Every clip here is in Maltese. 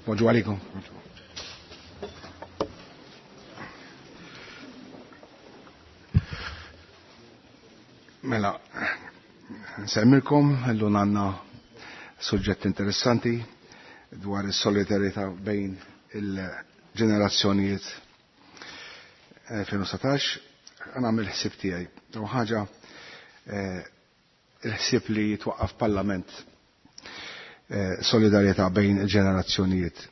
Bonġu għalikom. Mela, nsemmilkom, illum għandna suġġett interessanti dwar is-solidarjetà bejn il-ġenerazzjonijiet 2017. Għana ħsieb tiegħi. U ħaġa il-ħsieb li jitwaqqaf parlament solidarjetà bejn il-ġenerazzjonijiet.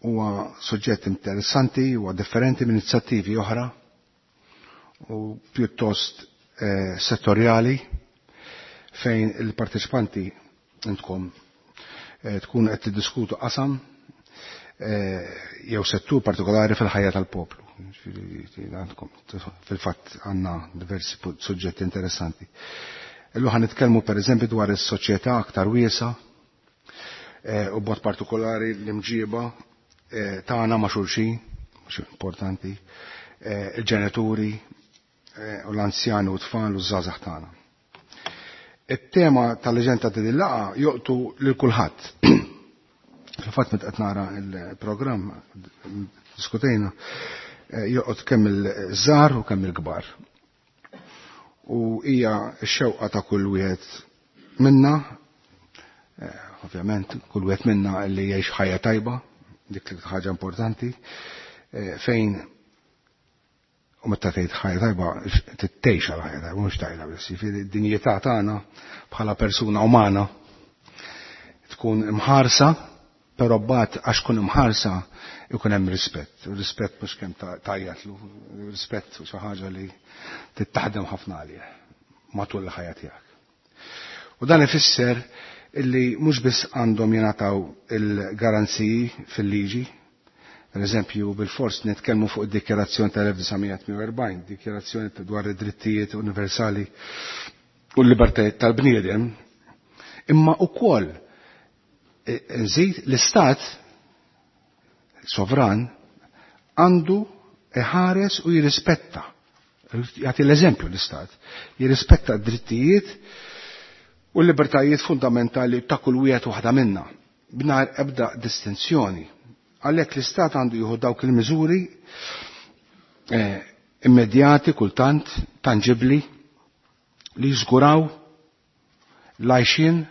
Huwa suġġett interessanti, huwa differenti minn inizjattivi oħra u pjuttost settorjali fejn il-parteċipanti intkom tkun qed tiddiskutu qasam jew settur partikolari fil-ħajja tal-poplu. Fil-fatt għandna diversi suġġetti interessanti. Illum ħa nitkellmu pereżempju dwar is-soċjetà aktar wiesa u b'mod partikolari l-imġiba tagħna ma' xulxin, mhux importanti, il-ġenituri u l-anzjani u t-tfal u ż-żgħażagħ tagħna. It-tema tal-leġenda ta' din il-laqgħa joqtu lil kulħadd. Fil-fatt meta qed nara l-programm diskutejna joqgħod kemm il-żgħar u kemm il-kbar. U hija x-xewqa ta' kull wieħed minna, ovvjament kull wieħed minna li jgħix ħajja tajba, dik li ħaġa importanti, fejn u meta tgħid ħajja tajba tittejx għal ħajja tajba, mhux tajla biss, jiġifieri d-dinjità tagħna bħala persuna umana tkun imħarsa, però mbagħad għax tkun imħarsa ikun hemm rispett. U rispett mhux kemm tajjatlu, rispett xi ħaġa li tittaħdem ħafna għalih matul il-ħajja tiegħek. U dan ifisser illi mhux biss għandhom jingħataw il-garanziji fil-liġi, per eżempju bil-fors nitkellmu fuq id-dikjarazzjoni tal-1948, dikjarazzjoni dwar id-drittijiet universali u l-libertajiet tal-bniedem, imma wkoll nżid l-istat sovran għandu iħares u jirrispetta, jagħti l-eżempju l-istat, jirrispetta d-drittijiet u l-libertajiet fundamentali ta' kull wieħed waħda minna, b'nar ebda distinzjoni. Għalhekk l-istat għandu jieħu dawk il-miżuri immedjati, kultant, tanġibli, li jiżguraw l-għajxien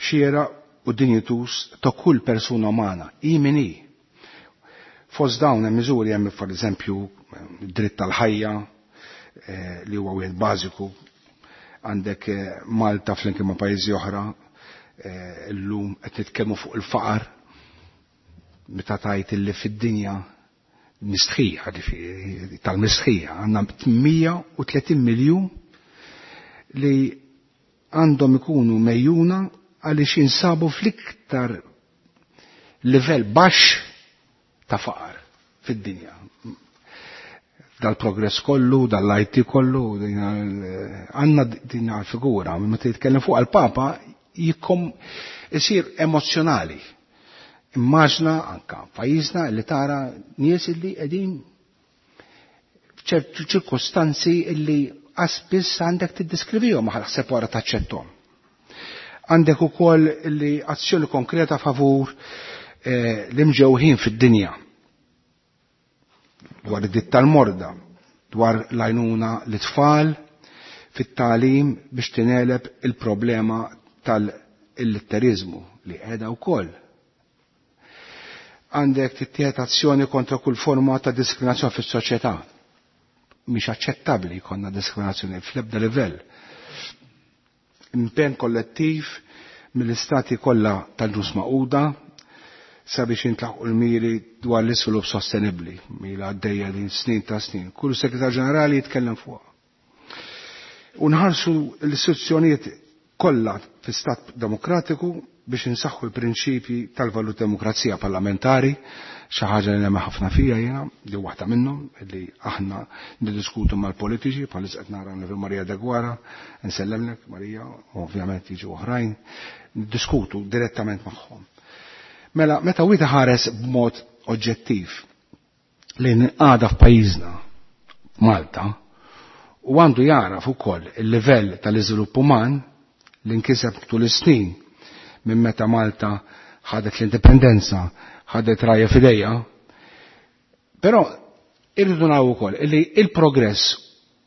xiera u dinjitus ta' kull persuna umana, i min hi. Fost dawn hemm miżuri hemm for eżempju dritt tal-ħajja li huwa wieħed bażiku, għandek Malta flimkien ma' pajjiżi oħra, illum qed nitkellmu fuq il-faqar, meta tajt illi fid-dinja mistħija, ġifieri tal-mistħija, għandna 130 miljun li għandhom ikunu mejjuna għaliex jinsabu fl-iktar livell baxx ta' faqar fid-dinja. Dal-progress kollu, dal-IT kollu, għandna din figura, meta jitkellem fuq għal-Papa, jikom isir emozjonali. Immaġna anka pajjiżna li tara nies illi qegħdin f'ċertu ċirkostanzi illi spiss għandek tiddiskrivihom ma ħseb wara taċċettom. Għandek ukoll li azzjoni konkreta favur l-imġewħin fid-dinja dwar id-ditt tal-morda, dwar l-għajnuna l-tfal fit-tagħlim biex tineleb il-problema tal-illitterizmu li qiegħda wkoll. Għandek tittieħed azzjoni kontra kull forma ta' diskriminazzjoni fis-soċjetà. Mhix aċċettabbli jkollna diskriminazzjoni fl-ebda livell. Impenn kollettiv mill-istati kollha tal-ġnus Magħquda sabiex jintlaħqu l-miri dwar l-iżvilupp sostenibbli, mila għaddejja din snin ta' snin. Kull segretar ġenerali jitkellem fuqha. U nħarsu l-istituzzjonijiet kollha fi stat demokratiku biex insaħħu l-prinċipji tal-valut demokrazija parlamentari, xi ħaġa li nemmen ħafna fija jiena, li waħda minnhom li aħna niddiskutu mal-politiċi, bħalis qed nara lil Marija Deguara, nsellemlek Marija, u ovvjament jiġu oħrajn, niddiskutu direttament magħhom. Mela, meta wieħed ħares b'mod oġġettiv lejn għada f'pajjiżna, Malta, u għandu jaraf ukoll il-livell tal-iżvilupp uman li nkiseb tul is-snin minn meta Malta ħadet l-indipendenza, ħadet rajja f'idejha. Però irridu naraw ukoll illi il-progress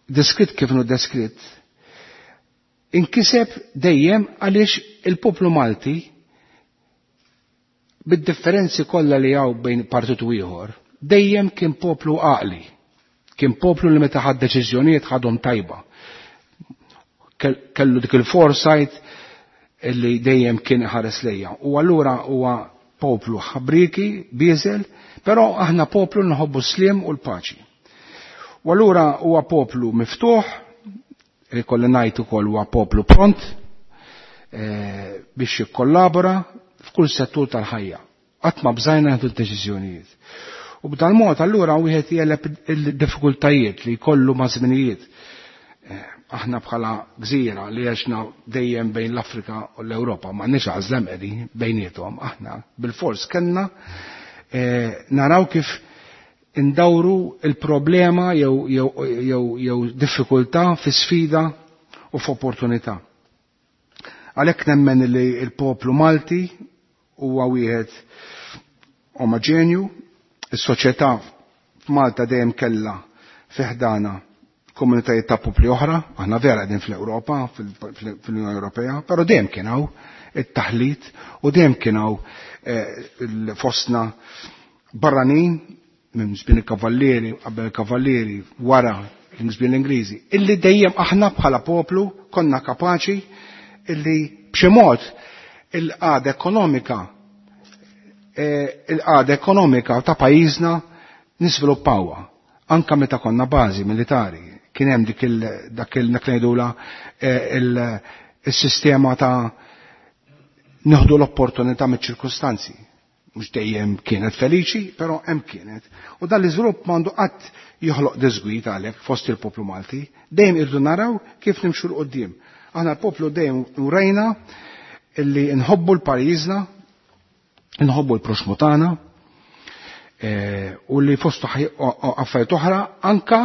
deskritt kif inhu deskritt inkiseb dejjem għaliex il-poplu Malti bid-differenzi kollha li hawn bejn partit u ieħor, dejjem kien poplu għaqli. Kien poplu li meta ħad deċiżjonijiet ħadhom tajba. Kellu dik il-foresight illi dejjem kien ħares lejja. U allura huwa poplu ħabriki, bieżel, però aħna poplu nħobbu s-sliem u l-paċi. U allura huwa poplu miftuħ, li kolli ngħid ukoll huwa poplu pront biex jikkollabora f'kull settur tal-ħajja. Qatt ma bżajna nieħdu d-deċiżjonijiet. U b'dan mod allura wieħed jeleb il-diffikultajiet li jkollu ma' żminijiet. Aħna bħala gżira li għexna dejjem bejn l-Afrika u l-Ewropa, ma nix għażla qegħdin bejniethom, aħna bil-fors kellna naraw kif indawru il-problema jew diffikultà fi sfida u f'opportunità. Għalhekk nemmen li l-poplu Malti huwa wieħed omogenju, is-soċjetà f'Malta dejjem kellha fi ħdana komunitajiet ta' popli oħra, aħna vera qegħdin fl-Ewropa, fl-Unjoni Ewropea, però dejjem kien hawn it-taħlit u dejjem kien hawn fostna barranin minn żmien il-kavallieri, qabel il-kavallieri, wara żmien l-Ingliżi, illi dejjem aħna bħala poplu konna kapaċi illi b'xi mod il-qagħda ekonomika il-qagħda ekonomika ta' pajjiżna niżviluppawha. Anka meta konna bażi militari, kien hemm dik dak il ngħidula il-sistema ta' nieħdu l-opportunità miċ-ċirkustanzi. Mhux dejjem kienet feliċi, però hemm kienet. U dan l-iżvilupp m'għandu qatt joħloq diżgwid għalhekk fost il-poplu Malti. Dejjem irdu naraw kif nimxu 'l quddiem. Aħna l-poplu dejjem urejna illi nħobbu l-pajjiżna, nħobbu l-proxmu tagħna, u li fost affarijiet oħra anka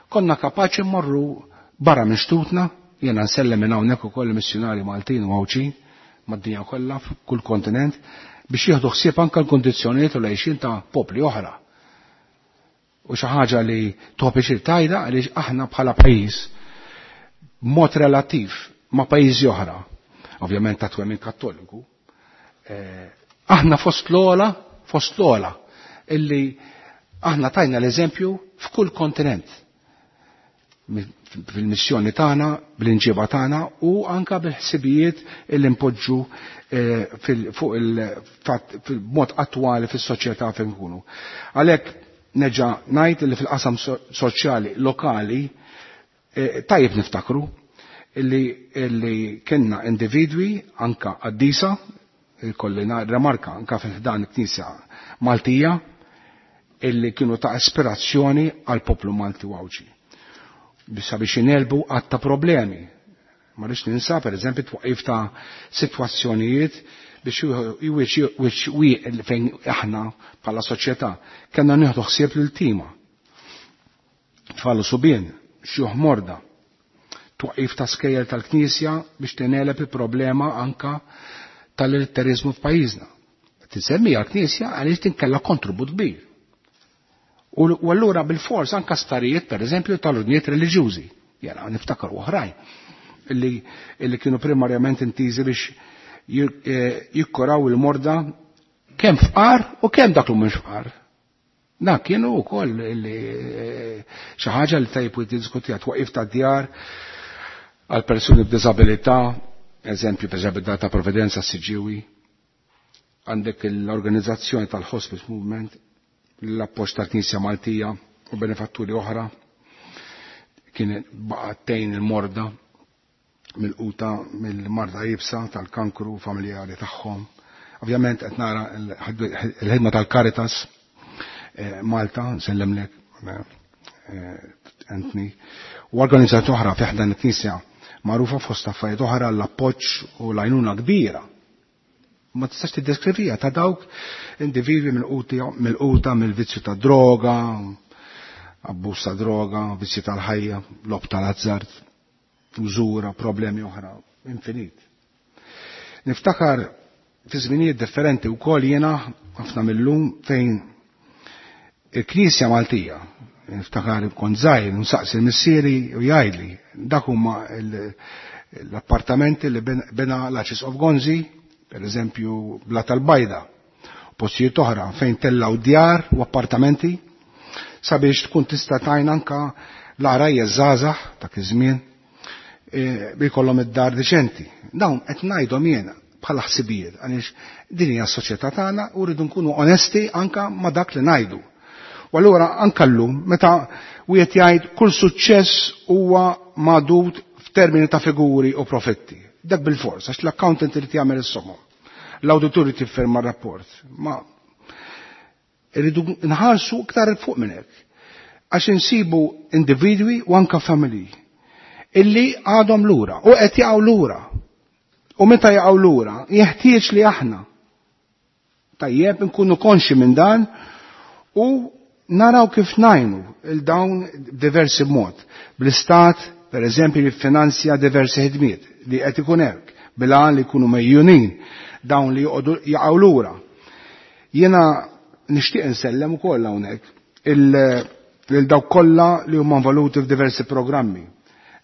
konna kapaċi mmorru barra minn xtutna, jiena nsellem minn hawnhekk ukoll missjunari Maltin u Għawdxin mad-dinja kollha f'kull kontinent biex jieħdu ħsieb anke l-kondizzjonijiet u l-għixien ta' popli oħra. U xi ħaġa li topi xi tajda għaliex aħna bħala pajjiż b'mod relattiv ma' pajjiżi oħra, ovvjament ta' twemmin kattoliku, aħna fost l-ogħla illi aħna tajna l-eżempju f'kull kontinent fil-missjoni tagħna, bl-inġiba tagħna u anka bil-ħsibijiet illi npoġġu fuq il-fatt fil-mod attwali fis-soċjetà fejn nkunu. Għalhekk neġa' ngħid li fil-qasam soċjali lokali tajjeb niftakru illi kellna individwi anka qaddisa, kolli remarka anka fil-ħdan il-Knisja Maltija illi kienu ta' ispirazzjoni għal poplu Malti u Għawdxi. Sabiex inelbu għatta problemi. Ma rridx ninsa, per eżempju, twaqif ta' sitwazzjonijiet biex fejn aħna bħala soċjetà kellna nieħdu ħsieb lil tima. Tfal u subien, xjuħ morda. Twaqif ta' skejjel tal-Knisja biex tineleb il-problema anka tal-illetteriżmu f'pajjiżna. Tisemmi għall-Knisja għaliex tinkella kontribut kbir. U allura bil-fors anka starijiet, per eżempju, tal-ordnijiet reliġjużi. Jena niftakar oħrajn illi kienu primarjament intiżi biex jikkoraw il-morda kemm fqar u kemm dak li mhux fqar. Dak kienu wkoll illi xi ħaġa li tajjeb tiddiskutija twaqif ta' djar għal persuni b'diżabilità, eżempju per eżempju ta' Provvidenza Siġġiewi, għandek l-organizzazzjoni tal-Hospice Movement, l-appoġġ tal-Knisja Maltija u benefatturi oħra, kien baqgħet il-morda mill-quta mill-marda jibsa tal-kankru familjari tagħhom. Ovvjament qed nara l-ħidma tal-Caritas Malta, nsellemlek Anthony, u organizzazzjoni oħra fi ħdan il-Knisja magħrufa fost affarijiet oħra l-appoġġ u l-għajnuna kbira. Ma tistax tiddeskrivija ta' dawk individwi mill-quta mill-vizzju ta' droga, abbuż ta' droga, vizzju tal-ħajja, lob tal-azzard, użura, problemi oħra, infinit. Niftakar fi żminijiet differenti wkoll jiena ħafna mill-lum fejn il-Knisja Maltija, niftakar kont żgħir, nsaqsi l-missieri u jgħidli, dak huma l-appartamenti li bena l-Arċisqof Gonzi, per eżempju Bla tal-Bajda, postijiet oħra fejn tellaw djar u appartamenti sabiex tkun tista' tajn anka l-għarajja żgħażagħ dak iż-żmien bi jkollhom id-dar diċenti. Dawn qed ngħidhom jiena bħala ħsibijiet għaliex din hija s-soċjetà tagħna u rridu nkunu onesti anka ma' dak li ngħidu. U allura anka llum meta wieħed jgħid kull suċċess huwa magħdud f'termini ta' figuri u profitti. Dak bil-fors, għax l-accountant irid jagħmel is-somom. L-awditur irid jiffirma r-rapport. Ma irridu nħarsu iktar 'il fuq minn hekk. Għax insibu individwi u anka familji illi għadhom lura u qed jaqgħu lura. U meta jaqgħu lura, jeħtieġ li aħna tajjeb nkunu konxi minn dan u naraw kif ngħinu il dawn diversi mod. Bl-istat, per eżempju, li finanzja diversi ħidmiet li qed ikun hekk bil-għan li jkunu mejjunin dawn li joqogħdu jaqgħu lura. Jiena nixtieq insellem ukoll hawnhekk lil dawk kollha li huma involuti f'diversi programmi.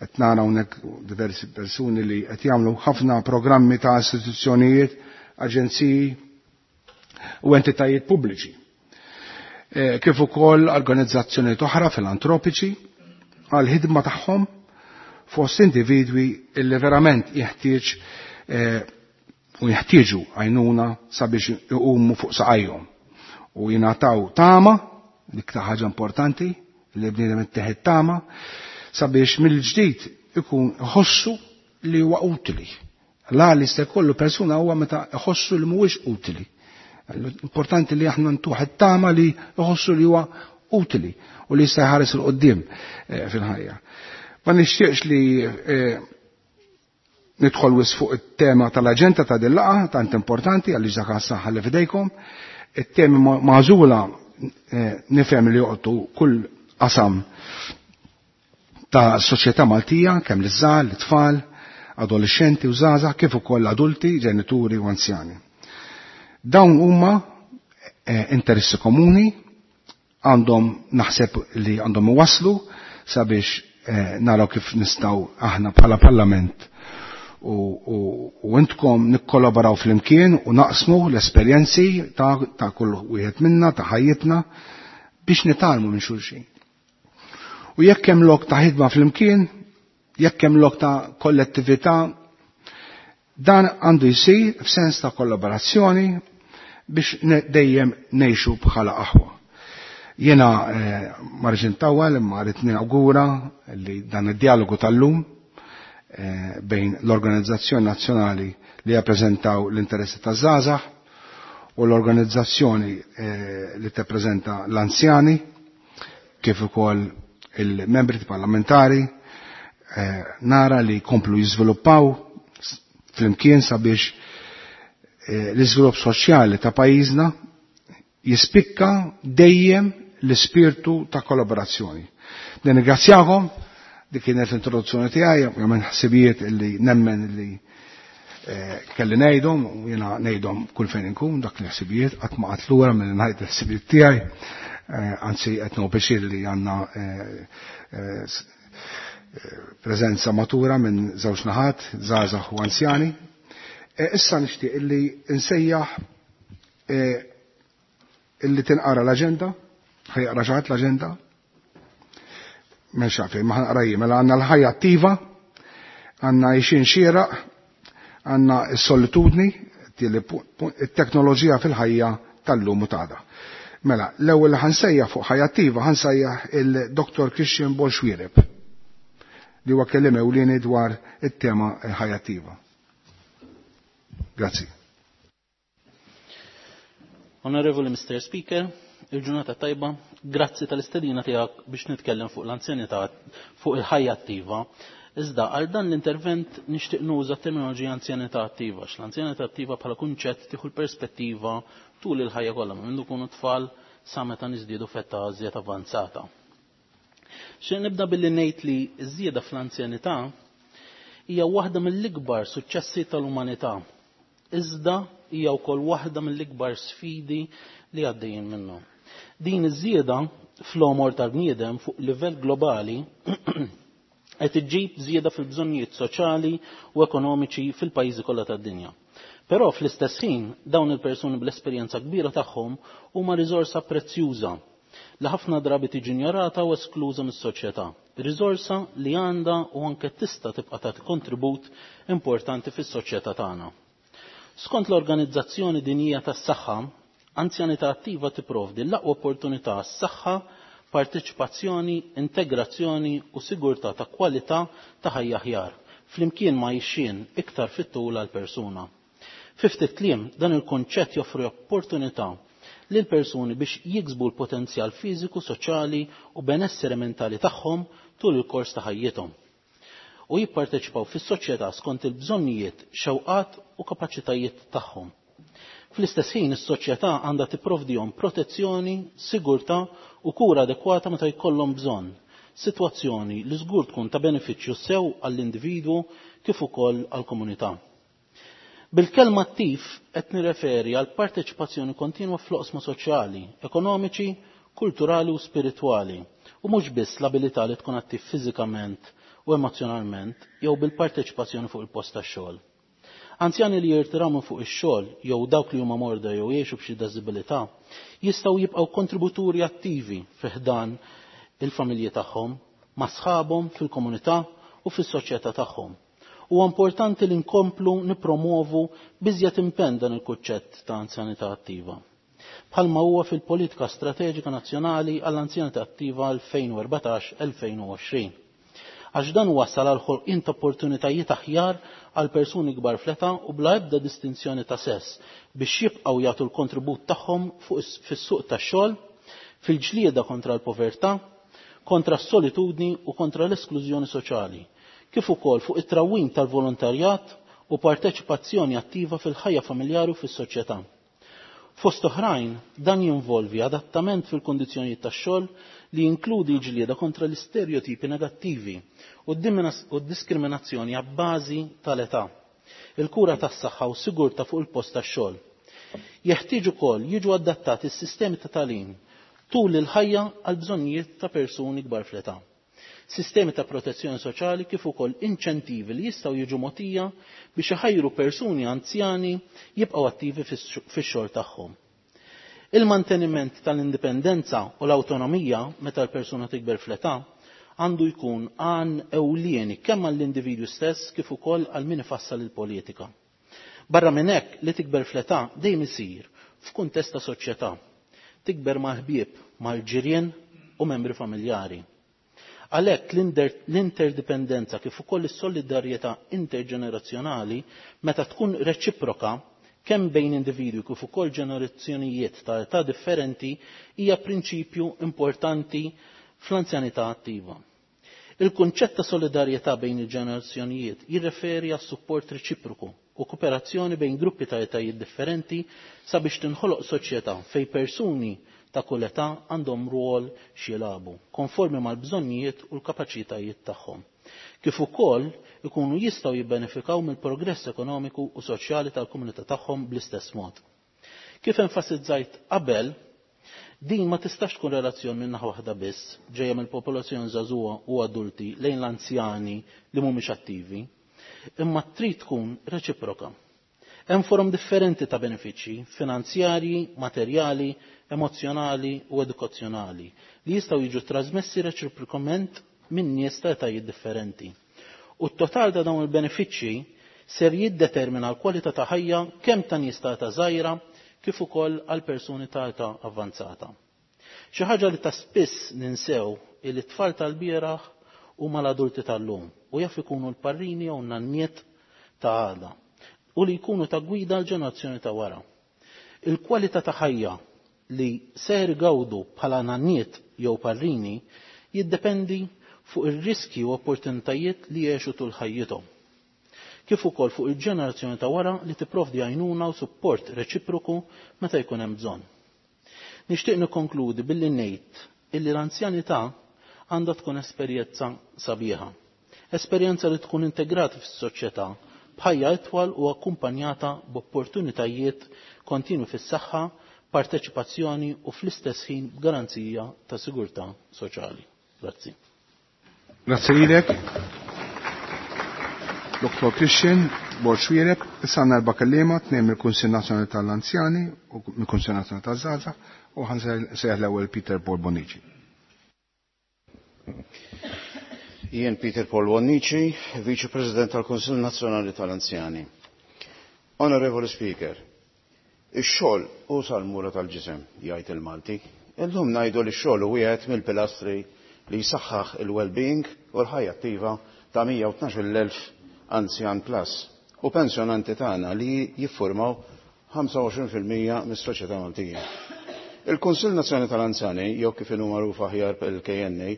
Qed nara hawnhekk diversi persuni li qed jagħmlu ħafna programmi ta' istituzzjonijiet, aġenziji u entitajiet pubbliċi. Kif ukoll organizzazzjonijiet oħra filantropiċi għal ħidma tagħhom fost individwi illi verament jeħtieġ u jeħtieġu għajnuna sabiex iqumu fuq saqajhom u jingħataw tama, dik ta' ħaġa importanti li bniedem ittieħed tama, sabiex mill-ġdid ikun iħossu li huwa utili. La li se jkollu persuna huwa meta iħossu li mhuwiex utili. Importanti li aħna ntuħ it-tama li iħossu li huwa utili u li jista' jħares 'il quddiem fil-ħajja. Ma nixtieqx li nidħol wis fuq it-tema tal-aġenda ta' din laqgħa tant importanti għaliex dak għas-saħħa li f'idejkom. It-temi magħżula nifhem li joqgħdu kull qasam ta' soċjetà Maltija, kemm liż-żgħar, l-tfal, adolescenti u żgħażagħ, kif ukoll adulti, ġenituri u anzjani. Dawn huma interessi komuni, għandhom naħseb li għandhom iwasslu sabiex naraw kif nistgħu aħna bħala Parlament u intkom nikkollaboraw flimkien u naqsmu l-esperjenzi ta' kull wieħed minna, ta' ħajjitna, biex nitgħallmu minn xulxin. U jekk hemm lok ta' ħidma flimkien, jekk hemm lok ta' kollettività, dan għandu jsir f'sens ta' kollaborazzjoni biex dejjem ngħixu bħala aħwa. Jiena ma rridx intawwal imma rrid ninawgura li dan id-dialogu tal-lum bejn l-Organizzazzjoni Nazzjonali li jappreżentaw l-interessi taż-żgħażagħ u l-organizzazzjoni li tippreżenta l-anzjani, kif ukoll il-membri parlamentari, nara li jkomplu jiżviluppaw flimkien sabiex l-iżvilupp soċjali ta' pajjiżna jispikka dejjem l-ispirtu ta' kollaborazzjoni. Nirringrazzjakom, dik kienet l-introduzzjoni tiegħi, ovvjament ħsibijiet illi nemmen illi kelli ngħidhom u jiena ngħidhom kull fejn inkun dak l-ħsibijiet qatt ma qatt lura milli ngħid il-ħsibijiet tiegħi, anzi qed nieħu pjaċir li għandna preżenza matura minn żewġ naħat, żgħażagħ u anzjani. Issa nixtieq illi nsejjaħ illi tinqara l-aġenda, ħajqra xi ħadd l-aġenda? M'hemmx għalfejn, ma ħanqra jien, mela għandna l-ħajja attiva, għandna għixien xieraq, għandna s-solitudni, it-teknoloġija fil-ħajja tal-lum u t'għada. Mela, l-ewwel li ħansejjaħ fuq ħajja attiva ħansejjaħ il-Dr. Christian Borg Xuereb, li huwa kelliem ewlieni dwar it-tema ħajja attiva. Grazzi. Onorevoli Mr. Speaker, il-ġurnata tajba, grazzi tal-istedina tiegħek biex nitkellem fuq l-anzjanità, fuq il-ħajja attiva. Iżda għal dan l-intervent nixtieq nuża terminoloġija anzjanità attiva, għax l-anzjanità attiva bħala kunċett tieħu l-perspettiva tul il-ħajja kollha, minn mindu kunu tfal sa meta niżdiedu f'età iżjed avanzata. Xi nibda billi ngħid li ż-żieda fl-anzjanità hija waħda mill-ikbar suċċessi tal-umanità. Iżda hija wkoll waħda mill-ikbar sfidi li għaddejjin minnhom. Din iż-żieda fl-għomor tal-bniedem fuq livell globali qed iġġib żieda fil-bżonnijiet soċjali u ekonomiċi fil-pajjiżi kollha tad-dinja. Però fl-istess ħin dawn il-persuni bl-esperjenza kbira tagħhom huma riżorsa prezzjuża li ħafna drabi tiġi injorata u eskluża mis-soċjetà. Riżorsa li għandha u anke tista' tibqa' tagħti kontribut importanti fis-soċjetà tagħna. Skont l-Organizzazzjoni Dinjija tas-Saħħa, anzjanità attiva tipprovdi l-aqwa opportunità għas-saħħa, parteċipazzjoni, integrazzjoni u sigurtà ta' kwalità ta' ħajja aħjar, flimkien ma' għixien iktar fit-tul għall-persuna. Fi ftit kliem, dan il-kunċett joffri opportunità lil persuni biex jiksbu l-potenzjal fiżiku, soċjali u benessere mentali tagħhom tul il-kors ta' ħajjithom u jipparteċipaw fis-soċjetà skont il-bżonnijiet, xewqat u kapaċitajiet tagħhom. Fl-istess ħin is-soċjetà għandha tipprovdihom protezzjoni, sigurtà u kura adekwata meta jkollhom bżonn, sitwazzjoni li żgur tkun ta' benefiċċju sew għall-individwu kif ukoll għall-komunità. Bil-kelma attiv qed nirreferi għal parteċipazzjoni kontinwa fl-oqsma soċjali, ekonomiċi, kulturali u spiritwali, u mhux biss l-abilità li tkun attiv fiżikament u emozjonalment jew bil-parteċipazzjoni fuq il-post tax-xogħol. Anzjani li jirtiraw minn fuq ix-xogħol jew dawk li huma morda jew jgħixu b'xi diżabilità jistgħu jibqgħu kontributuri attivi fi ħdan il-familji tagħhom, ma' sħabhom fil-komunità u fis-soċjetà tagħhom. Huwa importanti li nkomplu nippromovu biżjed impenn dan il-kunċett ta' anzjanità attiva. Bħalma huwa fil-Politika Strateġika Nazzjonali għall-Anzjanità Attiva 2014-2020. Għax dan wassal għal ħolqien ta' opportunitajiet aħjar għal persuni kbar fl-età u bla ebda distinzjoni ta' sess biex jibqgħu jagħtu l-kontribut tagħhom fis-suq tax-xogħol, fil-ġlieda kontra l-povertà, kontra s-solitudni u kontra l-esklużjoni soċjali, kif ukoll fuq it-trawwim tal-volontarjat u parteċipazzjoni attiva fil-ħajja familjari u fis-soċjetà. Fost oħrajn, dan jinvolvi adattament fil-kondizzjonijiet tax-xogħol li jinkludi l-ġlieda kontra l-istereotipi negattivi u d-diskriminazzjoni abbażi tal-età, il-kura tas-saħħa u sigurtà fuq il-post tax-xogħol. Jeħtieġ ukoll jiġu adattati s-sistemi ta' tagħlim tul il-ħajja għal bżonnijiet ta' persuni kbar fl-età. Sistemi ta' protezzjoni soċjali kif ukoll inċentivi li jistgħu jiġu mogħtija biex iħajru persuni anzjani jibqgħu attivi fix-xogħol tagħhom. Il-manteniment tal-indipendenza u l-awtonomija meta l-persuna tikber fl-età għandu jkun għan ewlieni kemm għall-individwu stess kif ukoll għal min ifassal il-politika. Barra minn hekk li tikber fl-età dejjem isir f'kuntest ta' soċjetà. Tikber mal-ħbieb, mal-ġirien u membri familjari. Għalhekk l-interdipendenza kif ukoll is-solidarjetà interġenerazzjonali meta tkun reċiproka kemm bejn individwi kif ukoll ġenerazzjonijiet ta' età differenti hija prinċipju importanti fl-anzjanità attiva. Il-kunċett ta' solidarjetà bejn il-ġenerazzjonijiet jirreferi għas support reċiproku u kooperazzjoni bejn gruppi ta' etajiet differenti sabiex tinħoloq soċjetà fejn persuni ta' kull età għandhom rwol x'jilagħbu, konformi mal-bżonnijiet u l-kapaċitajiet tagħhom. Kif ukoll ikunu jistgħu jibbenefikaw mill-progress ekonomiku u soċjali tal-komunità tagħhom bl-istess mod. Kif enfasizzajt qabel, din ma tistax tkun relazzjoni minn naħa waħda biss, ġejja mill-popolazzjoni żagħżugħa u adulti lejn l-anzjani li mhumiex attivi, imma trid tkun reċiproka. Hemm forom differenti ta' benefiċċji finanzjarji, materjali, emozzjonali u edukazzjonali li jistgħu jiġu trasmessi reċiprokament minn nies ta' etajiet differenti. U t-total ta' dawn il-benefiċċji ser jiddetermina l-kwalità ta' ħajja kemm ta' nies ta' età żgħira kif ukoll għal persuni ta' età avvanzata. Xi ħaġa li ta' spiss ninsew li t-tfal tal-bieraħ huma l-adulti tal-lum u jaf ikunu l-parrini jew nanniet ta' għada u li jkunu ta' gwida l-ġenerazzjoni ta' wara. Il-kwalità ta' ħajja li ser igawdu bħala nanniet jew parrini jiddependi fuq ir-riski u opportunitajiet li jgħixu tul ħajjithom. Kif ukoll fuq il-ġenerazzjoni ta' wara li tipprovdi għajnuna u support reċiproku meta jkun hemm bżonn. Nixtieq nikkonkludi billi ngħid illi l-anzjanità għandha tkun esperjenza sabiħa. Esperjenza li tkun integrata fis-soċjetà b'ħajja itwal u akkumpanjata b'opportunitajiet kontinwi fis-saħħa, parteċipazzjoni u fl-istess ħin b'garanzija ta' sigurtà soċjali. Grazzi. Grazzi lilek. Dr. Christian Borg Xuereb, issa għandna erba' kelliema, tnejn mill-Kunsill Nazzjonali tal-Anzjani u mill-Kunsill Nazzjonali taż-Żgħażagħ u ħansejjaħ l-ewwel Peter Paul Bonnici. Jien Peter Paul Bonnici, Viċi President tal-Kunsill Nazzjonali tal-Anzjani. Onorevoli Speaker, ix-xogħol hu sal-mura tal-ġisem, jgħid il-Malti. Illum ngħidu li x-xogħol hu wieħed mill-pilastri li jsaħħaħ il-well-being u l-ħajja attiva ta' 112,000 anzjan plus u pensjonanti tagħna li jiffurmaw 25% mis-soċjetà Maltija. Il-Kunsill Nazzjonali tal-Anzjani, jew kif inhu magħruf aħjar il-KNA,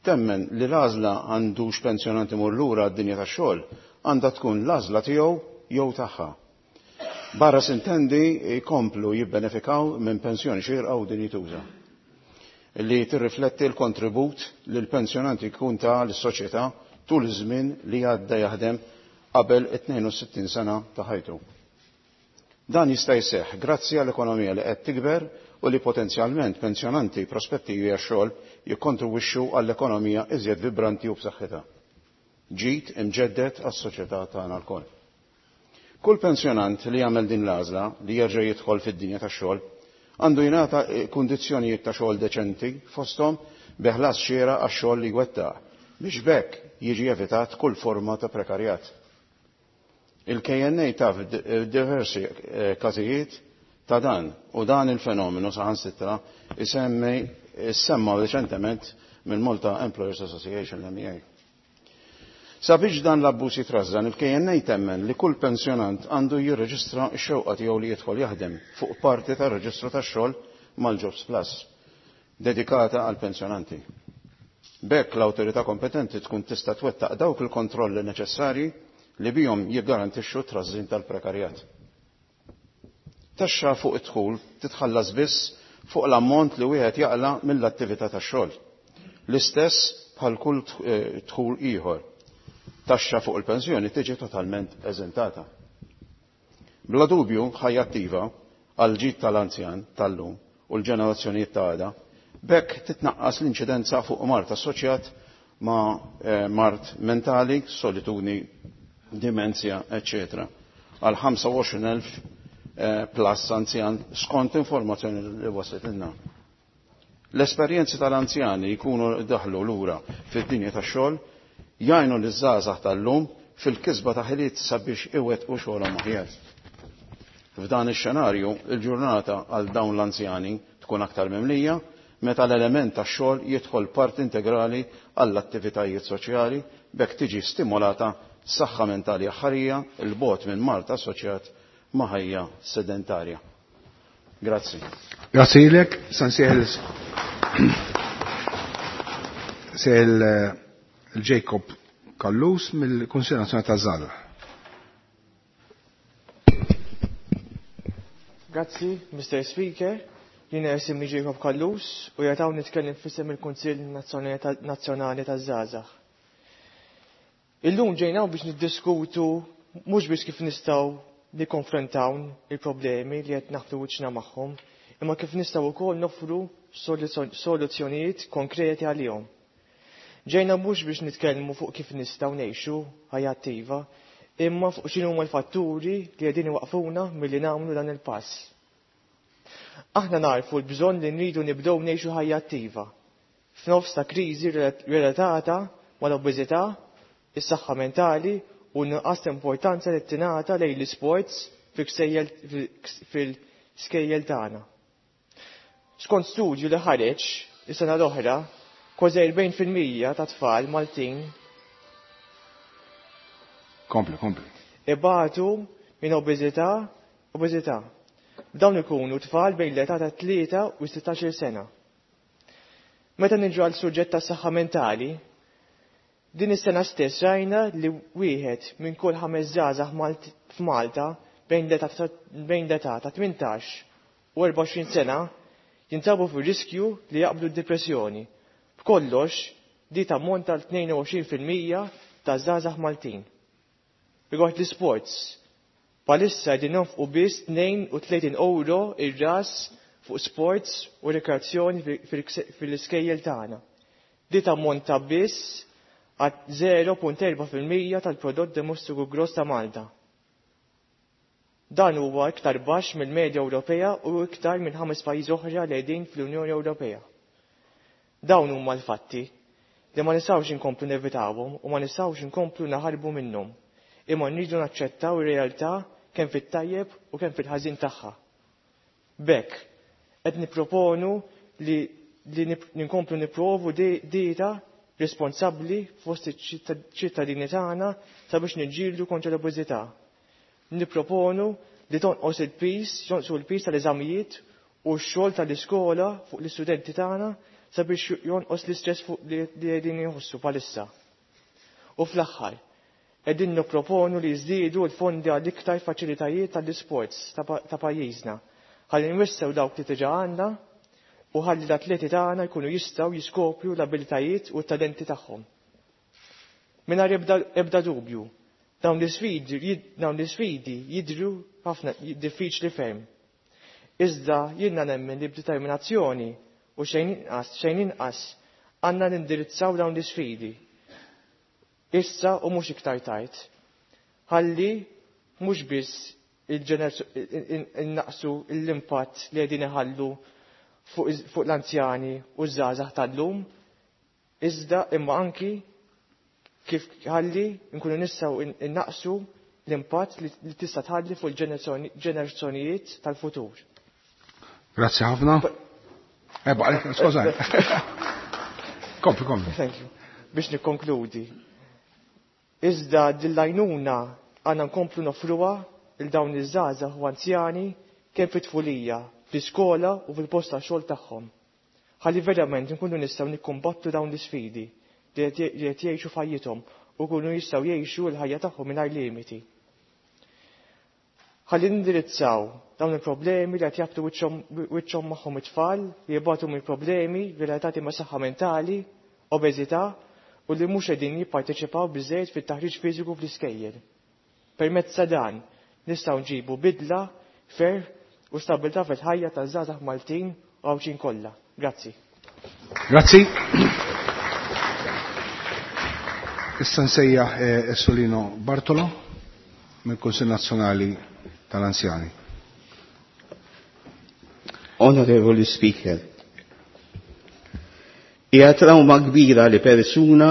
temmen li l-għażla għandux pensjonanti imur lura għad-dinja tax-xogħol għandha tkun l-għażla tiegħu jew tagħha. Barra sintendi jkomplu jibbenefikaw minn pensjoni xierqa u dinjituża li tirrifletti l-kontribut li l-pensjonanti jkun ta lis-soċjetà tul iż-żmien li għadda jaħdem qabel 62 sena ta' ħajtu. Dan jista' jseħħ grazzi għall-ekonomija li qed tikber u li potenzjalment pensjonanti prospettivi għax-xogħol jikkontribwixxu għall-ekonomija iżjed vibranti u b'saħħitha. Ġid imġedded għas-soċjetà tagħna lkoll. Kull pensjonant li jagħmel din l-għażla li jerġa' jidħol fid-dinja tax-xogħol għandu jingħata kundizzjonijiet ta' xogħol deċenti fosthom bi ħlas xieraq għax-xogħol li jwettaq biex b'hekk jiġi evitat kull forma ta' prekarjat. Il-KNA taf diversi każijiet ta' dan u dan il-fenomenu saħansitra isemmi semma reċentement mill-Malta Employers Association l-MEA. Sabiex dan l-abbuż jitrażżan, il-KNA temmen li kull pensjonant għandu jirreġistra x-xewqa tiegħu li jidħol jaħdem fuq parti tar-reġistru tax-xogħol mal-Jobs Plus dedikata għal pensjonanti. B'hekk l-awtorità kompetenti tkun tista' twettaq dawk il-kontrolli neċessarji li bihom jiggarantixxu t-trażżin tal-prekarjat. Taxxa fuq id-dħul titħallas biss fuq l-ammont li wieħed jaqla' mill-attività tax-xogħol. L-istess bħal kull dħul ieħor. Taxxa fuq il-pensjoni tiġi totalment eżentata. Bla dubju, ħajja attiva għall-ġid tal-anzjan tal-lum u l-ġenerazzjonijiet ta' għada, b'hekk titnaqqas l-inċidenza fuq mard assoċjat ma' mard mentali, solitudni, dimenzja, eċċetera għal 25,000 plus anzjan skont informazzjoni li waslitilna. L-esperjenzi tal-anzjani jkunu daħlu lura fid-dinja tax-xogħol jgħinu liż-żgħażagħ tal-lum fil-kisba ta' ħiliet sabiex iwettqu xogħolhom aħjar. F'dan ix-xenarju, il-ġurnata għal dawn l-anzjani tkun aktar mimlija meta l-element tax-xogħol jidħol part integrali għall-attivitajiet soċjali b'hekk tiġi stimolata saħħa mentali aħħarija 'l bogħod minn mard assoċjat ma' ħajja sedentarja. Grazzi. Grazzi lilek, San Sejl Jacob Callus mill-Kunsill Nazzjonali taż-Żgħażagħ. Grazzi, Mr. Speaker. Jiena isimni Jacob Callus u qiegħed hawn nitkellem f'isem il-Kunsill Nazzjonali taż-Żgħażagħ. Illum ġejna biex niddiskutu mhux biss kif nistgħu nikkonfrontaw il-problemi li qed naħbtu wiċċna magħhom, imma kif nistgħu wkoll noffru soluzzjonijiet konkreti għalihom. Ġejna mhux biex nitkellmu fuq kif nistgħu ngħixu ħajja attiva, imma fuq x'inhuma l-fatturi li qegħdin iwaqfuna milli nagħmlu dan il-pass. Aħna narfu l-bżonn li nridu nibdew ngħixu ħajja attiva f'nofs ta' kriżi relatata mal-obeżità, is-saħħa mentali u nuqqas ta' importanza li tingħata lejn l-isports fil-skejjel tagħna. Skont studju li ħareġ is-sena l-oħra, kważi 40% ta' tfal Maltin Kompli, kompli. ibatu minn obeżità, obeżità. Dawn ikunu tfal bejn l-età ta' 3 u 16 sena. Meta niġu għal suġġett ta' saħħa mentali, din is-sena stess rajna li wieħed minn kull ħames żgħażagħ f'Malta bejn l-età ta' 18 u 24 sena jinsabu fir-riskju li jaqbdu d-depressjoni. B'kollox, di tammonta l 22% ta' żgħażagħ Maltin. Rigward l-isports, bħalissa qegħdin nonfqu biss 32 euro ir-ras fuq sports u rekreazzjoni fil-iskejjel tagħna. Di tammonta biss għal 0.4% tal-prodott domestiku gross ta' Malta. Dan huwa iktar baxx mill-medja Ewropea u iktar minn ħames pajjiżi oħra li qegħdin fl-Unjoni Ewropea. Dawn huma l-fatti li ma nistgħux inkomplu nevitawhom u ma nistgħux inkomplu naħarbu minnhom. Imma nridu naċċettaw ir-realtà kemm fit-tajjeb u kemm fil-ħażin tagħha. B'hekk qed nipproponu li li ninkomplu nipprovu dieta responsabbli fost iċ-ċittadini tagħna sabiex niġġieldu kontra l-obeżità. Nipproponu li tonqos il-piż, jonqsu l-piż tal-eżamijiet u x-xogħol tal-iskola fuq l-istudenti tagħna sabiex jonqos l-istress fuq li qegħdin jħossu bħalissa. U fl-aħħar, qegħdin nipproponu li jżdiedu l-fondi għal iktar faċilitajiet tal-isports ta' pajjiżna. Ħalli nwissew dawk li diġà għandna u ħalli l-atleti tagħna jkunu jistgħu jiskopru l-abilitajiet u t-talenti tagħhom. Mingħajr ebda dubju, dawn l-isfidi jidhru ħafna diffiċli ferm. Iżda jiena nemmen li b'determinazzjoni u xejn inqas, xejn inqas għandna nindirizzaw dawn l-isfidi. Issa u mhux iktar tard. Ħalli mhux biss innaqsu l-impatt li qegħdin iħallu fuq l-anzjani u ż-żgħażagħ tal-lum, iżda imma anki kif ħalli nkunu nistgħu innaqsu l-impatt li tista' tħalli fuq il-ġenerazzjonijiet tal-futur. Grazzi ħafna. Eba, skużani. Kompli, kompli. Thank you. Biex nikkonkludi. Iżda dil-lajnuna għandna nkomplu nofruha il dawn iż-żgħażagħ u anzjani kemm fit-tfulija, fl-iskola u fil-post tax-xogħol tagħhom. Ħalli verament nkunu nistgħu nikkumbattu dawn l-isfidi li qed jgħixu f'ħajjithom u jkunu jistgħu jgħixu l-ħajja tagħhom mingħajr limiti. Ħalli nindirizzaw dawn il-problemi li qed jabtu wiċċhom magħhom it-tfal li jibgħatu minn problemi relatati ma' saħħa mentali, obeżità u li mhux qegħdin jipparteċipaw biżejjed fit-taħriġ fiżiku fl-iskejjel. Permezz ta' dan nistgħu nġibu bidla, ferħ u stabilità fil-ħajja taż-żgħażagħ Maltin u Għawdxin kollha. Grazzi. Grazzi. Issa nsejjaħ Solino Bartolo mill-Kunsill Nazzjonali tal-Anzjani. Onorevoli Speaker, hija trauma kbira li persuna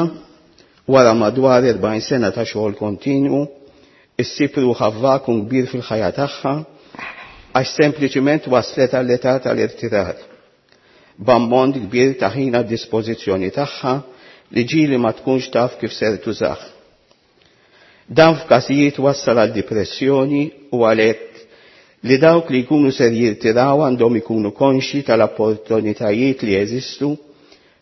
wara madwar 40 sena ta' xogħol kontinwu issib ruħha f'vakum kbir fil-ħajja tagħha għax sempliċiment waslet għall-età tal-irtirar. B'ammont kbir ta' ħin għad dispożizzjoni tagħha li ġieli ma tkunx taf kif ser tużah. Dan f'każijiet wassal għal depressjoni u għalhekk li dawk li jkunu ser jirtiraw għandhom ikunu konxi tal-opportunitajiet li jeżistu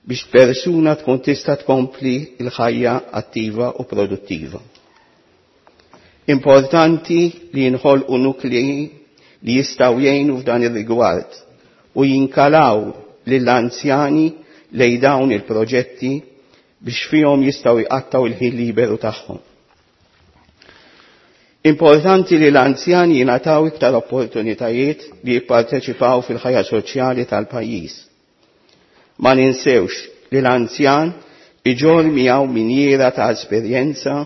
biex persuna tkun tista' tkompli l-ħajja attiva u produttiva. Importanti li jinħolqu nuklei li jistgħu jgħinu f'dan ir-rigward u jinkalaw lill-anzjani lejn dawn il-proġetti biex fihom jistgħu jqattgħu il-ħin liberu tagħhom. Importanti li l-anzjani jingħataw iktar opportunitajiet li jipparteċipaw fil-ħajja soċjali tal-pajjiż. Ma ninsewx li l-anzjan iġorr miegħu minjiera ta' esperjenza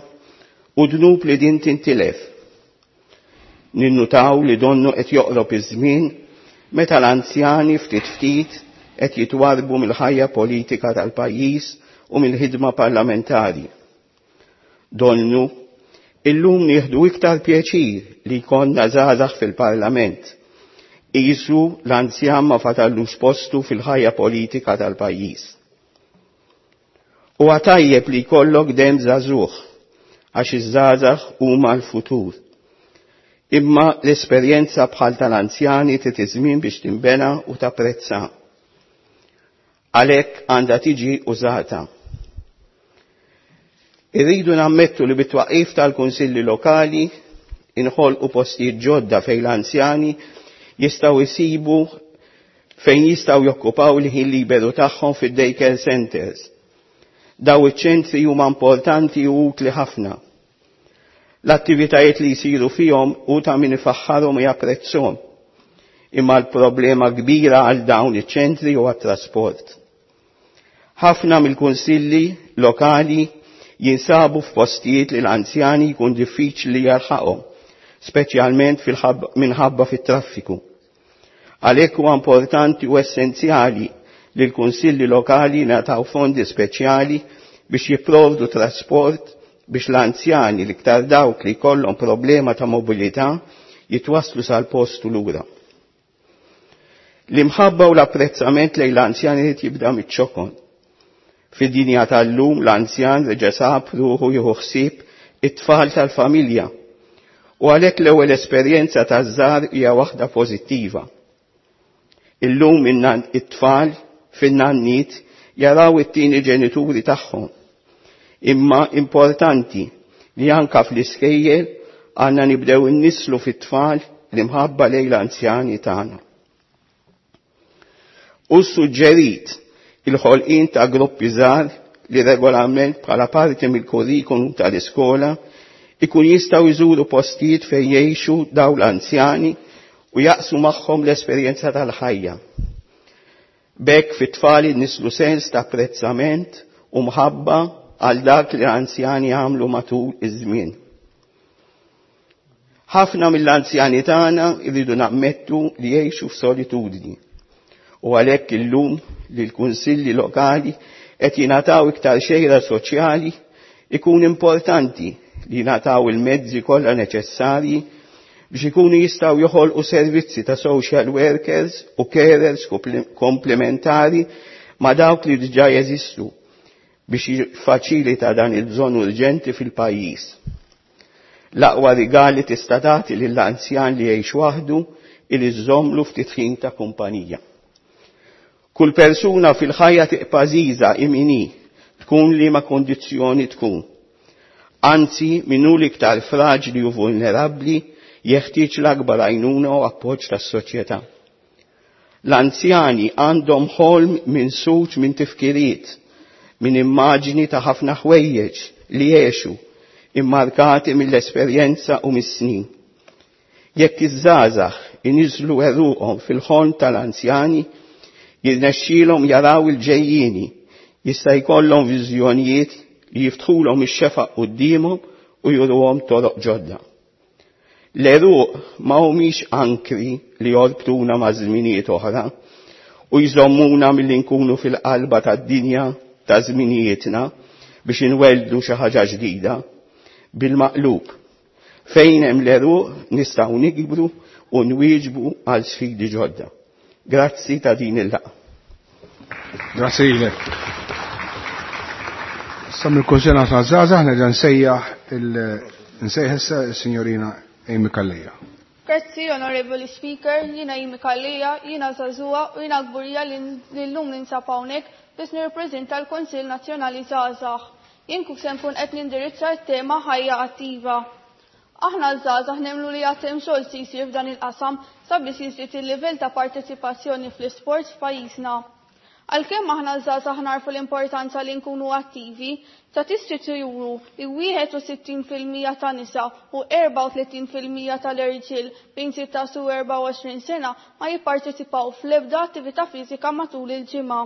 u dnub li din tintilef. Ninnutaw li donnu qed joqrob iż-żmien meta l-anzjani ftit ftit qed jitwarbu mill-ħajja politika tal-pajjiż u mill-ħidma parlamentari. Donnu illum nieħdu iktar pjaċir li jkollna żgħażagħ fil-Parlament. Qisu l-anzjan ma fatallux postu fil-ħajja politika tal-pajjiż. Huwa tajjeb li jkollok dem żagħżugħ għax iż-żgħażagħ huma l-futur. Imma l-esperjenza bħal tal-anzjani trid iż-żmien biex tinbena u tapprezza. Għalhekk għandha tiġi użata. Irridu nammettu li bit-twaqqif tal-kunsilli lokali inħolqu postijiet ġodda fejn l-anzjani jistgħu jsibu fejn jistgħu jokkupaw il-ħin liberu tagħhom fid-daycare centers. Daw iċ-ċentri huma importanti u utli ħafna. L-attivitajiet li jsiru fihom u ta' min ifaħħarhom u japprezzhom. Imma l-problema kbira għal dawn iċ-ċentri huwa t-trasport. Ħafna mill-kunsilli lokali jinsabu f'postijiet li l-anzjani jkun diffiċli jalħaqhom, speċjalment minħabba fit-traffiku. Għalhekk huwa importanti u essenzjali li l-kunsilli lokali ngħataw fondi speċjali biex jipprovdu trasport biex l-anzjani l-iktar dawk li jkollhom problema ta' mobilità jitwasslu sal-post u lura. L-imħabba u l-apprezzament lejn l-anzjani li jibda miċ-ċokon. Fid-dinja tal-lum l-anzjan reġa' sab ruħu jieħu ħsieb it-tfal tal-familja. U għalhekk l-ewwel esperjenza taż-żgħar hija waħda pożittiva. Illum it-tfal fin-nanniet jaraw it-tieni ġenituri tagħhom. Imma importanti li anka fl-iskejjel għandna nibdew innislu fit-tfal l-imħabba lejn l-anzjani tagħna. U suġġerit il-ħolqien ta' gruppi żgħar li regolarment bħala parti mill-kurrikulum tal-iskola ikun jistgħu jżuru postijiet fejn jgħixu dawn l-anzjani u jaqsmu magħhom l-esperjenza tal-ħajja. B'hekk fit-tfal nislu sens ta' apprezzament u mħabba għal dak li l-anzjani għamlu matul iż-żmien. Ħafna mill-anzjani tagħna jridu nammettu li jgħixu f'solitudni. U għalhekk illum li l-kunsilli lokali qed jingħataw iktar xejra soċjali ikun importanti li jingħataw il-mezzi kollha neċessarji biex ikunu jistgħu joħolqu servizzi ta' social workers u carers komplementari ma' dawk li diġà jeżistu biex jiffaċilita dan il-bżonn urġenti fil-pajjiż. L-aqwa rigali tista' tagħti lill-anzjan li jgħix waħdu il iżżommlu ftit ħin ta' kumpanija. Kull persuna fil-ħajja tiqpa' għażiża imini tkun li ma' kondizzjoni tkun. Anzi, min hu l-iktar fraġli u vulnerabbli jeħtieġ l-akbar għajnuna u appoġġ tas-soċjetà. L-anzjani għandhom ħolm minn suċ minn tifkiriet, minn immaġni ta' ħafna ħwejjeġ li jgħixu immarkati mill-esperjenza u mis-snin. Jekk iż-żgħażagħ iniżlu għeruqhom fil-ħolm tal-anzjani, jirnexxielhom jaraw il-ġejjieni, jista' jkollhom viżjonijiet li jiftħulhom ix-xefaq quddiemhom u juruhom toroq ġodda. L-għeruq ma humiex ankri li jorbtuna ma' żminijiet oħra u jżommuna milli nkunu fil-qalba tad-dinja ta' żminijietna biex inwelldu xi ħaġa ġdida. Bil-maqlub, fejn hemm l-għeruq nistgħu nikbru u nwieġbu għal sfidi ġodda. Grazzi ta' din il-laqgħa. Grazzi lilek. Issa mill-Kunsill Nazzjonali Żgħażagħ nerġa' nsejjaħ nsejjaħ issa s-Sinjorina Amy Calleja. Grazzi, Onorevoli Speaker, jiena Amy Calleja, jiena żagħżugħa u jiena kburija li llum ninsab hawnhekk biex nirrappreżenta l-Kunsill Nazzjonali Żgħażagħ. Jien kif se nkun qed nindirizza t-tema ħajja attiva. Aħna l-żgħażagħ nemmnu li għad hemm xogħol se jsir f'dan il-qasam sabiex jiżdied il-livell ta' parteċipazzjoni fl-isport f'pajjiżna. Għalkemm aħna l-żgħażagħ narfu l-importanza li nkunu attivi, statistiċi juru li 61% ta' nisa u 34% tal-irġiel bejn 16 u 24 sena ma jipparteċipaw fl-ebda attività fiżika matul il-ġimgħa.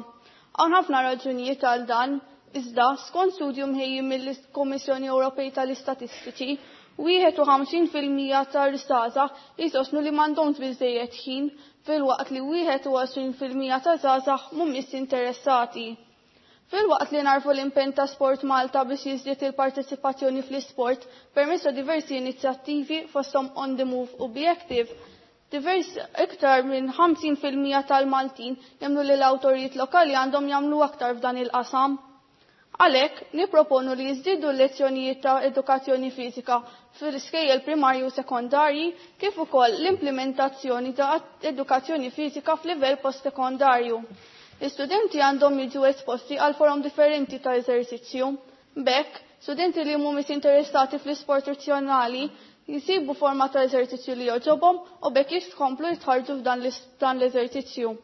Hawn ħafna raġunijiet għal dan, iżda skont studju mħejji mill-Kummissjoni Ewropej tal-Istatistiċi, 51% tal-żgħażagħ jisostnu li m'għandhomx biżejjed ħin filwaqt li 21% ta' żgħażagħ mhumiex interessati. Filwaqt li narfu l-impenn ta' Sport Malta biex jiżdied il-parteċipazzjoni fl-isport permezz ta' diversi inizjattivi fosthom On the Move u Be Active, divers iktar minn 50% tal-Maltin jemmnu li l-awtoritajiet lokali għandhom jagħmlu aktar f'dan il-qasam. Għalhekk nipproponu li jiżdiedu l-lezzjonijiet ta' edukazzjoni fiżika fil-iskejjel primarji u sekondarji kif ukoll l-implementazzjoni ta' edukazzjoni fiżika f'livell post-sekondarju. L-istudenti għandhom jiġu esposti għal forom differenti ta' eżerċizzju. B'hekk, studenti li mhumiex interessati fl-isport tradizzjonali jisibu forma ta' eżerċizzju li jogħġobhom u b'hekk jitkomplu jitħarġu f'dan l-eżerċizzju.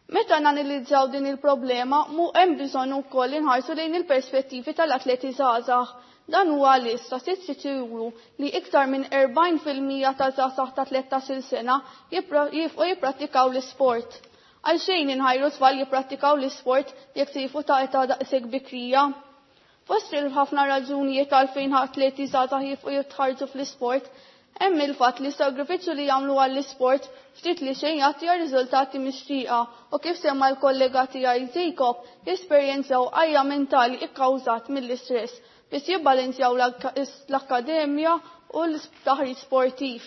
Meta nanalizzaw din il-problema, mu hemm bżonn ukoll inħarsu lejn il-perspettivi tal-atleti żgħażagħ. Dan huwa li statistiċi juru li iktar minn 40% ta' żgħażagħ ta' 13-il sena jifqu jipprattikaw l-isport. Għalxejn inħajru tfal jipprattikaw l-isport jekk se ta' età daqshekk bikrija. Fost il-ħafna raġunijiet għalfejn atleti żgħażagħ jifqu jitħarġu fl-isport, hemm il-fatt li sagrifiċċju li jagħmlu għall-isport ftit li xejn jagħti riżultati mixtieqa u kif semma l-kollega tiegħi Jacob jesperjenzaw għajja mentali ikkawżat mill-istress biex jibbalanzjaw l-akkademja u l-taħriġ sportiv.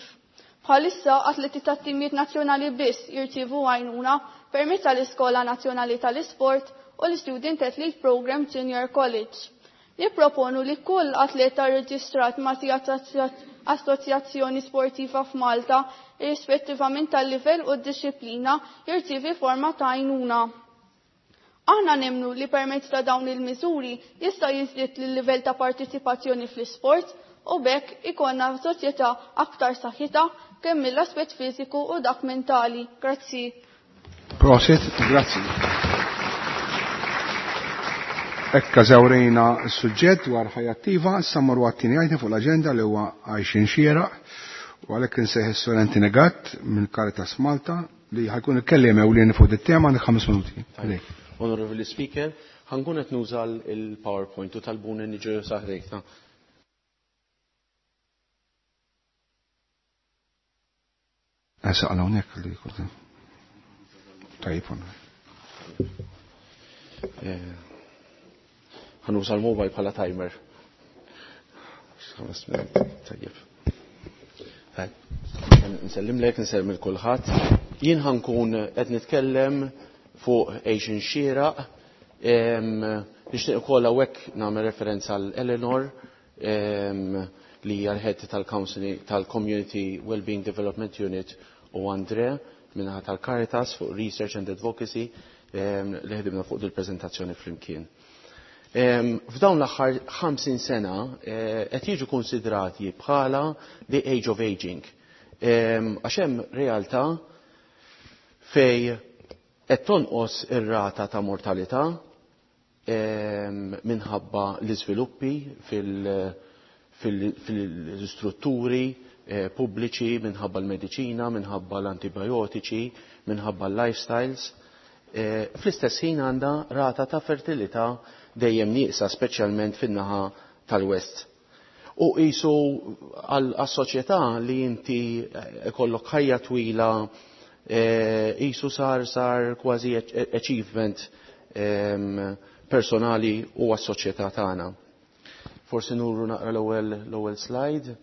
Bħalissa atleti tat-timijiet nazzjonali biss jirċievu għajnuna permezz tal-Iskola Nazzjonali tal-Isport u l-Student Athlete Program Junior College. Nipproponu li kull atleta reġistrat ma' assoċjazzjoni sportiva f'Malta, irrispettivament tal-livell u d-disciplina, jirċievi forma ta' għajnuna. Aħna nemnu li permezz ta' dawn il-miżuri jista' jiżdied il-livell ta' partiċipazzjoni fl-isport u bekk ikonna soċjetà aktar saħħitha kemm mill-aspett fiżiku u dak mentali. Grazzi. Prosit, grazzi. Ekka żawrejna s-suġġett dwar ħajja attiva, issa mmorru għat-tieni item fuq l-aġenda li huwa għajxin xieraq u għalhekk insejħ is-Sur Anthony Gatt minn Caritas Malta li ħajkun il-kelliem ewlieni fuq dit-tema għandek 5 minuti. Għalek. Onorevoli Speaker, ħankun qed nuża l-PowerPoint u talbuni niġu saħrejtna. Esa għal hawnhekk li jkun. Tajjeb. Ħanuża l-mobile bħala timer. 5 minuti, tajjeb. Nsellimlek, nsellem il kulħadd. Jien ħankun qed nitkellem fuq Asian xieraq. Nixtieq ukoll hawnhekk nagħmel referenza għal Eleanor li hija l-head tal-Counseling tal-Community Wellbeing Development Unit u Andre minnaħa tal-Caritas fuq Research and Advocacy li ħdimna fuq dil-preżentazzjoni flimkien. F'dawn l-aħħar 50 sena qed jiġu konsidrati bħala the age of aging. Għax hemm realtà fej qed tonqos ir-rata ta' mortalità minħabba l-iżviluppi fil-istrutturi pubbliċi, minħabba l-mediċina, minħabba l-antibiotiċi, minħabba l-lifestyles. Fl-istess ħin għandha rata ta' fertilità dejjem nieqsa, speċjalment fin-naħa tal-West. U qisu għas-soċjetà li inti ikollok ħajja twila qisu sar kważi achievement personali u għas-soċjetà tagħna. Forsi nuru naqra l-ewwel slide.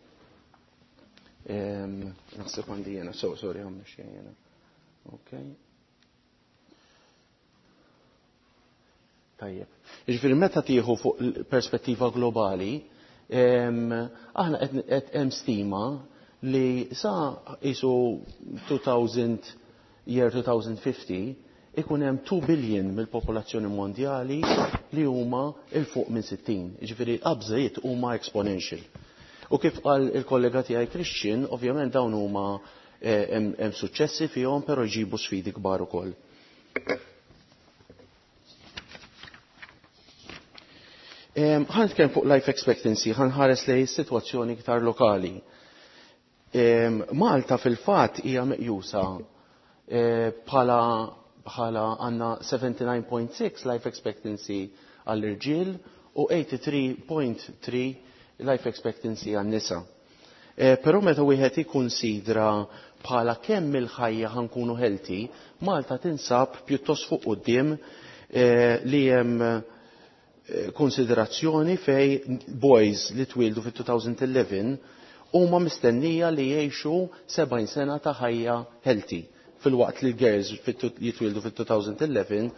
Naħseb għandi jiena, sorry, għamna xejn jiena. Okay. Tajjeb. Jiġifieri meta tieħu fuq perspettiva globali, aħna qed hemm stima li sa qisu 2000 year 2050 ikun hemm 2 billion mill-popolazzjoni mondjali li huma il fuq minn 60. Jiġifieri l-qabżiet huma exponential. U kif qal il-kollega tiegħi Christian, ovvjament dawn huma hemm suċċessi fihom, però jġibu sfidi kbar ukoll. Ħa nitkellem fuq life expectancy, ħa nħares lejn sitwazzjoni iktar lokali. Malta fil-fatt hija meqjusa bħala għandna 79.6 life expectancy għall-irġiel u 83.3 life expectancy għan-nisa. Però meta wieħed ikkunsidra bħala kemm il-ħajja ħankunu healthy, Malta tinsab pjuttost fuq quddiem li hemm konsiderazzjoni fej boys li twildu fit-2011 huma mistennija li jgħixu 70 sena ta' ħajja healthy, fil-waqt li girls jitwildu fit-2011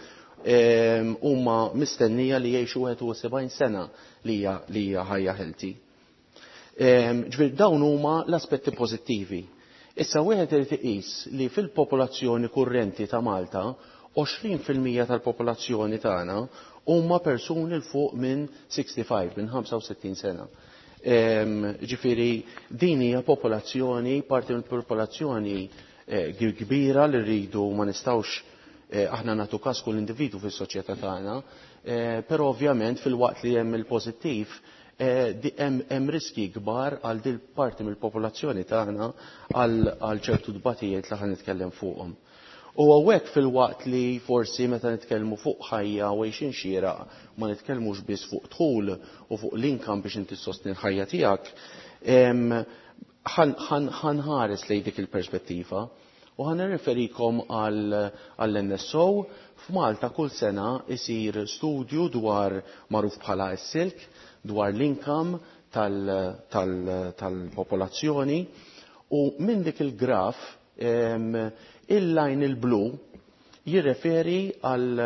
huma mistennija li jgħixu 71 sena li hija ħajja healthy. Ġifieri dawn huma l-aspetti pożittivi. Issa wieħed irid iqis li fil-popolazzjoni kurrenti ta' Malta 20% tal-popolazzjoni tagħna huma persuni l fuq minn 65, minn 65 sena. Ġifieri din hija popolazzjoni, parti mill-popolazzjoni kbira li rridu ma nistgħux aħna nagħtu każ kull individwu fis-soċjetà tagħna, però ovvjament fil-waqt li hemm il-pożittiv Hemm riski kbar għal dil parti mill-popolazzjoni tagħna għal ċertu dbatijiet li ħa nitkellem fuqhom. U hawnhekk, filwaqt li forsi meta nitkellmu fuq ħajja u għejxin xieraq ma nitkellmux biss fuq dħul u fuq l-income biex inti sostni l-ħajja tiegħek, ħa nħares lejn dik il-perspettiva u ħa nirreferikom għall-NSO. F'Malta kull sena isir studju dwar magħruf bħala s-SILC, dwar l-income tal-popolazzjoni, u minn dik il-graf il-line il-blu jirreferi għal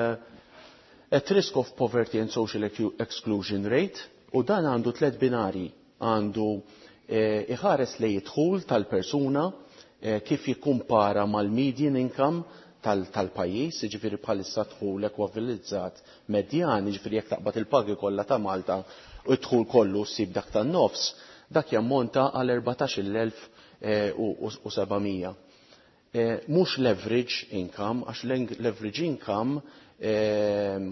at risk of poverty and social exclusion rate, u dan għandu tlet binari: għandu iħares lejn id-dħul tal-persuna kif jikkumpara mal-median income tal-pajjiż, ġifieri bħalissa dħul ekwivalentizzat medjan, ġifieri jekk taqbad il-pagi kollha ta' Malta u dħul kollu ssib dak tan-nofs, dak jammonta għal 14,700. Mhux l-average income, għax l-average income,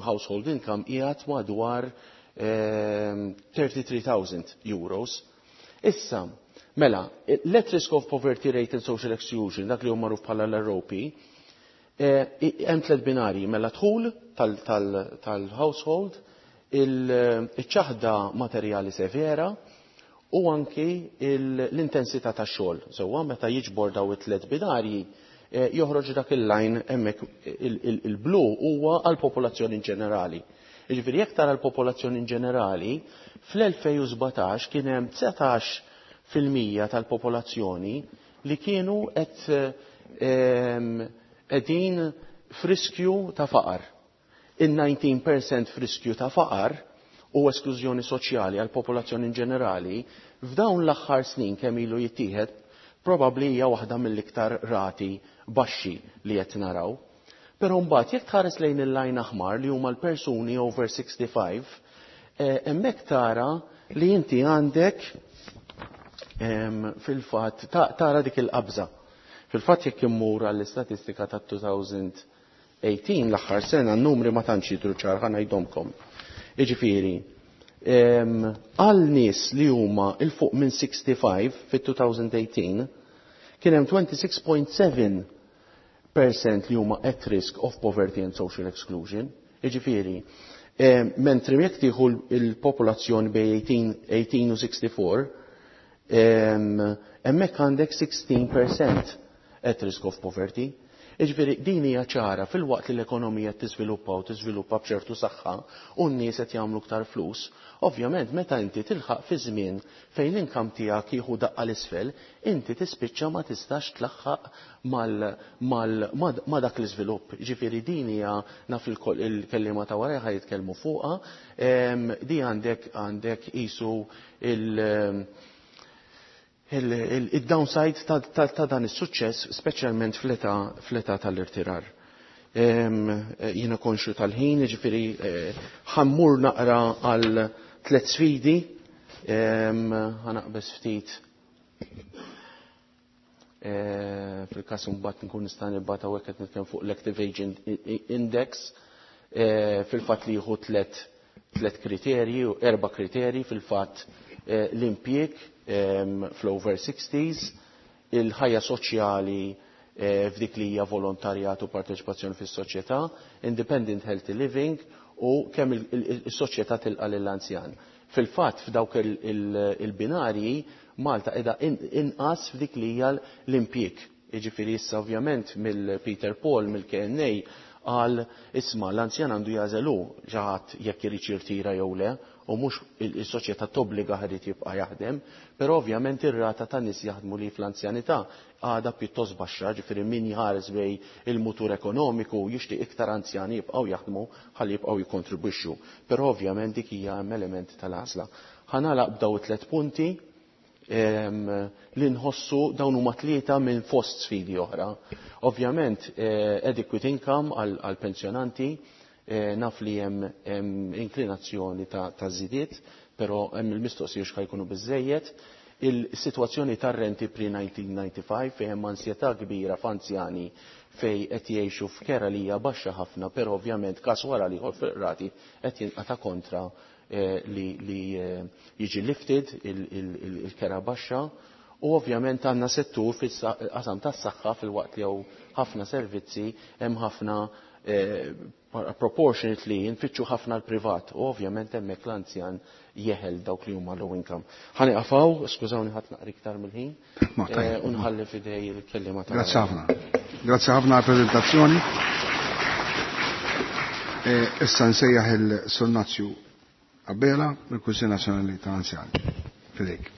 household income, qiegħed madwar 33,000 euros. Issa, mela, l-at risk of poverty rate and social exclusion, dak li hu magħruf bħala l-ROP, hemm tliet binari: mela dħul tal-household, il-ċaħda materjali severa u anki l-intensità tax-xogħol. Sewwa, meta jiġbor daw it-tliet binarji joħroġ dak il-line hemmhekk il-blu huwa għall-popolazzjoni in ġenerali. Jiġifieri jekk tara l-popolazzjoni in ġenerali, fl-2017 kien hemm 19% tal-popolazzjoni li kienu qed qegħdin f'riskju ta' faqar. Il-19% f'riskju ta' faqar u esklużjoni soċjali għal popolazzjoni in ġenerali, f'dawn l-aħħar snin kemm ilu jittieħed, probabbli hija waħda mill-iktar rati baxxi li qed naraw. Però mbagħad jekk tħares lejn il-line aħmar li huma l-persuni over 65, hemmhekk tara li inti għandek fil-fatt tara dik il-qabża. Fil-fatt jekk immur għall-istatistika ta' 2018, l-aħħar sena, n-numri ma tantx jidhru ċar, ħa ngħidhomkom. Jiġifieri, għal nies li huma 'l fuq minn 65 fit-2018 kien hemm 26.7% li huma at risk of poverty and social exclusion. Jiġifieri, mentri jekk tieħu il-popolazzjoni bejn 18 u 64, hemmhekk għandek 16% at risk of poverty. Iġifieri, din hija ċara: filwaqt li l-ekonomija tiżviluppa u tiżviluppa b'ċertu saħħa u n-nies qed jagħmlu aktar flus, ovvjament meta inti tilħaq fi żmien fejn l-income tiegħek jieħu daqqa l-isfel, inti tispiċċa ma tistax tlaħħaq ma dak l-iżvilupp. Ġifieri din hija, naf il-kelliema ta' wara ħa jitkellmu fuqha, di għandek qisu il-downside ta' dan is-suċċess, speċjalment fl-età tal-irtirar. Jiena konxju tal-ħin, ġifieri ħa mmur naqra għal tliet sfidi, ħa naqbeż ftit fil-każ mbagħad nkun nista' nibgħat. Hawnhekk qed nitkellem fuq l-Active Aging Index, fil-fatt li jieħu tlet kriterji, erba' kriterji fil-fatt: l-impjieg fl-over 60s, il-ħajja soċjali f'dik li hija volontarjat u parteċipazzjoni fis-soċjetà, independent healthy living u kemm is-soċjetà tilqa' lill-anzjan. Fil-fatt f'dawk il-binarji Malta qiegħda inqas f'dik li hija l-impjieg. Jiġifieri issa ovvjament mill-Peter Paul mill-KNA qal, isma', l-anzjan għandu jagħżel hu ġaħat jekk irid jirtira jew le u mhux is-soċjetà tobbliga irid jibqa' jaħdem, però ovvjament ir-rata ta' nies jaħdmu li fl-anzjanità għadha pjuttost baxxa, ġifieri min jħares lejn il-mutur ekonomiku jixtieq iktar anzjani jibqgħu jaħdmu ħalli jibqgħu jikkontribwixxu. Però ovvjament dik hija hemm element tal-għażla. Ħa nagħlaq b'daw it-tliet punti li nħossu dawn huma tlieta minn fost sfidi oħra. Ovvjament adequate income għal pensjonanti, naf li hemm inklinazzjoni ta' żidiet, però hemm il-mistoqsija x'ħa jkunu biżejjed. Il-sitwazzjoni tar-renti pre-1995 fejn hemm ansjetà kbira f'anzjani fejn qed jgħixu f'kera li hija baxxa ħafna, però ovvjament każ wara l-ieħor fil-qrati qed jinqata' kontra. li jiġi lifted il-kera baxxa u ovvjament għandna settur fil-qasam tas-saħħa filwaqt li hawn ħafna servizzi hemm ħafna proportionately nfittxu ħafna l-privat u ovvjament hemmhekk l-anzjan jeħel dawk li huma low income. Ħa nieqaf hawn, skużawni ħadt naqra iktar mill-ħin u nħalli f'idej il-kelliema ta' Grazzi ħafna. Grazzi ħafna għall-preżentazzjoni. Issa nsejjaħ il-Sur Nazju Abela mill-Kunsill Nazzjonali tal-Anzjani. F'idejk.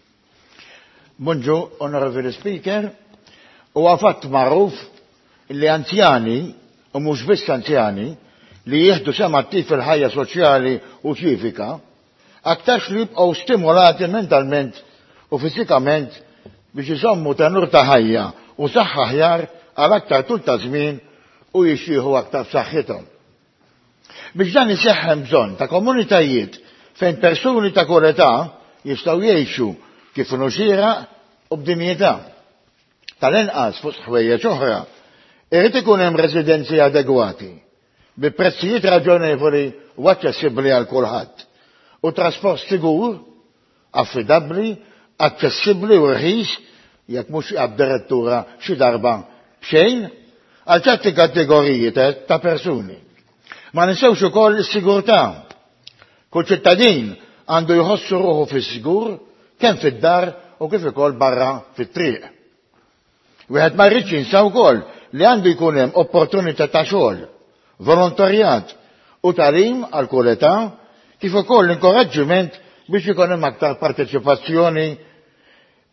Bonġu, Onorevoli Speaker. Huwa fatt magħruf li anzjani, u mhux biss anzjani, li jieħdu sehem attiv fil-ħajja soċjali u ċivika, aktarx li jibqgħu stimolati mentalment u fiżikament biex iżommu tenur ta' ħajja u saħħa aħjar għal aktar tul ta' żmien u jixjieħu aktar b'saħħithom. Biex dan iseħħ hemm bżonn ta' komunitajiet fejn persuni ta' kull età jistgħu jgħixu kif inhu xieraq u b'dinjità. Tal-inqas fost ħwejjeġ oħra, irid ikun hemm residenzi adegwati, bi prezzijiet raġonevoli u aċċessibbli għal kulħadd, u trasport sigur, affidabbli, aċċessibbli u rħis, jekk mhux addirittura xi darba b'xejn, għal ċerti kategoriji ta' persuni. Ma ninsewx ukoll is-sigurtà. Kull ċittadin għandu jħossu ruħu fis-sigur kemm fid-dar u kif ukoll barra fit-triq. Wieħed ma jridx jinsa wkoll li għandu jkun hemm opportunità ta' xogħol, volontarjat u tagħlim għal kull età, kif ukoll inkoraġġiment biex ikun hemm aktar parteċipazzjoni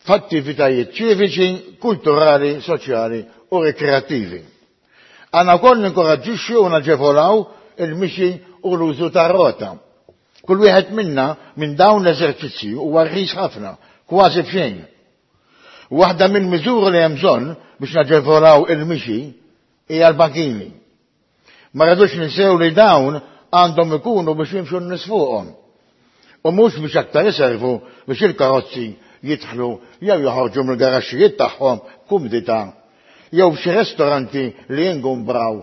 f'attivitajiet ċiviċi, kulturali, soċjali u rikreattivi. Għandna wkoll ninkoraġġixxu u naġevolaw il-mixi u l-użu tar-rota. Kull wieħed minna minn dawn l-eżerċizzji huwa rħis ħafna, kważi b'xejn. Waħda minn miżuri li hemm bżonn biex naġevolaw il-mixi hija l-bankini. Ma rridux ninsew li dawn għandhom ikunu biex jimxu n-nies fuqhom u mhux biex aktar iservu biex il-karozzi jidħlu jew joħorġu mill-garaxxijiet tagħhom b'kumdità jew f'xi restoranti li jingumbraw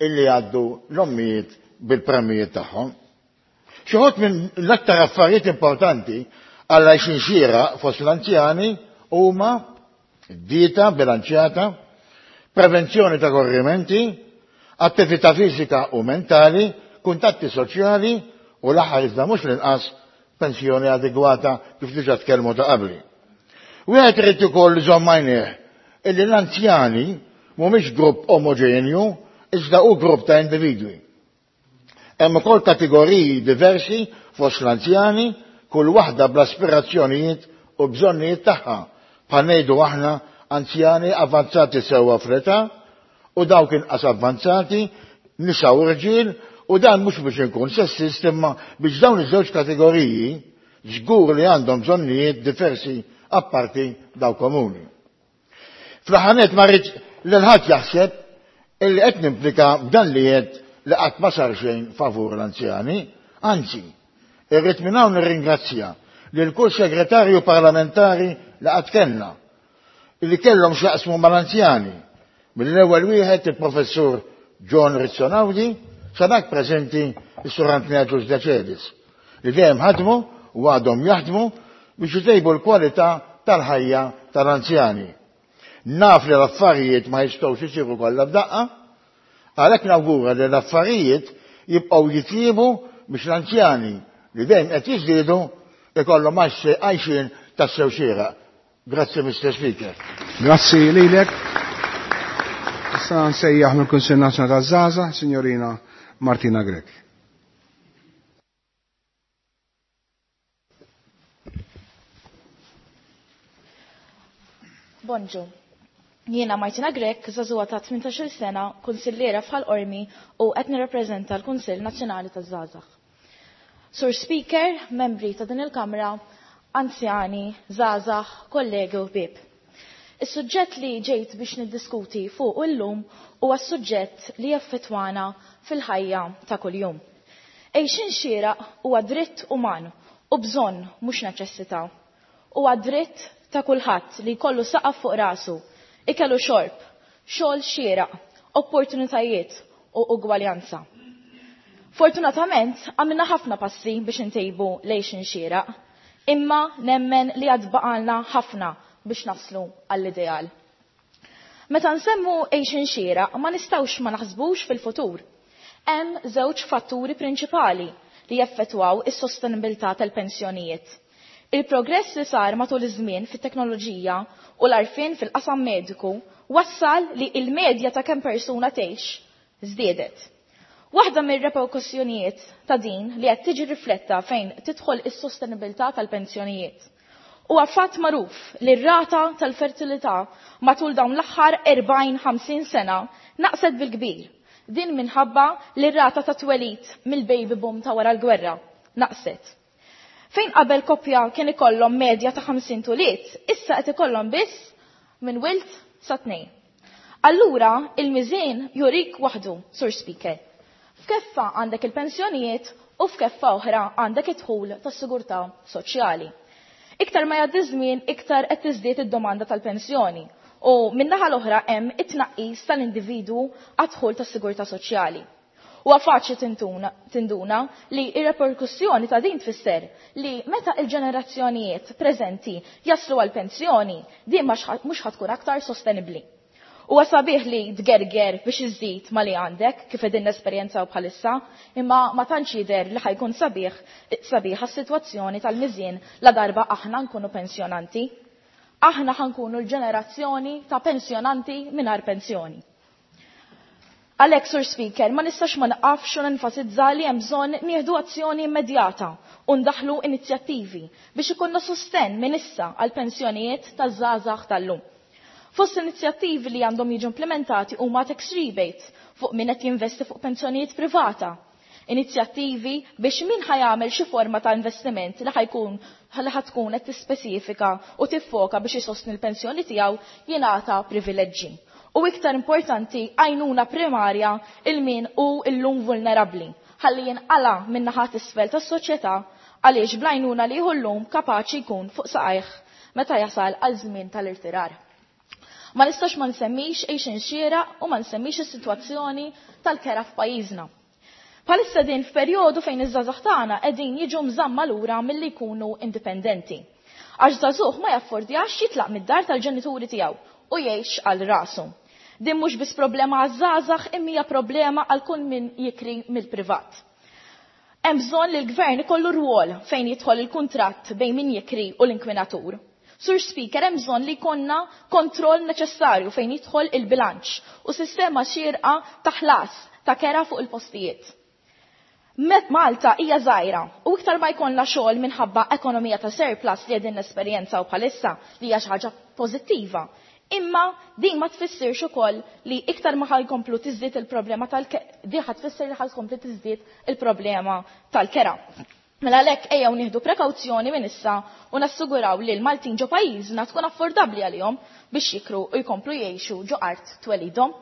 illi jgħaddu l-ommijiet bil-premjijiet tagħhom. Xi wħud minn l-aktar affarijiet importanti għal għajxin xieraq fost l-anzjani huma dieta bilanċjata, prevenzjoni ta' korrimenti, attività fiżika u mentali, kuntatti soċjali u l-aħħar iżda mhux l-inqas pensjoni adegwata kif diġà tkellmu ta' qabli. Wieħed irid ukoll iżomm għajnejh illi l-anzjani mhumiex grupp omoġenju iżda hu grupp ta' individwi. Hemm ukoll kategoriji diversi fost l-anzjani, kull waħda bl-aspirazzjonijiet u bżonnijiet tagħha, bħal ngħidu aħna anzjani avvanzati sewwa fl-età u dawk inqas avvanzati, nisa u rġiel, u dan mhux biex inkun sessist imma biex dawn iż-żewġ kategoriji żgur li għandhom bżonnijiet diversi apparti dawk komuni. Fl-aħħar nett ma rridx lil ħadd jaħseb illi qed nimplika b'dan li għedt li qatt ma sar xejn favur l-anzjani, anzi, irrid minn hawn nirringrazzja lil kull segretarju parlamentari li qatt kellna, illi kellhom x'jaqsmu mal-anzjani, mill-ewwel wieħed il-Professur John Rizzo Naudi sa dak preżenti s-Sur Anthony Agius Decelis, li dejjem ħadmu u għadhom jaħdmu biex itejbu l-kwalità tal-ħajja tal-anzjani. Naf li l-affarijiet ma jistgħux isiru kollha f'daqqa, għalhekk nawgura li l-affarijiet jibqgħu jitjiebu biex l-anzjani li dejjem qed jiżdiedu ikollhom għajxien tassew xieraq. Grazzi Mister Speaker. Grazzi lilek. Issa nsejjaħ mill-Kunsill Nazzjonali taż-Żgħażagħ, Signorina Martina Grech. Bonġu. Jiena Martina Grech, żagħżugħa ta' 18-il sena, kunsilliera f'Ħal Qormi u qed nirrappreżenta l-Kunsill Nazzjonali taż-Żgħażagħ. Sur Speaker, membri ta' din il-Kamra, anzjani, żgħażagħ, kollegi u ħbieb. Is-suġġett li ġejt biex niddiskuti fuq illum huwa s-suġġett li jaffettwana fil-ħajja ta' kuljum. Għejxien xieraq huwa dritt uman u bżonn mhux neċessità. Huwa dritt ta' kulħadd li jkollu saqaf fuq rasu, ikel u xorb, xogħol xieraq, opportunitajiet u ugwaljanza. Fortunatament, għamilna ħafna passi biex intejbu lejxin xieraq, imma nemmen li għad baqalna ħafna biex naslu għall-ideal. Meta nsemmu għejxin xieraq, ma nistawx ma naħsbux fil-futur. Hemm żewġ fatturi prinċipali li jaffettwaw is-sostenibilità tal-pensjonijiet. Il-progress li sar matul iż-żmien fit-teknoloġija u l-arfin fil-qasam mediku wassal li il-medja ta' kemm persuna tgħix żdiedet. Waħda mir-reperkussjonijiet ta' din li qed tiġi rifletta fejn tidħol is-sostenibilità tal-pensjonijiet. Huwa fatt magħruf li r-rata tal-fertilità matul dawn l-aħħar 40-50 sena naqset bil-kbir. Din minħabba li r-rata ta' twelid mill-baby boom ta' wara l-gwerra naqset. Fejn qabel koppja kien ikollhom medja ta' 50 tuliet, issa qed ikollhom biss minn wild sa tnejn. Allura il-miżien jurik waħdu, Sur Speaker. F'keffa għandek il-pensjonijiet u f'keffa oħra għandek id-dħul tas-sigurtà soċjali. Iktar ma jgħaddi żmien, iktar qed tiżdied id-domanda tal-pensjoni u min-naħa l-oħra hemm it-tnaqqis tal-individwu għad-dħul tas-sigurtà soċjali. Huwa faċli tinduna li ir-reperkussjoni ta' din tfisser li meta il-ġenerazzjonijiet preżenti jaslu għal pensjoni, din mhux ħatkun aktar sostenibbli. Huwa sabiħ li tgerger biex iżid ma li għandek kif qegħdin nesperjenzaw bħalissa, imma ma tantx jidher li ħajkun sabiħ sabiħa s-sitwazzjoni tal-miżien la darba aħna nkunu pensjonanti. Aħna ħankunu l-ġenerazzjoni ta' pensjonanti mingħajr pensjoni. Għalhekk, Sur Speaker, ma nistax ma naqafx u nenfasizza li hemm bżonn nieħdu azzjoni immedjata u ndaħlu inizjattivi biex ikollna sostenn minn issa għal pensjonijiet taż-żgħażagħ tal-lum. Fost inizjattivi li għandhom jiġu implementati huma tax rebate fuq min qed jinvesti fuq pensjonijiet privata. Inizjattivi biex min ħajamel xi forma ta' investiment li ħajkun li ħatkun qed tispeċifika u tiffoka biex isostni l-pensjoni tiegħu jingħata privileġġi. U iktar importanti għajnuna primarja il-min u illum vulnerabbli ħalli jinqala minn naħat isfel tas-soċjetà għaliex bl-għajnuna li jieħu llum kapaċi jkun fuq saqajh meta jasal għal żmien tal-irtirar. Ma nistax ma nsemmix għejxin xieraq u ma nsemmix is-sitwazzjoni tal-kera f'pajjiżna. Bħalissa din f'perjodu fejn iż-żgħażagħ tagħna qegħdin jiġu mżamma lura milli jkunu indipendenti. Għax żagħżugħ ma jaffordjax jitlaq mid-dar tal-ġenituri tiegħu u jgħix għal rasu. Din mhux biss problema għaż-żgħażagħ imma hija problema għal kull min jikri mill-privat. Hemm bżonn li l-gvern ikollu rwol fejn jidħol il-kuntratt bejn min jikri u l-inkwinatur. Sur Speaker, hemm bżonn li jkollna kontroll neċessarju fejn jidħol il-bilanċ u sistema xierqa ta' ħlas ta' kera fuq il-postijiet. Met Malta hija żgħira u iktar ma jkollna xogħol minħabba ekonomija ta' surplus li qegħdin nesperjenzaw bħalissa li hija xi ħaġa pożittiva. Imma din ma tfissirx ukoll li iktar ma ħajkomplu tiżdied il-problema tal di ħa tfisser li ħajkomplu tiżdied il-problema tal-kera. Mela għalhekk ejjew nieħdu prekawzjoni minn issa u nassiguraw li l-Maltin ġo pajjiżna tkun affordabbli għalihom biex jikru u jkomplu jgħixu ġo art twelidhom.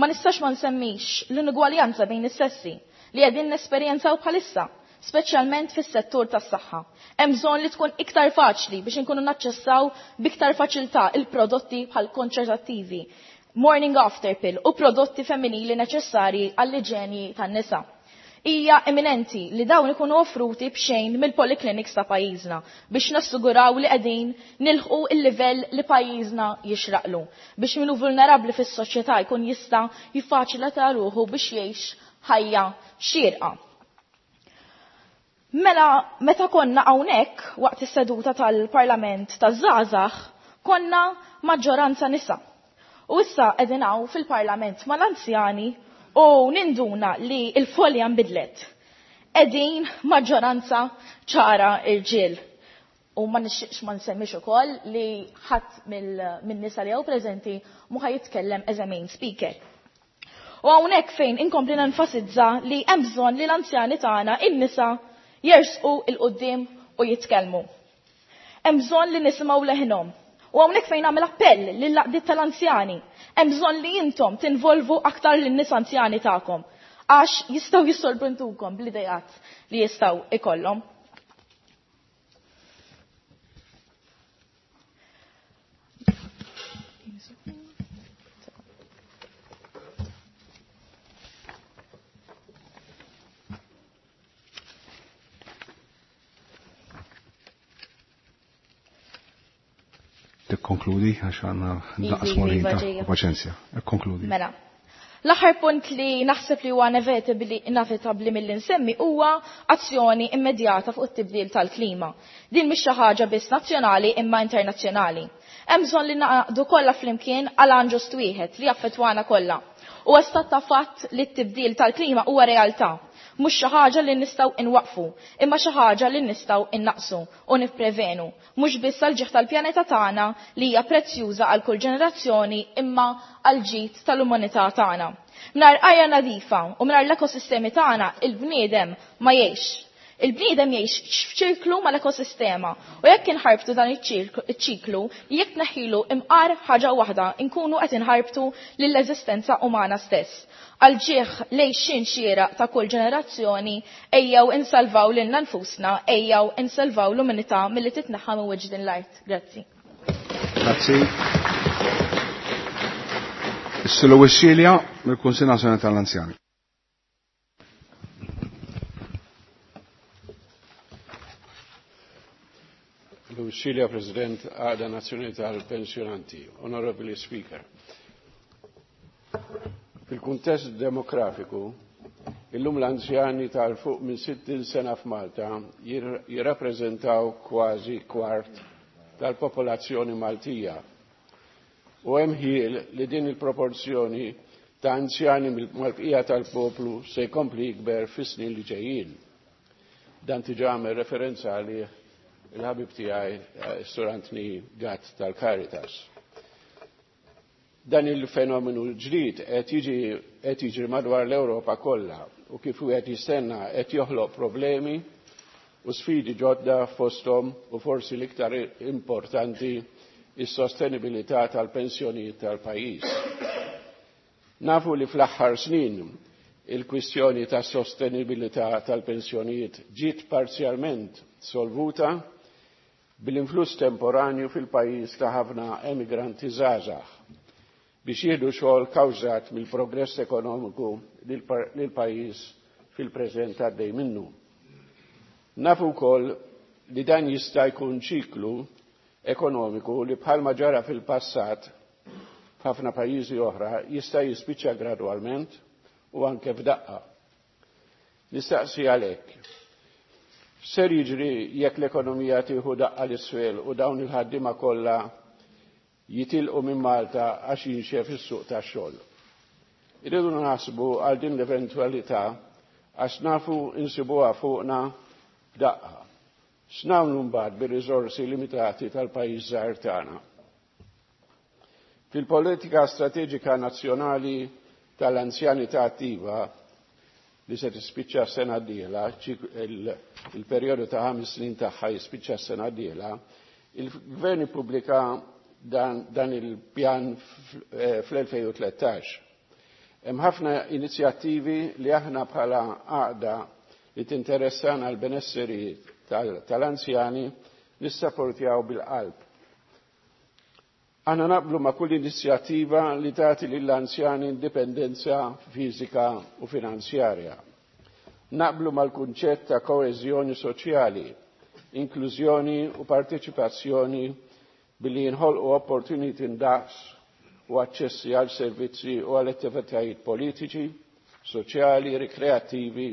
Ma nistax ma nsemmix l-inugwaljanza bejn is-sessi li qegħdin nesperjenzaw bħalissa, speċjalment fis-settur tas-saħħa. Hemm bżonn li tkun iktar faċli biex inkunu naċċessaw b'iktar faċilità il-prodotti bħal kontraċettivi, morning after pill u prodotti femminili neċessarji għall-iġenji tan-nisa. Hija eminenti li dawn ikunu offruti b'xejn mill-polyclinics ta' pajjiżna biex nassiguraw li qegħdin nilħqu il-livell li pajjiżna jixraqlu biex min hu vulnerabbli fis-soċjetà jkun jista' jiffaċilita ruħu biex jgħix ħajja xierqa. Mela meta konna hawnhekk waqt is-seduta tal-Parlament taż-żgħażagħ konna maġġoranza nisa. U issa qegħdin hawn fil-Parlament mal-anzjani u ninduna li l-folja nbidlet. Qegħdin maġġoranza ċara irġiel. U ma nixtieqx ma nsemmix ukoll li ħadd min-nisa li hawn preżenti mhu ħa jitkellem as a main speaker. U hawnhekk fejn inkompli nenfasizza li hemm bżonn li l-anzjani tagħna in-nisa jersqu il quddiem u jitkellmu. Hemm bżonn li nisimgħu leħinhom. U hawnhekk fejn nagħmel appell lill-għaqdiet tal-anzjani. Hemm bżonn li intom tinvolvu aktar lin-nies anzjani tagħkom għax jistgħu jissorprendukom bl-idejat li jistgħu ikollhom. Tikkonkludi għax għandna naqas Iva, ta' paċenzja. Ikkonkludi. Mela. L-aħħar punt li naħseb li huwa inevitabbli milli nsemmi huwa azzjoni immedjata fuq it-tibdil tal-klima. Din mhix xi ħaġa biss nazzjonali imma internazzjonali. Hemm bżonn li naqdu kollha flimkien għal għan ġust wieħed li jaffettwana kollha. Huwa stat ta' fatt li t-tibdil tal-klima huwa realtà, mhux xi ħaġa li nistgħu inwaqfu, imma xi ħaġa li nistgħu innaqsu u nipprevenu, mhux biss għal ġieħ tal-pjaneta tagħna li hija prezzjuża għal kull ġenerazzjoni imma għal ġid tal-umanità tagħna. Mingħajr arja nadifa u mingħajr l-ekosistemi tagħna il-bniedem ma jgħix. Il-bniedem jgħix f'ċirklu mal-ekosistema u jekk inħarbtu dan iċ-ċiklu, jekk neħilu imqar ħaġa waħda, inkunu qed inħarbtu lill-eżistenza umana stess. Għal ġieħ lejxin xieraq ta' kull ġenerazzjoni, ejjew insalvaw lilna nfusna, ejjew insalvaw l-umanità milli titneħħa minn wiċċ din l-art. Grazzi. Grazzi. Is-Sulu Wissilia mill-Kunsill Nazzjonali tal-Anzjani. Lucilia, President Għaqda Nazzjonali tal-Pensjonanti, Honorable Speaker. Fil-kuntest demografiku, illum l-anzjani tal-fuq minn 60 sena f'Malta jirrappreżentaw kważi kwart tal-popolazzjoni Maltija. U hemm ħiel li din il-proporzjoni ta' anzjani mal-bqija tal-poplu se jkompli jikber fis-snin li ġejjin. Dan diġà għamel referenza għalih il-ħabib tiegħi Sur Anthony Gatt tal-Caritas. Dan il-fenomenu ġdid qed jiġi qed jiġri madwar l-Ewropa kollha u kif wieħed jistenna qed joħloq problemi u sfidi ġodda fosthom u forsi l-iktar importanti is-sostenibilità tal-pensjonijiet tal-pajjiż. Nafu li fl-aħħar snin il-kwistjoni ta' sostenibilità tal-pensjonijiet ġiet parzjalment solvuta bil-influss temporanju fil-pajjiż ta' ħafna emigranti żgħażagħ biex jieħdu xogħol kawżat mill-progress ekonomiku li l-pajjiż fil-preżent għaddej minnu. Nafu wkoll li dan jista' jkun ċiklu ekonomiku li bħalma ġara fil-passat f'ħafna pajjiżi oħra jista' jispiċċa gradwalment u anke f'daqqa. Nistaqsi għalhekk. Ser jiġri jekk l-ekonomija tieħu daqqa l-isfel u dawn il-ħaddiema kollha jitilqu minn Malta għax jinxef is-suq tax-xogħol. Irridu naħsbu għal din l-eventwalità għax nafu insibuha fuqna f'daqqa. X'nagħmlu mbagħad bir-riżorsi limitati tal-pajjiż żgħir tagħna? Fil-politika strateġika nazzjonali tal-anzjanità attiva li se tispiċċa s-sena d-dieħla, il-perjodu ta' 5 snin tagħha jispiċċa s-sena d-dieħla, il-Gvern ippubblika dan il-pjan fl-2013. Hemm ħafna inizjattivi li aħna bħala għaqda li tinteressana l-benesseri tal-anzjani nissapportjaw bil-qalb. Aħna naqblu ma' kull inizjattiva li tagħti lill-anzjani indipendenza fiżika u finanzjarja. Naqblu mal-kunċett ta' koeżjoni soċjali, inklużjoni u parteċipazzjoni billi jinħolqu opportuniti ndaqs u aċċessi għal servizzi u għal attivitajiet politiċi, soċjali, rikreattivi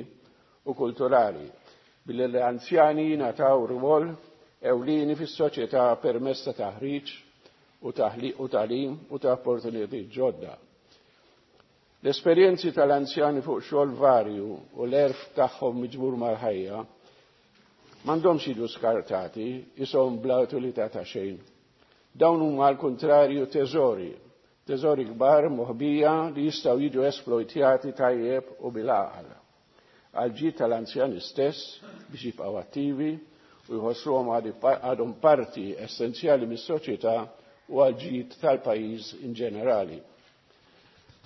u kulturali, billi l-anzjani jingħataw rwol ewlieni fis-soċjetà permezz ta' taħriġ u tagħlim u ta' opportunitajiet ġodda. L-esperjenzi tal-anzjani fuq xogħol varju u l-erf tagħhom miġbur mal-ħajja m'għandhomx jiġu skartati, ishom bla utilità ta' xejn. Dawn huma għal kuntrarju teżori, teżori kbar moħbija li jistgħu jiġu esploitjati tajjeb u bil-għaqal. Għal ġid tal-anzjani stess biex jibqgħu attivi u jħossuhom għadhom parti essenzjali mis-soċjetà u għal ġid tal-pajjiż in ġenerali.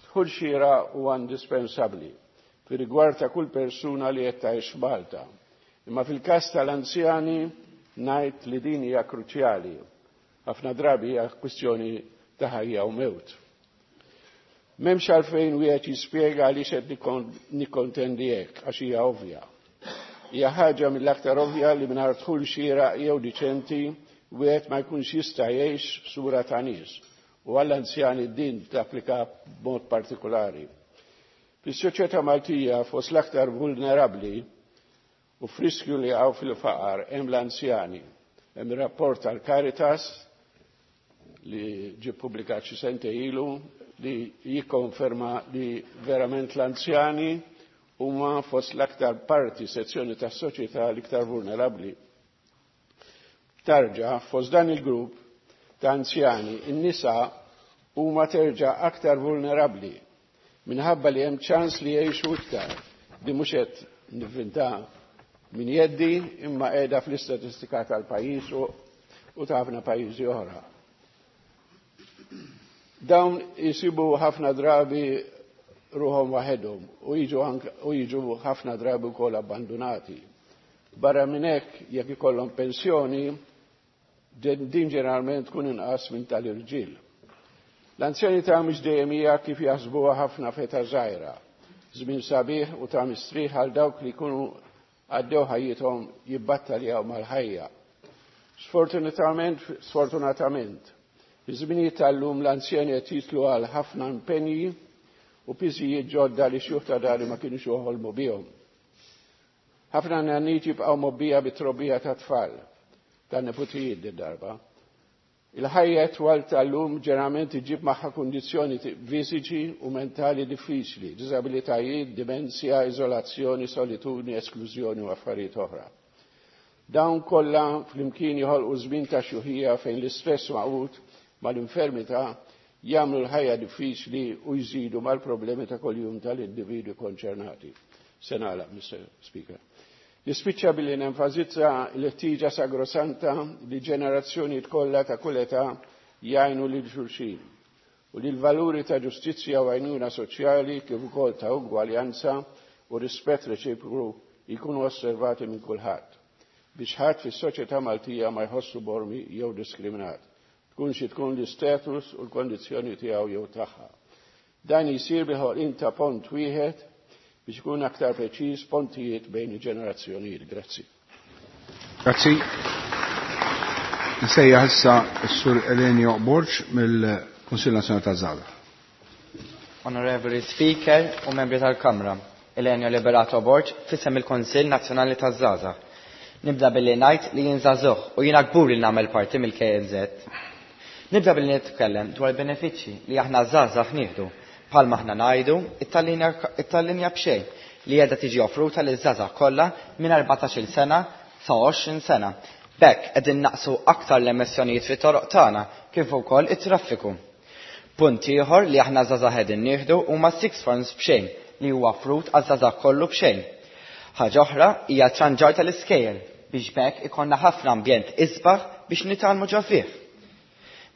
Dħul xieraq huwa indispensabbli fi rigward ta' kull persuna li qed tgħix Malta. Imma fil-każ tal-anzjani ngħid li din hija kruċjali. Ħafna drabi hija kwistjoni ta' ħajja u mewt. M'hemmx għalfejn wieħed jispjega għaliex qed nikkontendi hekk, għax hija ovvja. Hija ħaġa mill-aktar ovvja li mingħajr dħul xieraq jew diċenti wieħed ma jkunx jista' jgħix sura ta' nies u għall-anzjani din tapplika b'mod partikolari. Fis-soċjetà Maltija fost l-aktar vulnerabbli u friskju li għaw fil-faqar hemm l-anzjani. Hemm rapport tal-Caritas li ġie pubblikat xi sentejn ilu li jikkonferma li verament l-anzjani huma fost l-aktar parti sezzjoni tas-soċjetà l-iktar vulnerabbli. Tarġa fost dan il-grupp ta' anzjani, in-nisa huma terġa' aktar vulnerabbli minħabba li hemm ċans li jgħixu iktar. Di mhux qed nivvinta min jeddi imma qiegħda fl-istatistika tal-pajjiż u ta' ħafna pajjiżi oħra. Dawn jisibu ħafna drabi ruħhom waħedhom u jiġu ħafna drabi wkoll abbandunati. Barra minn hekk jekk ikollhom pensjoni, din ġeneralment tkun inqas minn tal-irġiel. L-anzjanità mhux dejjem hija kif jaħsbuha ħafna feta żgħira, żmien sabiħ u ta' mistrieħ għal dawk li jkunu għaddew ħajjithom jibbattaljaw mal-ħajja. Sfortunatament, sfortunatament, iż-żminijiet tal-lum l-anzjani qed jitlu għal ħafna impenji u piżijiet ġodda li xjuħ ta' dari ma kienux joħolmu bihom. Ħafna nanniet jibqgħu mobbija bit-trobbija ta' tfal, ta' neputijiet din darba. Il-ħajja twal tal-lum ġeneralment iġib magħha kundizzjoni fiżiċi u mentali diffiċli, diżabilitajiet, dimenzja, iżolazzjoni, solitudni, esklużjoni u affarijiet oħra. Dawn kollha flimkien joħolqu żmien ta' xjuħija fejn l-istress maqut mal-infermità jagħmlu l-ħajja diffiċli u jżidu mal-problemi ta' kuljum tal-individwi konċernati. Se nagħlaq, Mr. Speaker. Nispiċċa billi nenfasizza l-ħtieġa sagrosanta li ġenerazzjonijiet kollha ta' kull età jgħinu lil xulxin u li l-valuri ta' ġustizzja u għajnuna soċjali kif ukoll ta' ugwaljanza u rispett reċiproku jkunu osservati minn kulħadd biex ħadd fis-soċjetà Maltija ma jħossu bormi jew diskriminat, tkun xi tkun l-istatus u l-kondizzjoni tiegħu jew tagħha. Dan jsir bil-ħolqien ta' pont wieħed biex ikun aktar preċiż pontijiet bejn il-ġenerazzjonijiet. Grazzi. Grazzi. Nsejjaħ issa s-Sur Elenio Borg mill-Kunsill Nazzjonali taż-Żgħażagħ. Onorevoli Speaker u membri tal-Kamra, Elenio Liberato Borg f'isem il-Kunsill Nazzjonali taż-Żgħażagħ. Nibda billi ngħid li jien żagħżugħ u jiena kbur li nagħmel parti mill-KNZ. Nibda billi nitkellem dwar benefiċċji li aħna żgħażagħ nieħdu. Bħalma aħna ngħidu, it-tal-linja b'xejn li qiegħda tiġi offruta liż-żgħażagħ kollha minn 14-il sena sa 20 sena. B'hekk qegħdin naqsu aktar l-emissjonijiet fit-toroq tagħna kif ukoll it-traffiku. Punt ieħor li aħna żgħażagħ qegħdin nieħdu huma six forms b'xejn li huwa offrut għaż-żgħażagħ kollu b'xejn. Ħaġa oħra hija ċanġar tal-iskejjel biex b'hekk ikollna ħafna ambjent isbaħ biex nitgħallmu ġo fih.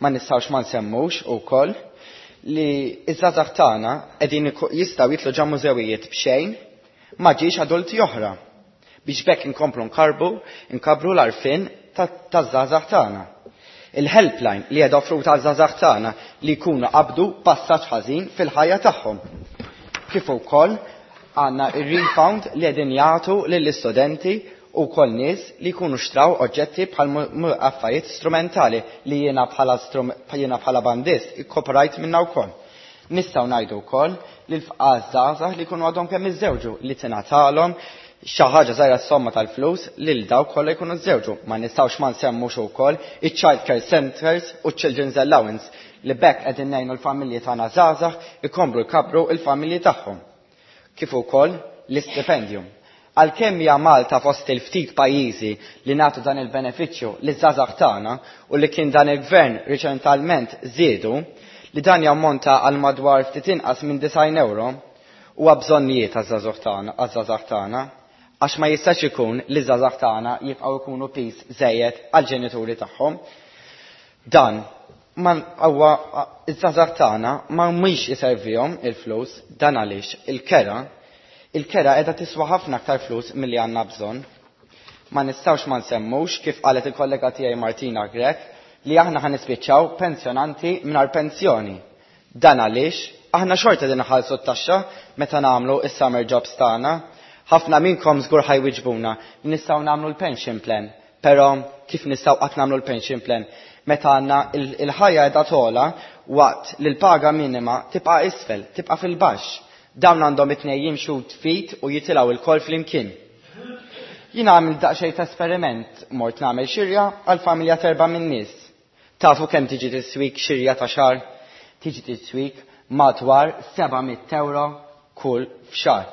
Ma nistgħux ma nsemmux ukoll li iż-żgħażagħ tagħna qegħdin jistgħu jitlu ġo mużewijiet b'xejn ma ġiex adulti oħra biex b'hekk inkomplu nkarbu nkabru l-għarfien taż-żgħażagħ tagħna. Il-helpline li qiegħda offruta għaż-żgħażagħ tagħna li jkunu qabdu passaġġ ħażin fil-ħajja tagħhom. Kif ukoll għandna ir-refund li qegħdin jagħtu lill-istudenti u wkoll nies li jkunu xtraw oġġetti bħal affarijiet strumentali li jiena bħala jiena bħala bandist ikkoperajt minnha wkoll. Nistgħu ngħidu wkoll li l-fqas żgħażagħ li jkunu għadhom kemm iżżewġu li tingħatalhom xi ħaġa żgħira somma tal-flus lil dawk kollha jkunu żżewġu. Ma nistgħux ma nsemmux ukoll iċ-child care centers u children's allowance li b'hekk qegħdin ngħinu l-familji tagħna żgħażagħ ikomplu jkabru l-familji tagħhom. Kif ukoll l-istipendjum. Għalkemm hija Malta fost il-ftit pajjiżi li nagħtu dan il-benefiċċju liż-żgħażagħ tagħna u li kien dan il-gvern riċentalment żiedu li dan jammonta għal madwar ftit inqas minn 90 euro huwa bżonnijiet għaż-żgħażagħ tagħna għaż-żgħażagħ tagħna għax ma jistax ikun li żgħażagħ tagħna jibqgħu jkunu piż żejjed għall-ġenituri tagħhom. Dan ma huwa iż-żgħażagħ tagħna ma mhix iservihom il-flus dan għaliex il-kera il-kera qiegħda tiswa ħafna aktar flus milli għandna bżonn. Ma nistgħux ma nsemmux kif qalet il-kollega tiegħi Martina Grech li aħna ħa nispiċċaw pensjonanti mingħajr pensjoni. Dan għaliex aħna xorta din nħallsu t-taxxa meta nagħmlu is-summer jobs tagħna. Ħafna minnkom żgur ħa jwiġbuna li nistgħu nagħmlu l-pension plan. Però kif nistgħu qatt nagħmlu l-pension plan meta għandna il-ħajja qiegħda togħla waqt li l-paga minima tibqa' isfel, tibqa' fil-baxx. Dawn għandhom it-tnejn jimxu ftit u jitilgħu lkoll flimkien. Jiena għamilt daqsxejn ta' esperiment, mort nagħmel xirja għal familja t'erba' min-nies. Tafu kemm tiġi tiswik xirja ta' xahar? Tiġi tiswik madwar 700 ewro kull f'xahar.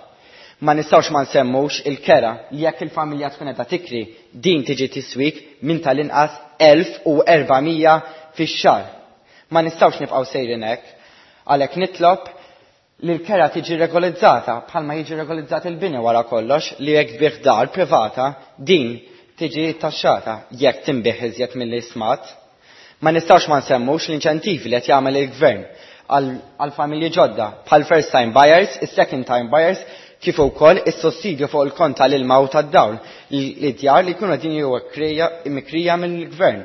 Ma nistgħux ma nsemmux il-kera li jekk il-familja tkun qiegħda tikri, din tiġi tiswik minn tal-inqas 1400 fix-xahar. Ma nistgħux nibqgħu sejrin hekk. Għalhekk nitlob li l-kera tiġi regolizzata bħalma jiġi regolizzat il-bini wara kollox li jekk tbigħ dar privata din tiġi taxxata jekk tinbigħ iżjed milli stmat. Ma nistgħux ma nsemmux l-inċentivi li qed jagħmel il-gvern għal familji ġodda bħal first time buyers, is-second time buyers, kif ukoll is-sussidju fuq il-kont tal-ilma u tad-dawl li djar li jkunu qegħdin jiġu mikrija mill-gvern.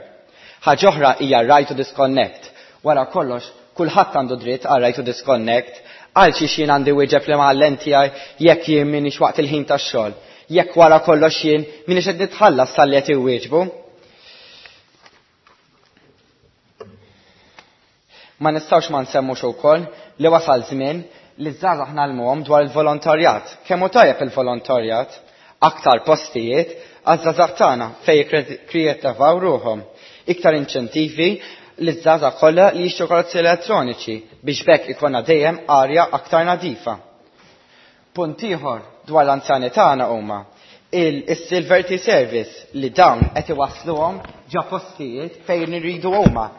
Ħaġa oħra hija right to disconnect. Wara kollox, kulħadd għandu dritt għal right to disconnect. Għal xiex jien għandi wieġeb li mgħallem tiegħi jekk jien m'iniex waqt il-ħin tax-xogħol. Jekk wara kollox jien m'iniex qed nitħallas talli qed iwieġbu. Ma nistgħux ma nsemmux ukoll li wasal żmien li ż-żgħażagħ ngħallmuhom dwar il-volontarjat. Kemm hu tajjeb il-volontarjat? Aktar postijiet għaż-żgħażagħ tagħna fejn jikkreattivaw ruħhom. Iktar inċentivi li ż-żgħażagħ kollha li jixtru karozzi elettroniċi biex b'hekk ikollna dejjem arja aktar nadifa. Punt ieħor dwar l-anzjani tagħna huma il-Silver Tea Service li dawn qed iwassluhom ġa postijiet fejn iridu huma.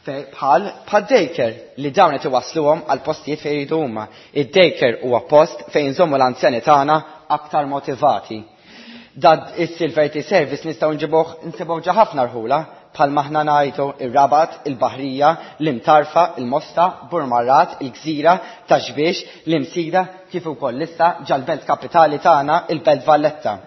Bħal bħal daycare li dawn qed iwassluhom għal postijiet fejn iridu huma. Id-daycare huwa post fejn nżommu l-anzjani tagħna aktar motivati. Dad is-Silver Tea Service nistgħu nġibuh nsibuh ġa ħafna rħula bħal maħna ngħidu ir-Rabat, il-Baħrija, l-Imtarfa, il-Mosta, Burmarrad, il-Gżira, Ta' Xbiex, l-Imsida, kif ukoll issa ġal-belt kapitali tagħna, il-Belt Valletta.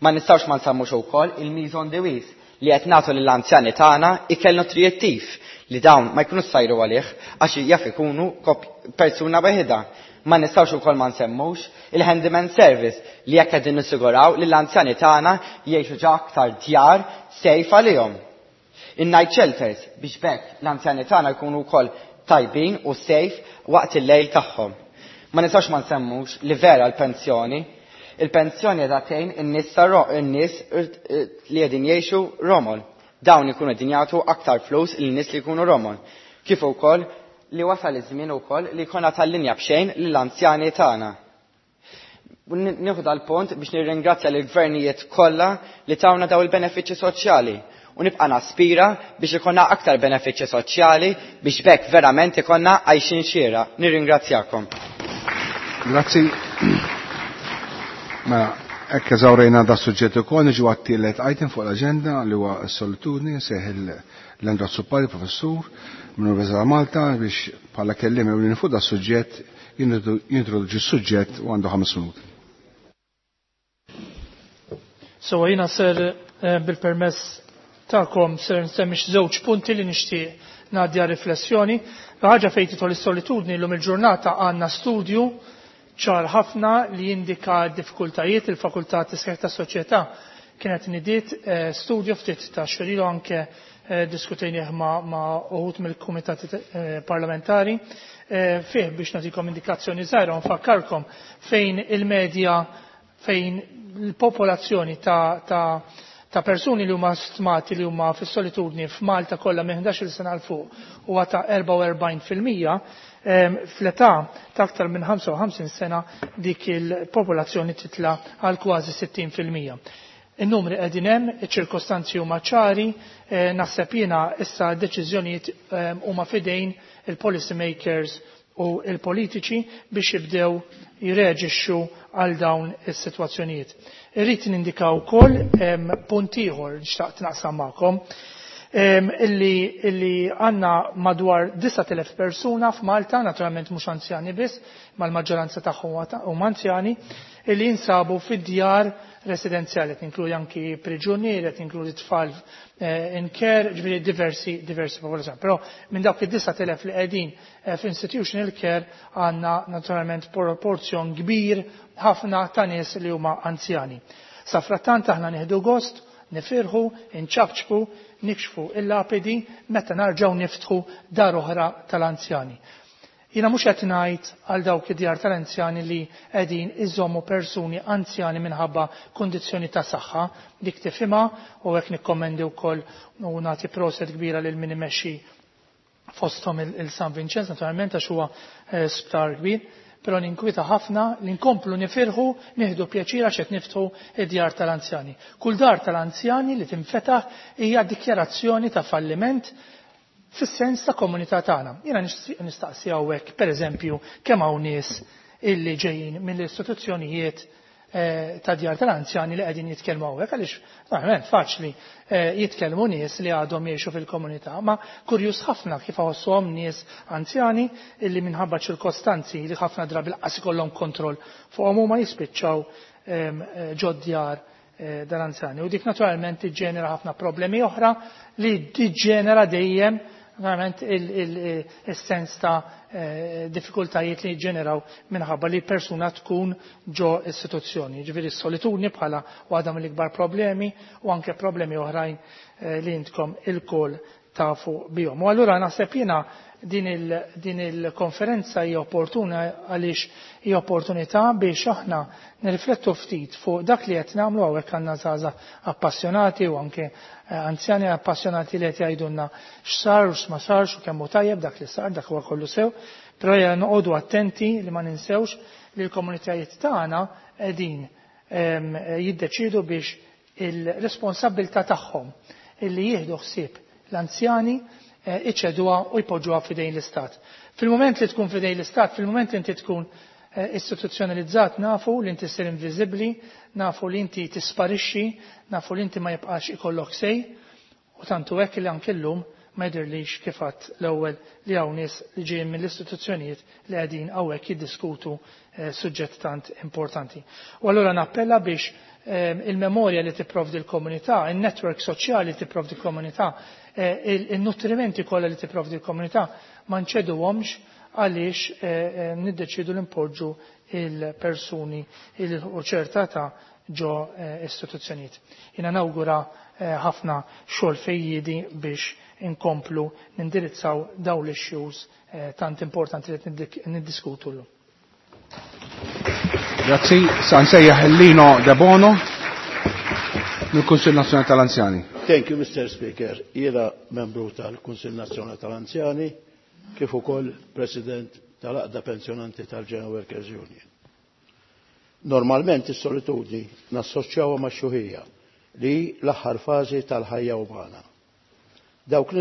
Ma nistgħux ma nsemmux ukoll il-Meals on the Wheels li qed nagħtu lill-anzjani tagħna ikel nutrijettiv li dawn ma jkunux sajru għalih għax jaf ikunu persuna weħidha. Ma nistgħux ukoll ma nsemmux il-handyman service li jekk qegħdin nissiguraw li l-anzjani tagħna jgħixu ġa aktar djar safe għalihom. In-night shelters biex b'hekk l-anzjani tagħna jkunu wkoll tajbin u safe waqt il-lejl tagħhom. Ma nistgħux ma nsemmux li vera l-pensjoni. Il-pensjoni qiegħda tgħin in-nies in-nies li qegħdin jgħixu romol. Dawn ikunu qegħdin jagħtu aktar flus lin-nies li jkunu romol. Kif ukoll li wasal iż-żmien ukoll li jkollna tal-linja b'xejn lill-anzjani tagħna. Nieħu dal-punt biex nirringrazzja lill-gvernijiet kollha li tawna daw il-benefiċċji soċjali u nibqa' naspira biex ikollna aktar benefiċċji soċjali biex b'hekk verament ikollna għajxin xieraq. Nirringrazzjakom. Grazzi. Mela, hekk eżawrejna da suġġett ukoll niġu għat-tielet item fuq l-aġenda li huwa s-solitudni seħ l-Andra Azzopardi, professur mill-Università ta' Malta biex bħala kelliem ewlieni fuq da suġġett jintroduċi s-suġġett u għandu 5 minuti. So jiena ser bil-permess tagħkom ser nsemmi żewġ punti li nixtieq ngħaddi għal riflessjoni. Ħaġa fejn tidħol is-solitudni llum il-ġurnata għandna studju ċar ħafna li jindika d-diffikultajiet. Il-Fakultà Tisħiħ tas-Soċjetà kienet nidiet studju ftit ta' xhur anke diskutejnieh ma' uħud mill-kumitati parlamentari fih biex nagħtikom indikazzjoni żgħira u nfakkarkom fejn il-medja fejn il-popolazzjoni ta' ta' persuni li huma stmati li huma fis-solitudni f'Malta kollha minn 11-il sena 'l fuq huwa ta' 44%, fl-età ta' aktar minn 55 sena dik il-popolazzjoni titla' għal kważi 60%. In-numri qegħdin hemm, iċ-ċirkostanzi huma ċari, naħseb jiena issa d-deċiżjonijiet huma f'idejn il-policy makers u il-politiċi biex jibdew jirreaġixxu għal dawn is-sitwazzjonijiet. Irrid nindika wkoll punt ieħor li xtaqt naqsam magħkom illi għandna madwar 9,000 persuna f'Malta, naturalment mhux anzjani biss, ma l-maġġoranza tagħhom huma anzjani, illi jinsabu fid-djar residenzjali, qed inkludi anki priġunieri, qed inkludi tfal in care, ġifieri diversi diversi popolazzjoni. Però minn dawk id-9,000 li qegħdin f'institutional care għandna naturalment proporzjon kbir ħafna ta' nies li huma anzjani. Sa frattant aħna nieħdu gost nifirħu, inċapċpu, nikxfu il-lapidi meta narġgħu niftħu dar oħra tal-anzjani. Jiena mhux qed ngħid għal dawk id-djar tal-anzjani li qegħdin iżommu persuni anzjani minħabba kundizzjoni ta' saħħa, dik tifhimha u hekk nikkommendi wkoll u nagħti proset kbira lil min imexxi fosthom il-San Vincenz naturalment għax huwa eh, sptar kbir, però ninkwita ħafna li nkomplu nifirħu nieħdu pjaċir għax qed niftħu id-djar tal-anzjani. Kull dar tal-anzjani li tinfetaħ hija dikjarazzjoni ta' falliment fis-sens ta' komunità tagħna. Jiena nistaqsi hawnhekk pereżempju kemm hawn nies illi ġejjin mill-istituzzjonijiet eh, ta' djar tal-anzjani li qegħdin jitkellmu hawnhekk għaliex verament faċli eh, jitkellmu nies li għadhom jgħixu fil-komunità, ma kurjuż ħafna kif iħossuhom nies anzjani illi minħabba ċirkostanzi li ħafna drabi lanqas ikollhom kontroll fuqhom huma jispiċċaw ehm, eh, ġod-djar dal-anzjani. U dik naturalment tiġġenera ħafna problemi oħra li tiġġenera dejjem verament il-sens ta' eh, diffikultajiet li ġeneraw minħabba li persuna tkun ġo istituzzjoni. Ġifieri s-solitudni bħala waħda mill-ikbar problemi u anke problemi oħrajn eh, li intkom il-kol tafu bihom. U allura naħseb jiena din il-konferenza hija opportuna għaliex hija opportunità biex aħna nirriflettu ftit fuq dak li qed nagħmlu hawnhekk għandna żgħażagħ appassjonati u anke eh, anzjani appassjonati li qed jgħidulna x'sar u x'ma sarx u kemm hu tajjeb dak li sar dak huwa kollu sew, però hija noqogħdu attenti li ma ninsewx li l-komunitajiet tagħna qegħdin ehm, jiddeċiedu biex il-responsabilità tagħhom illi jieħdu ħsieb l-anzjani eh, iċeduha u jpoġġuha f'idejn l-Istat. Fil-moment li tkun f'idejn l-Istat, fil-moment li inti tkun eh, istituzzjonalizzat nafu li inti ssir inviżibbli, nafu li inti tisparixxi, nafu li inti ma jibqax ikollok sej, u tantu hekk li anke llum ma jidhirlix kif għadt l-ewwel li hawn nies li ġejjin mill-istituzzjonijiet li qegħdin hawnhekk jiddiskutu eh, suġġett tant importanti. U allura nappella biex il-memorja li tipprovdi l-komunità, il-network soċjali li tipprovdi l-komunità, eh, il-nutrimenti kollha li tipprovdi l-komunità ma nċeduhomx għaliex eh, eh, niddeċidu li npoġġu il-persuni il ċerta ta' ġo istituzzjonijiet. Jiena nawgura ħafna xogħol fejjiedi biex inkomplu nindirizzaw dawn l-issues tant importanti li niddiskutu llum. Grazzi, sa nsejjaħ Lino Debono mill-Kunsill Nazzjonali tal-Anzjani. Thank you, Mr. Speaker. Jiena membru tal-Kunsill Nazzjonali tal-Anzjani kif ukoll President tal-Aqda Pensjonanti tal-General Workers Union. Normalment is-solitudni nassoċjawha max-xuħija li l-aħħar fażi tal-ħajja umana. Dawk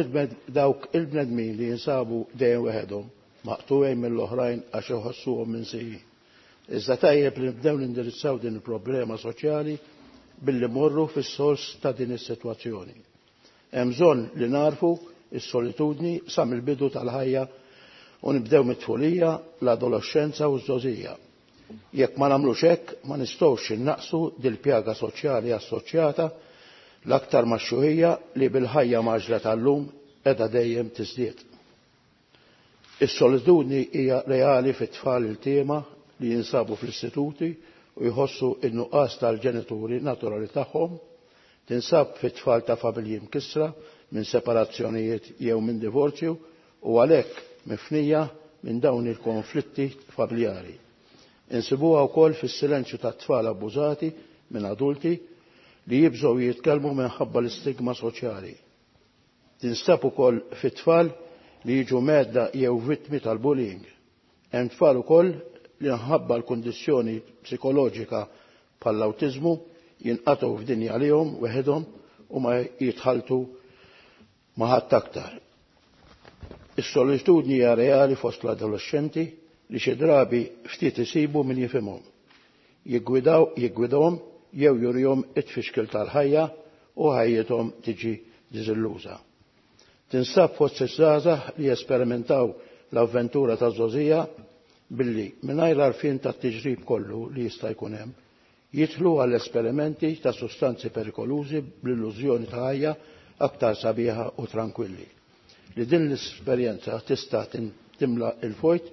il-bnedmin li jinsabu dejjem weħedhom maqtugħin mill-oħrajn għax iħossuhom minsijin. Iżda tajjeb li nibdew nindirizzaw din il-problema soċjali billi morru fis-sors ta' din is-sitwazzjoni. Hemm bżonn li narfu is-solitudni sa mill-bidu tal-ħajja u nibdew mit-tfulija, l-adolescenza u ż-żgħożija. Jekk ma nagħmlux hekk, ma nistgħux innaqsu dil-pjaga soċjali assoċjata l-aktar max-xuħija li bil-ħajja maġla tal-lum qiegħda dejjem tiżdied. Is-solitudni hija reali fit-tfal il-tiema li jinsabu fl-istituti u jħossu in-nuqqas tal-ġenituri naturali tagħhom, tinsab fit-tfal ta' familji mkissra minn separazzjonijiet jew minn divorzju u għalhekk mifnija minn dawn il-konflitti familjari. Insibuha wkoll fis-silenzju tat-tfal abbużati minn adulti li jibżgħu jitkellmu minħabba l-istigma soċjali. Tinstab ukoll fit-tfal li jiġu medda jew vittmi tal-bullying. Hemm tfal ukoll li nħabba l-kundizzjoni psikoloġika bħall-awtiżmu jinqatgħu f'dinja għalihom weħedhom u ma jitħaltu ma' ħadd aktar. Is-solitudni hija reali fost l-adolescenti li xi drabi ftit isibu min jifhimhom. Jiggwidaw jiggwidhom jew jurihom it-tfixkil tal-ħajja u ħajjithom tiġi diżilluża. Tinsab fost iż-żgħażagħ li jesperimentaw l-avventura taż-żgħożija billi mingħajr l-għarfien tat-tiġrib kollu li jista' jkun hemm, jidħlu għal esperimenti ta' sustanzi perikolużi bl-illużjoni ta' ħajja aktar sabiħa u tranquilli. Li din l-esperjenza tista' timla il-fojt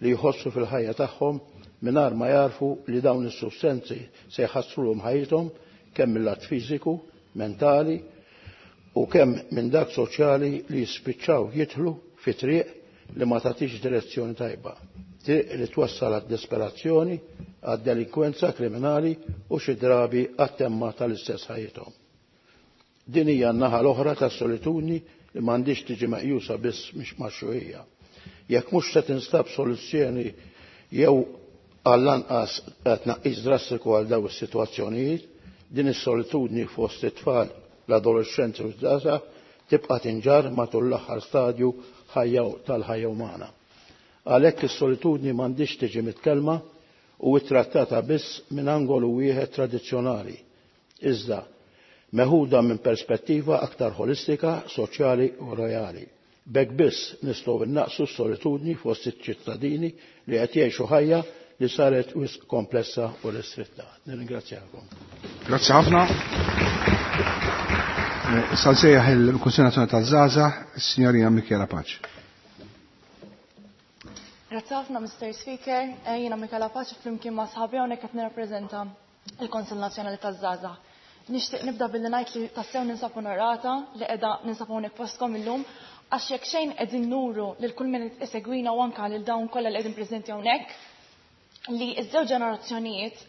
li jħossu fil-ħajja tagħhom mingħajr ma jarfu li dawn is-sustanzi se jħassrulhom ħajjithom kemm mill-lat fiżiku mentali u kemm minn dak soċjali li jispiċċaw jidħlu fi triq li ma tagħtix direzzjoni tajba. Triq li twassal għad-desperazzjoni, għad-delinkwenza kriminali u xi drabi għat-temma tal-istess ħajjithom. Din hija n-naħa l-oħra tas-solitudni li m'għandix tiġi meqjusa biss mhix maxxuħija. Jekk mhux se tinstab soluzzjoni jew għall-anqas tnaqqis drastiku għal daw is-sitwazzjonijiet, din is-solitudni fost it-tfal, l-adolescenti u żgħażagħ tibqa' tinġarr matul l-aħħar stadju tal-ħajja umana. Għalhekk is-solitudni m'għandix tiġi mitkellma u ttrattata biss minn angolu wieħed tradizzjonali, iżda meħuda minn perspettiva aktar ħolistika, soċjali u reali. B'hekk biss nistgħu innaqsu s-solitudni fost iċ-ċittadini li qed jgħixu ħajja li saret wisq komplessa u restritta. Nirringrazzjakom. Grazzi ħafna. Issa nsejjaħ il-Kunsill Nazzjonali taż-Żgħażagħ, is-Sinjorina Michela Pace. Grazzi ħafna, Mr. Speaker. Jiena Michela Pace flimkien ma' sħabi hawnhekk qed nirrappreżenta l-Kunsill Nazzjonali taż-Żgħażagħ. Nixtieq nibda billi ngħid li tassew ninsab onorata li qiegħda ninsab hawnhekk fostkom illum għax jekk xejn qegħdin nuru lil kull min isegwina u anke lil dawn kollha li qegħdin preżenti hawnhekk li ż-żewġ ġenerazzjonijiet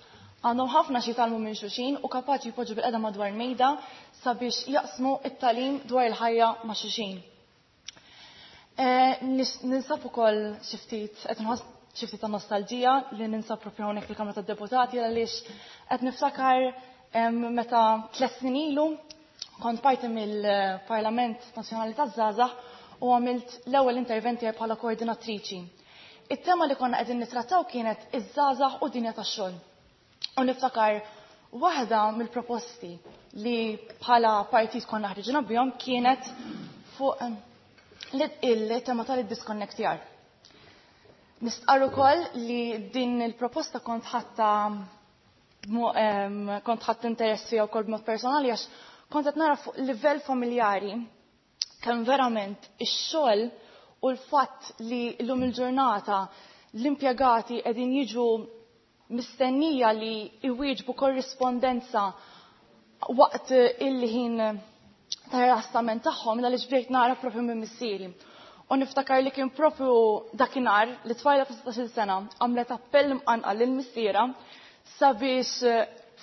għandhom ħafna xi jitgħallmu minn xulxin u kapaċi jpoġġu bil-qeda madwar mejda sabiex jaqsmu it-tagħlim dwar il-ħajja ma' xulxin. Ninsab ukoll xi ftit qed inħoss xi ftit ta' nostalġija li ninsab propju hawnhekk fil-Kamra tad-Deputati għaliex qed niftakar meta 3 snin ilu kont parti mill-Parlament Nazzjonali taż-Żgħażagħ u għamilt l-ewwel intervent tiegħi bħala koordinatriċi. It-tema li konna qegħdin nittrattaw kienet iż-żgħażagħ u dinja tax-xogħol. U niftakar waħda mill-proposti li bħala partit konna ħriġna bihom kienet fuq il-tema tal-disconnectjar. Nistqarr ukoll li din il-proposta kont ħatta kont ħadd interess fiha wkoll b'mod personali għax kont qed nara fuq livell familjari kemm verament ix-xogħol u l-fatt li llum il-ġurnata l-impjegati qegħdin jiġu mistennija li iwieġbu korrispondenza waqt il-ħin ta' rilassament tagħhom għaliex bdejt nara propju minn missieri. U niftakar li kien propju dakinhar li tfajla ta' 16-il sena għamlet appell mqanqal lil missiera sabiex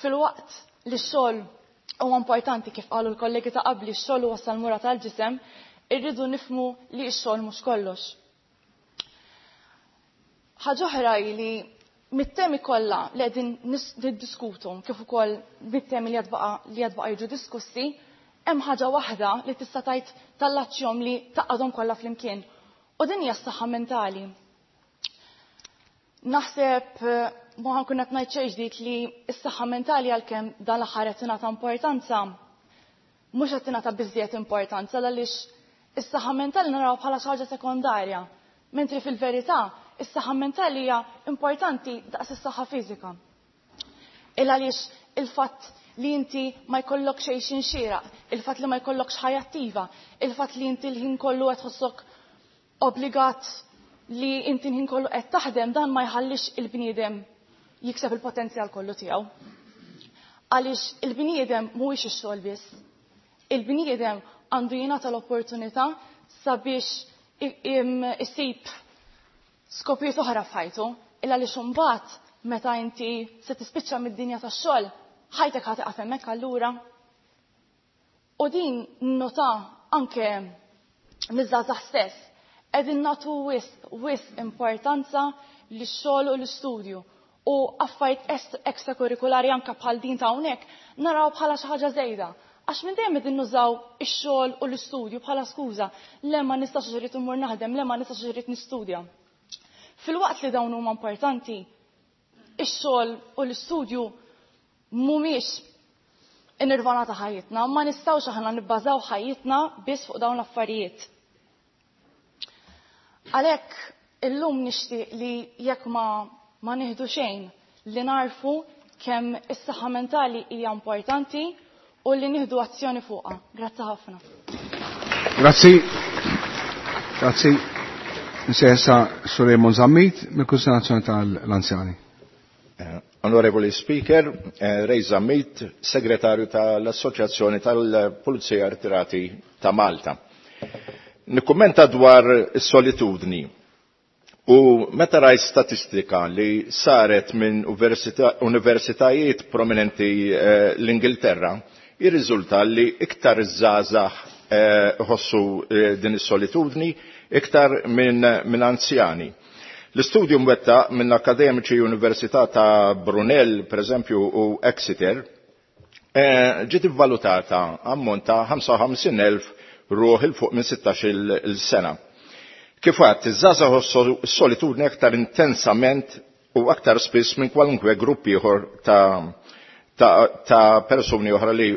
fil-waqt li x-xogħol huwa importanti kif qalu l-kollegi ta' qabli x-xogħol huwa salmura tal-ġisem, irridu nifhmu li x-xogħol mhux kollox. Ħaġa oħra hi li mit-temi kollha li qegħdin niddiskutu kif ukoll mit-temi li qed baqa' jiġu diskussi, hemm ħaġa waħda li tista' tgħid tallaċċjhom li taqgħadhom kollha flimkien. U din hija s-saħħa mentali. Naħseb ma ħankun qed ngħid xejn ġdid li s-saħħa mentali għalkemm dan l-aħħar qed tingħata importanza, mhux qed tingħata biżżejjed importanza għaliex is-saħħa mentali naraw bħala xi ħaġa sekondarja, mentri fil-verità is-saħħa mentali hija importanti daqs is-saħħa fiżika. Il għaliex il-fatt li inti ma jkollok xejn xinxieraq, il-fatt li ma jkollokx ħajja attiva, il-fatt li inti l-ħin kollu qed tħossok obbligat li inti l-ħin kollu qed taħdem, dan ma jħallix il-bniedem jikseb il-potenzjal kollu tiegħu. Għaliex il-bniedem mhuwiex ix-xogħol biss. Il-bniedem għandu jingħata l-opportunità sabiex isib skopijiet oħra f'ħajtu, illa għaliex imbagħad meta inti se tispiċċa mid-dinja tax-xogħol, ħajtek ħa tieqaf hemmhekk allura. U din nota anke miż-żgħażagħ stess, qegħdin nagħtu wisq importanza lix-xogħol u l-istudju u affarijiet ekstrakurrikulari anke bħal din ta' hawnhekk naraw bħala xi ħaġa żejda. Għax minn dejjem qegħdin nużaw ix-xogħol u l-istudju bħala skuża, le ma nistax irrid immur naħdem, le ma nistax irrid nistudja. Fil-waqt li dawn huma importanti, ix-xogħol u l-istudju mhumiex in-nirvana ta' ħajjitna, ma nistgħux aħna nibbażaw ħajjitna biss fuq dawn l-affarijiet. Għalhekk illum nixtieq li jekk ma nieħdu xejn li narfu kemm is-saħħa mentali hija importanti u li nieħdu azzjoni fuqha. Grazzi ħafna. Grazzi. Grazzi. Nsejsa Sur Raymond Zammit mill-Kunsill Nazzjonali tal-Anzjani. Onorevoli Speaker, Ray Zammit, Segretarju tal-Assoċjazzjoni tal-Pulizija Ritirati ta' Malta. Nikkummenta dwar is-solitudni. U meta rajt statistika li saret minn universitajiet prominenti l-Ingilterra, jirriżulta li iktar iż-żgħażagħ iħossu din is-solitudni iktar minn anzjani. L-istudju mwettaq minn akademiċi Università ta' Brunel, per eżempju, u Exeter, ġiet ivvalutata ammont ta' 55,000 ruħ il fuq minn 16-il sena. Kif għadt, iż-żgħażagħ ħossu s-solitudni aktar intensament u aktar spiss minn kwalunkwe grupp ieħor ta' persuni oħra li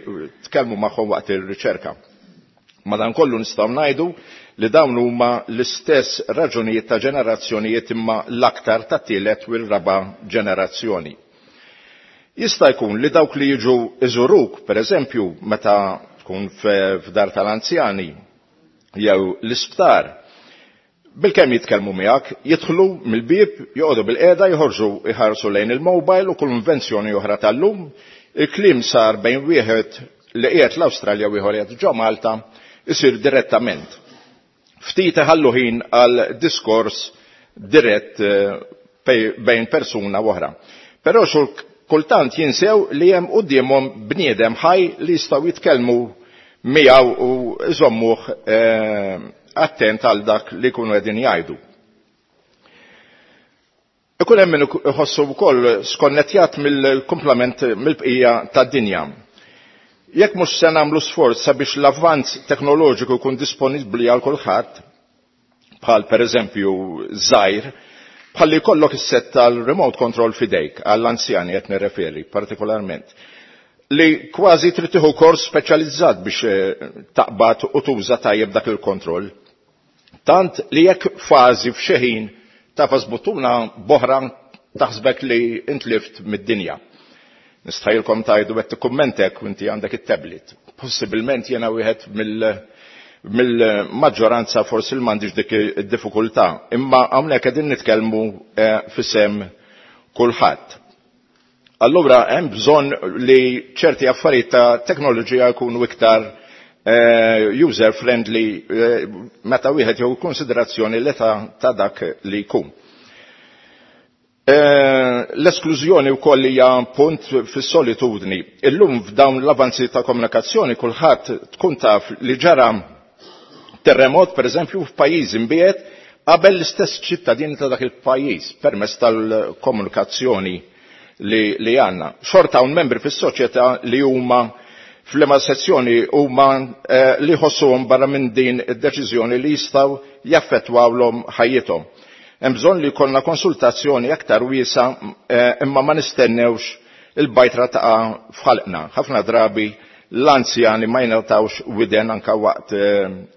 tkellmu magħhom waqt ir-riċerka. Madankollu nistgħu ngħidu li dawn huma l-istess raġunijiet ta' ġenerazzjonijiet imma l-aktar ta' tielet u l-raba' ġenerazzjoni. Jista' jkun li dawk li jiġu iżuruk, per eżempju, meta tkun f'dar tal-anzjani jew l-isptar, bilkemm jitkellmu miegħek, jidħlu mill-bieb, joqogħdu bil-qiegħda, joħorġu jħarsu lejn il-mobile u kull invenzjoni oħra tal-lum, il-kliem sar bejn wieħed li qiegħed l-Awstralja u ieħor qiegħed ġo Malta isir direttament. Ftit iħallu ħin għal diskors dirett bejn persuna u oħra. Però xul kultant jinsew li hemm quddiemhom bniedem ħaj li jistgħu jitkellmu miegħu u iżommuh attent għal dak li jkunu qegħdin jgħidu. Ikun hemm min iħossu wkoll skonnettjat mill-kumplament mill-bqija tad-dinja. Jekk mhux se nagħmlu sforz sabiex l-avvanz teknoloġiku jkun disponibbli għal kulħadd, bħal pereżempju żgħir, bħal li jkollok is-set tal-remote control f'idejk għall-anzjani qed nirreferi partikolarment, li kważi trid tieħu kors speċjalizzat biex taqbad u tuża tajjeb dak il-kontroll. Tant li jekk fażi f'xi ħin tafas buttuna boħra taħsbek li intlift mid-dinja. Nistħajlkom tajdu qed tikkummentek u inti għandek it-tablet. Possibilment jiena wieħed mill-maġġoranza forsi li m'għandix dik id-diffikultà, imma hawnhekk qegħdin nitkellmu f'isem kulħadd. Allura hemm bżonn li ċerti affarijiet ta' teknoloġija jkunu iktar user friendly meta wieħed jew konsiderazzjoni l-età ta' dak li jkun. L-esklużjoni wkoll hija punt fis-solitudni. Illum f'dawn l-avanzi ta' komunikazzjoni kulħadd tkun taf li ġara terremot pereżempju f'pajjiż imbiegħed qabel l-istess ċittadini ta' dak il-pajjiż permezz tal-komunikazzjoni li għandna. Xorta hawn membri fis-soċjetà li huma fl-ema sezzjoni huma li jħossuhom barra minn din id-deċiżjoni li jistgħu jaffettwawlhom ħajjithom. Hemm bżonn li jkollna konsultazzjoni aktar wiesa imma ma nistennewx il-bajtra taqa' f'ħalqna. Ħafna drabi l-anzjani ma jingħatawx widen anke waqt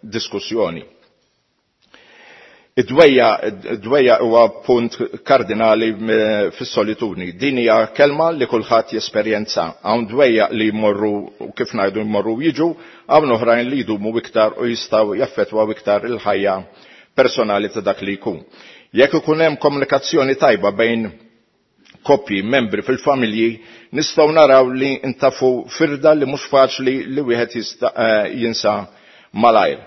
diskussjoni. Id-dwejja huwa punt kardinali fis-solitudni. Din hija kelma li kulħadd jesperjenza. Hawn dwejja li jmorru u kif ngħidu jmorru jiġu, hawn oħrajn li jdumu iktar u jistgħu jaffettwaw iktar il-ħajja personali ta' dak li jkun. Jekk ikun hemm komunikazzjoni tajba bejn koppji, membri fil-familji, nistgħu naraw li ntafu firda li mhux faċli li wieħed jista' jinsa malajr.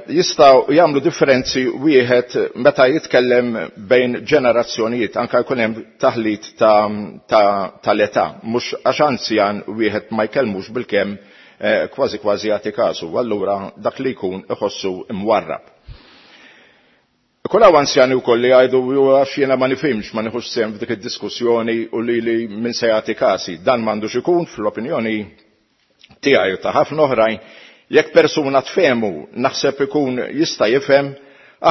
Jistgħu jagħmlu differenzi wieħed meta jitkellem bejn ġenerazzjonijiet, anke jkun hemm taħlit tal-età, mhux għax anzjan wieħed ma jkellmux bilkemm kważi kważi jagħti kasu, allura dak li jkun iħossu imwarrab. Ikun hawn anzjani wkoll li jgħidu għax jiena ma nifhimx, ma nieħux sehem f'dik id-diskussjoni u li li min se jagħti kasi. Dan m'għandux ikun fl-opinjoni tiegħi u ta' ħafna oħrajn. Jekk persuna tfehmu, naħseb ikun jista' jifhem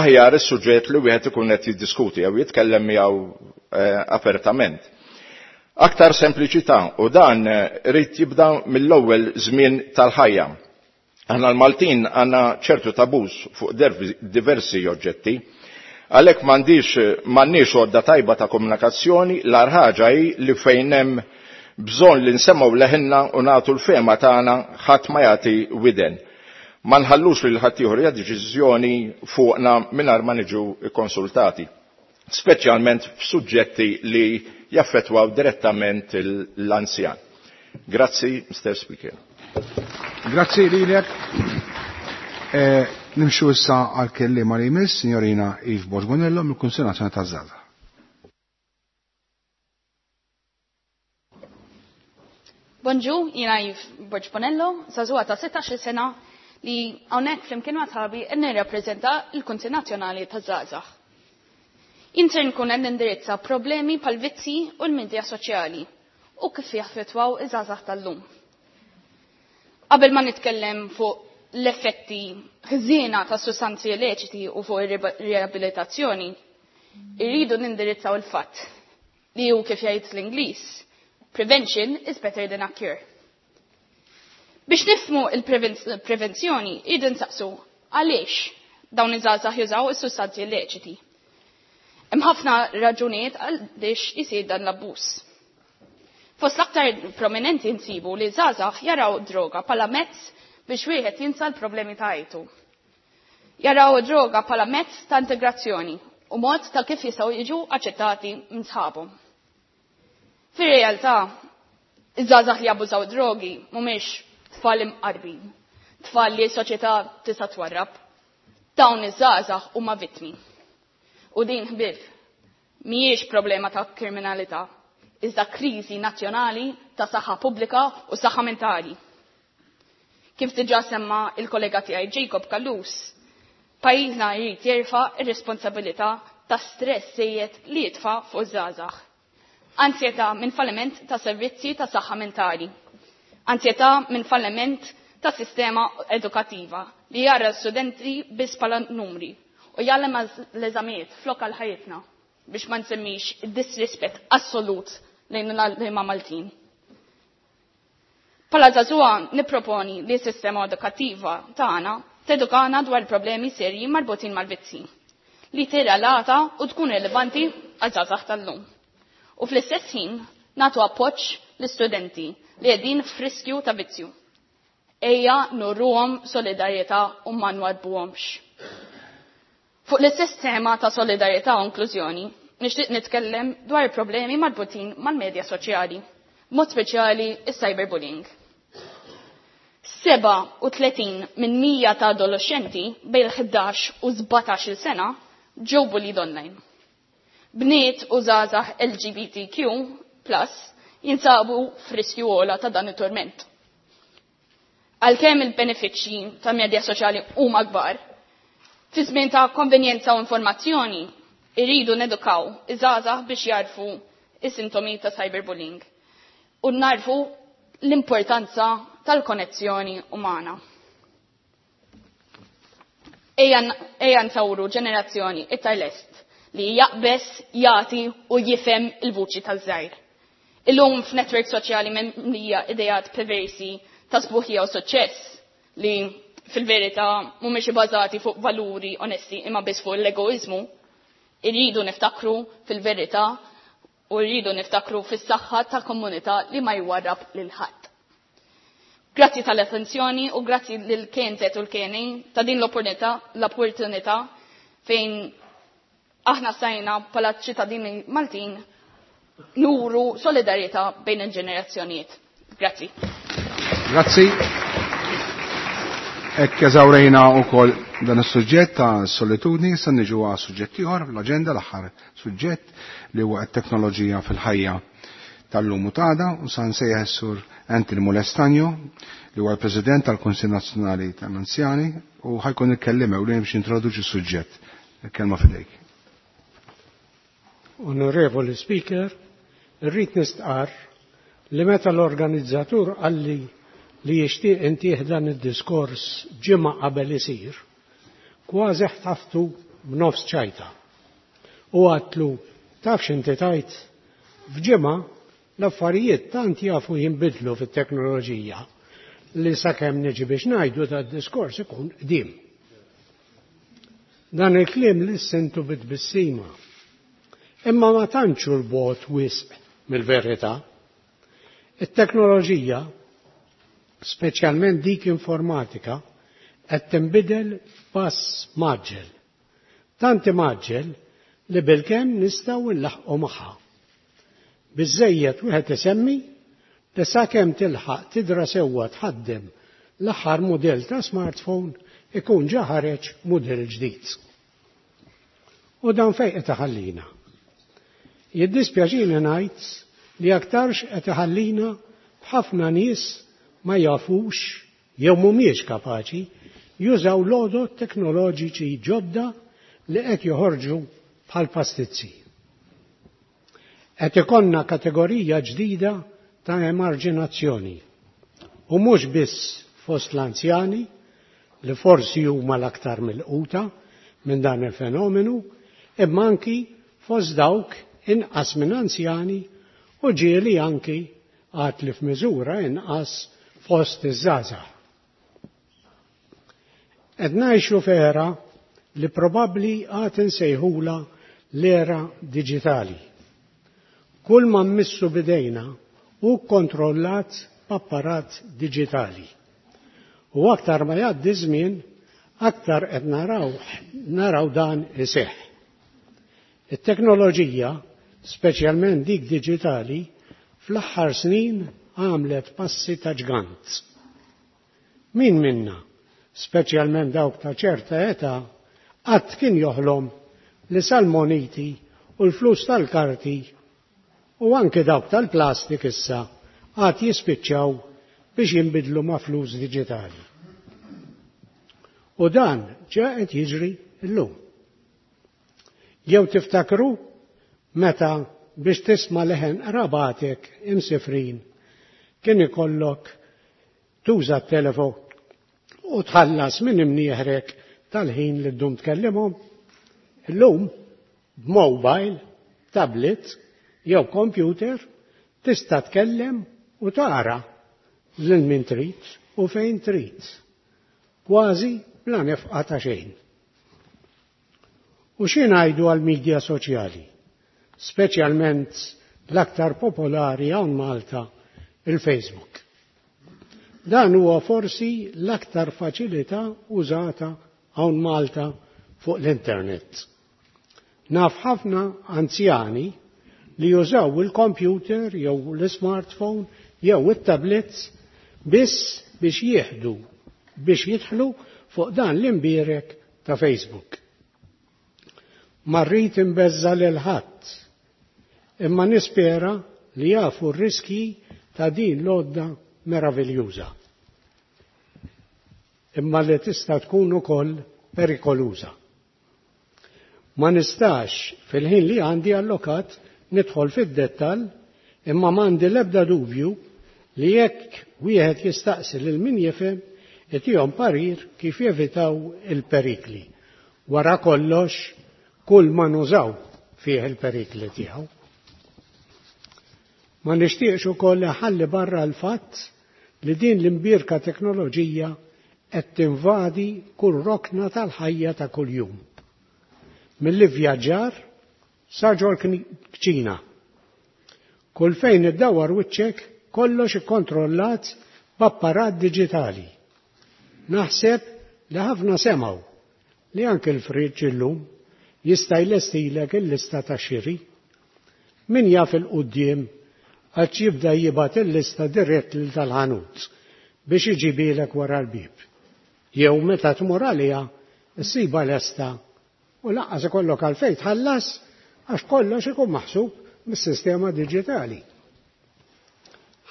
aħjar is-suġġett li wieħed ikun qed jiddiskuti jew jitkellem miegħu apertament. Aktar sempliċità, u dan irid jibda mill-ewwel żmien tal-ħajja. Aħna l-Maltin għandna ċertu tabuż fuq diversi oġġetti. Għalhekk m'għandniex għodda tajba ta' komunikazzjoni, l-agħar ħaġa hi li fejn hemm bżonn li nsemgħu leħinna u nagħtu l-fehma tagħna ħadd ma jagħti widen. Ma nħallux lil ħaddieħor jagħti deċiżjoni fuqna mingħajr ma niġu kkonsultati. speċjalment f'suġġetti li jaffettwaw direttament l-anzjan. Grazzi, Mr. Speaker. Grazzi lilek. Eh, nimxu issa għal kelliema li jmiss, Signorina Yves Borgonello mill-Kunsill Nazzjonali taż-Żgħażagħ. Bonġu, jina Yves Borg Bonello, żagħżugħa ta' 16 sena li hawnhekk flimkien ma' sħabi qed nirrappreżenta l-Kunsill Nazzjonali taż-Żgħażagħ. Jien ser nkun qed nindirizza problemi bħal vizzi u l-midja soċjali u kif jaffettwaw iż-żgħażagħ tal-lum. Qabel ma nitkellem fuq l-effetti ħżiena ta' sustanzi illeċiti u fuq ir-riabilitazzjoni, irridu nindirizzaw il-fatt li hu kif jgħid l-Ingliż, prevention is better than a cure. Biex nifhmu il-prevenzjoni, irridu nsaqsu għaliex dawn iż-żgħażagħ jużaw is-sustanzi illeċiti. Hemm ħafna raġunijiet għaliex isir dan l-abbuż. Fost l-aktar prominenti nsibu li żgħażagħ jaraw droga bħala mezz biex wieħed jinsa l-problemi ta' ħajtu. Jaraw droga bħala mezz ta' integrazzjoni u mod ta' kif jistgħu jiġu aċċettati minn sħabhom. Fir-realtà, iż-żgħażagħ li jabbużaw drogi mhumiex tfal imqarbin, tfal li s-soċjetà tista' twarrab. Dawn iż-żgħażagħ huma vittmi. U din ħbieb mhijiex problema ta' kriminalità, iżda kriżi nazzjonali ta' saħħa pubblika u saħħa mentali. Kif diġà semma il-kollega tiegħi Jacob Callus, pajjiżna jrid jerfa' ir-responsabilità ta' stress sejjed li jitfa' fuq iż-żgħażagħ. Ansjetà minn falliment ta' servizzi ta' saħħa mentali. Ansjetà minn falliment ta' sistema edukattiva li jara l-studenti biss bħala numri u jgħallem l-eżamijiet flok għal ħajjitna biex ma nsemmix id-disrispett assolut lejn l-għalliema Maltin. Bħala żagħżugħa nipproponi li s-sistema edukattiva tagħna tedukana dwar problemi serji marbutin mal-vizzi li tirrelata u tkun rilevanti għaż-żgħażagħ tal-lum. U fl-istess ħin nagħtu appoġġ l-istudenti li qegħdin f'riskju ta' vizzju. Ejja nurruhom solidarjetà u ma nwarbuhomx. Fuq l-istess tema ta' solidarjetà u inklużjoni, nixtieq nitkellem dwar problemi marbutin mal-medja soċjali, mod speċjali is-cyberbullying. 37 minn 100 ta' adolescenti bejn il-11 u 17 sena ġew bullied online. Bniet u żgħażagħ LGBTQ plus jinsabu f'riskju ogħla ta' dan it-torment. Għalkemm il-benefiċċji ta' medja soċjali huma kbar, fi żmien ta' konvenjenza u informazzjoni, irridu nedukaw iż-żgħażagħ biex jarfu is-sintomi ta' cyberbullying u narfu l-importanza tal-konnezzjoni umana. Ejja nsawru ġenerazzjoni iktar lest li jaqbes, jagħti u jifhem il-vuċi taż-żgħir. Illum f'netwerk soċjali mimlija idejat perversi ta' sbuħija u suċċess li fil-verità mhumiex ibbażati fuq valuri onesti imma biss fuq l-egoizmu, irridu niftakru fil-verità u rridu niftakru fis-saħħa ta' komunità li ma jwarrab lil ħadd. Grazzi tal-attenzjoni u grazzi lil KNZ u l-KNA ta' din l-opportunità fejn aħna stajna bħala ċittadini Maltin nuru solidarjetà bejn il-ġenerazzjonijiet. Grazzi. Grazzi. Hekk eżawrejna wkoll dan is-suġġett ta' solitudni, issa niġu għal suġġett ieħor fl-aġenda, l-aħħar suġġett li huwa t-teknoloġija fil-ħajja tal-lum u t'għada, u sa nsejjaħ is-sur Anthony Molestanjo li huwa l-President tal-Kunsill Nazzjonali tal-Anzjani u ħajkun il-kelliem ewlieni biex jintroduċi s-suġġett. Il-kelma f'idejk. Onorevoli Speaker, irrid nistqarr li meta l-organizzatur qalli li jixtieq intih dan id-diskors ġimgħa qabel isir, kważi ħtaftu b'nofs ċajta. U għatlu, taf x'inti tajt, f'ġimgħa l-affarijiet tant jafu jinbidlu fit-teknoloġija li sakemm niġi biex ngħidu tad-diskors ikun qdim. Dan il-kliem li sentu bit-tbissima. Imma ma tantx hu l-bogħod wisq mill-verità. It-teknoloġija, speċjalment dik informatika, qed tinbidel f'pass maġġel. Tant imaġġel li bilkemm nistgħu nlaħħqu magħha. Biżżejjed wieħed isemmi li sakemm tilħaq tidra sewwa tħaddem l-aħħar mudell ta' smartphone ikun ġa ħareġ mudell ġdid. U dan fejn qed iħallina? Jiddispjaċini ngħid li aktarx qed iħallina b'ħafna nies ma jafux jew mhumiex kapaċi jużaw l-għodod teknoloġiċi ġodda li qed joħorġu bħal pastizzi. Qed ikollna kategorija ġdida ta' emarġinazzjoni u mhux biss fost l-anzjani li forsi huma l-aktar milquta minn dan il-fenomenu, imma anki fost dawk inqas minn anzjani u ġieli anki għad li f'miżura inqas fost iż-żgħażagħ. Qed ngħixu f'era li probabbli għad insejħulha l-era diġitali. Kull ma mmissu b'idejna hu kkontrollat b'apparat diġitali. U aktar ma jgħaddi żmien, aktar qed naraw naraw dan iseħħ. It-teknoloġija, speċjalment dik diġitali, fl-aħħar snin għamlet passi ta' ġgant. Min minna, speċjalment dawk ta' ċerta età, qatt kien joħlom li sal-moniti u l-flus tal-karti u anke dawk tal-plastik issa għad jispiċċaw biex jinbidlu ma' flus diġitali. U dan ġa qed jiġri llum. Jew tiftakru meta biex tisma' leħen qrabatek imsifrin kien ikollok tuża t-telefon u tħallas minn imnieħrek tal-ħin li ddum tkellimhom? Illum b'mobile, tablet jew computer tista' tkellem u tara lil min trid u fejn trid, kważi bla nefqa ta' xejn. U xi ngħidu għall-midja soċjali, speċjalment l-aktar popolari hawn Malta, il-Facebook. Dan huwa forsi l-aktar faċilità użata hawn Malta fuq l-internet. Naf ħafna anzjani li jużaw il-computer jew l-smartphone jew it-tablets biss biex jieħdu biex jidħlu fuq dan l-imbierek ta' Facebook. Ma rrid inbeżża' lil ħadd, imma nispera li jafu r-riskji ta' din l-għodda meraviljuża. Imma li tista' tkun ukoll perikoluża. Ma nistax fil-ħin li għandi allokat nidħol fid-dettall imma m'għandi l-ebda dubju li jekk wieħed jistaqsi lil min jifhem itihom parir kif jevitaw il-perikli. Wara kollox, kull ma nużaw fih il-perikli tiegħu. Ma nixtieqx ukoll iħalli barra l-fatt li din l-imbierka teknoloġija qed tinvadi kull rokna tal-ħajja ta' kuljum. Mill-ivvjaġġar sa ġol-kċina. Kull fejn iddawwar wiċċek kollox ikkontrollat b'apparat diġitali. Naħseb li ħafna semgħu li anke l-fridge illum jista' jlestilek il-lista tax-xiri. Min jaf 'il quddiem għadx jibda jibgħat il-lista dirett lil tal-ħanut biex iġibielek wara l-bieb. Jew meta tmur għaliha ssibha lesta u lanqas ikollok għalfejn tħallas għax kollox ikun maħsub mis-sistema diġitali.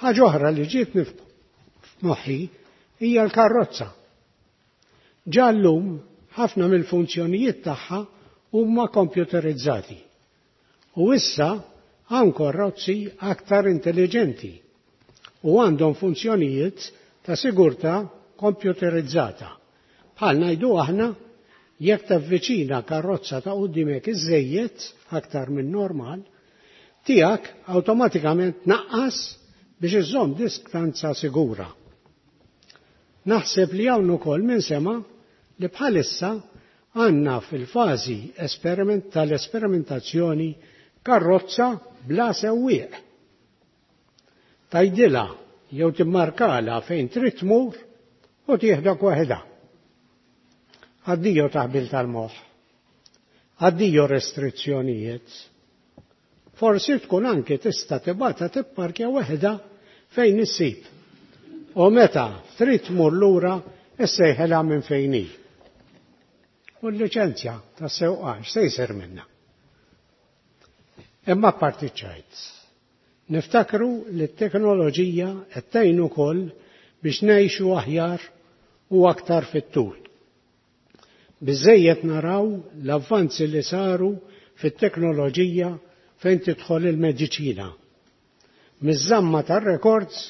Ħaġa oħra li ġietni f'moħħi hija l-karrozza. Ġa llum ħafna mill-funzjonijiet tagħha huma kompjuterizzati. U issa hawn karrozzi aktar intelliġenti u għandhom funzjonijiet ta' sigurtà kompjuterizzata. Bħal ngħidu aħna jekk tavviċina karrozza ta' quddiemek iżżejjed aktar minn normal, tiegħek awtomatikament tnaqqas biex iżżomm distanza sigura. Naħseb li hawn ukoll min sema' li bħalissa għandna fil-fażi tal-esperimentazzjoni karrozza bla sewwieq. Tgħidilha jew timmarkalha fejn trid tmur u tieħdok waħedha. Addio taħbil tal-moħħ. Addio restrizzjonijiet. Forsi tkun anke tista' tibgħatha tipparkja waħda fejn issib. U meta trid tmur lura issejħilha minn fejn hi. U l-liċenzja tas-sewqan x'se jsir minnha? Imma apparti ċ-ċajt, niftakru li t-teknoloġija qed tgħin ukoll biex ngħixu aħjar u aktar fit-tul. Biżżejjed naraw l-avvanzi li saru fit-teknoloġija fejn tidħol il-mediċina. Miż-żamma tar-rekords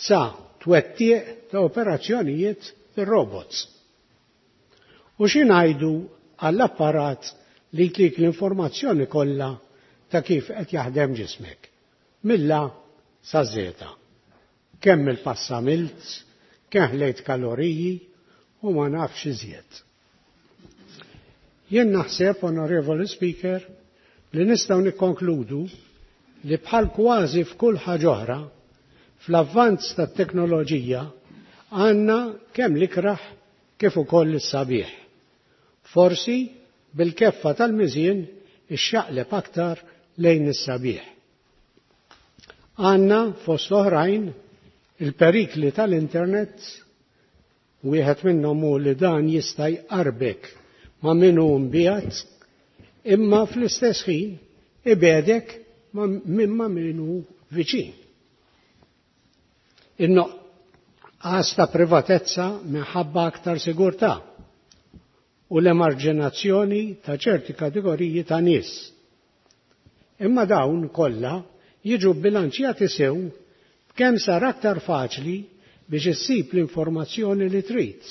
sa twettiq ta' operazzjonijiet bir-robots. U xi ngħidu għall-apparat li jtik l-informazzjoni kollha ta' kif qed jaħdem ġismek, mill-A saż-Żeta. Kemm il-pass għamilt, kemm ħlejt kaloriji u ma nafx iżjed. Jien naħseb, Onorevoli Speaker, li nistgħu nikkonkludu li bħal kważi f'kull ħaġa oħra, fl-avvanz tat-teknoloġija għandna kemm l-ikrah kif ukoll is-sabiħ. Forsi bil-keffa tal-miżien ixxaqleb aktar lejn is-sabiħ. Għandna fost l-oħrajn il-perikli tal-internet, wieħed minnhom hu li dan jista' jqarbek ma' min hu mbiegħed, imma fl-istess ħin ibegħdek minn ma' min hu viċin. In-nuqqas ta' privatezza minħabba aktar sigurtà u l-emarġinazzjoni ta' ċerti kategoriji ta' nies. Imma dawn kollha jiġu bbilanċjati sew b'kemm sar aktar faċli biex issib l-informazzjoni li trid.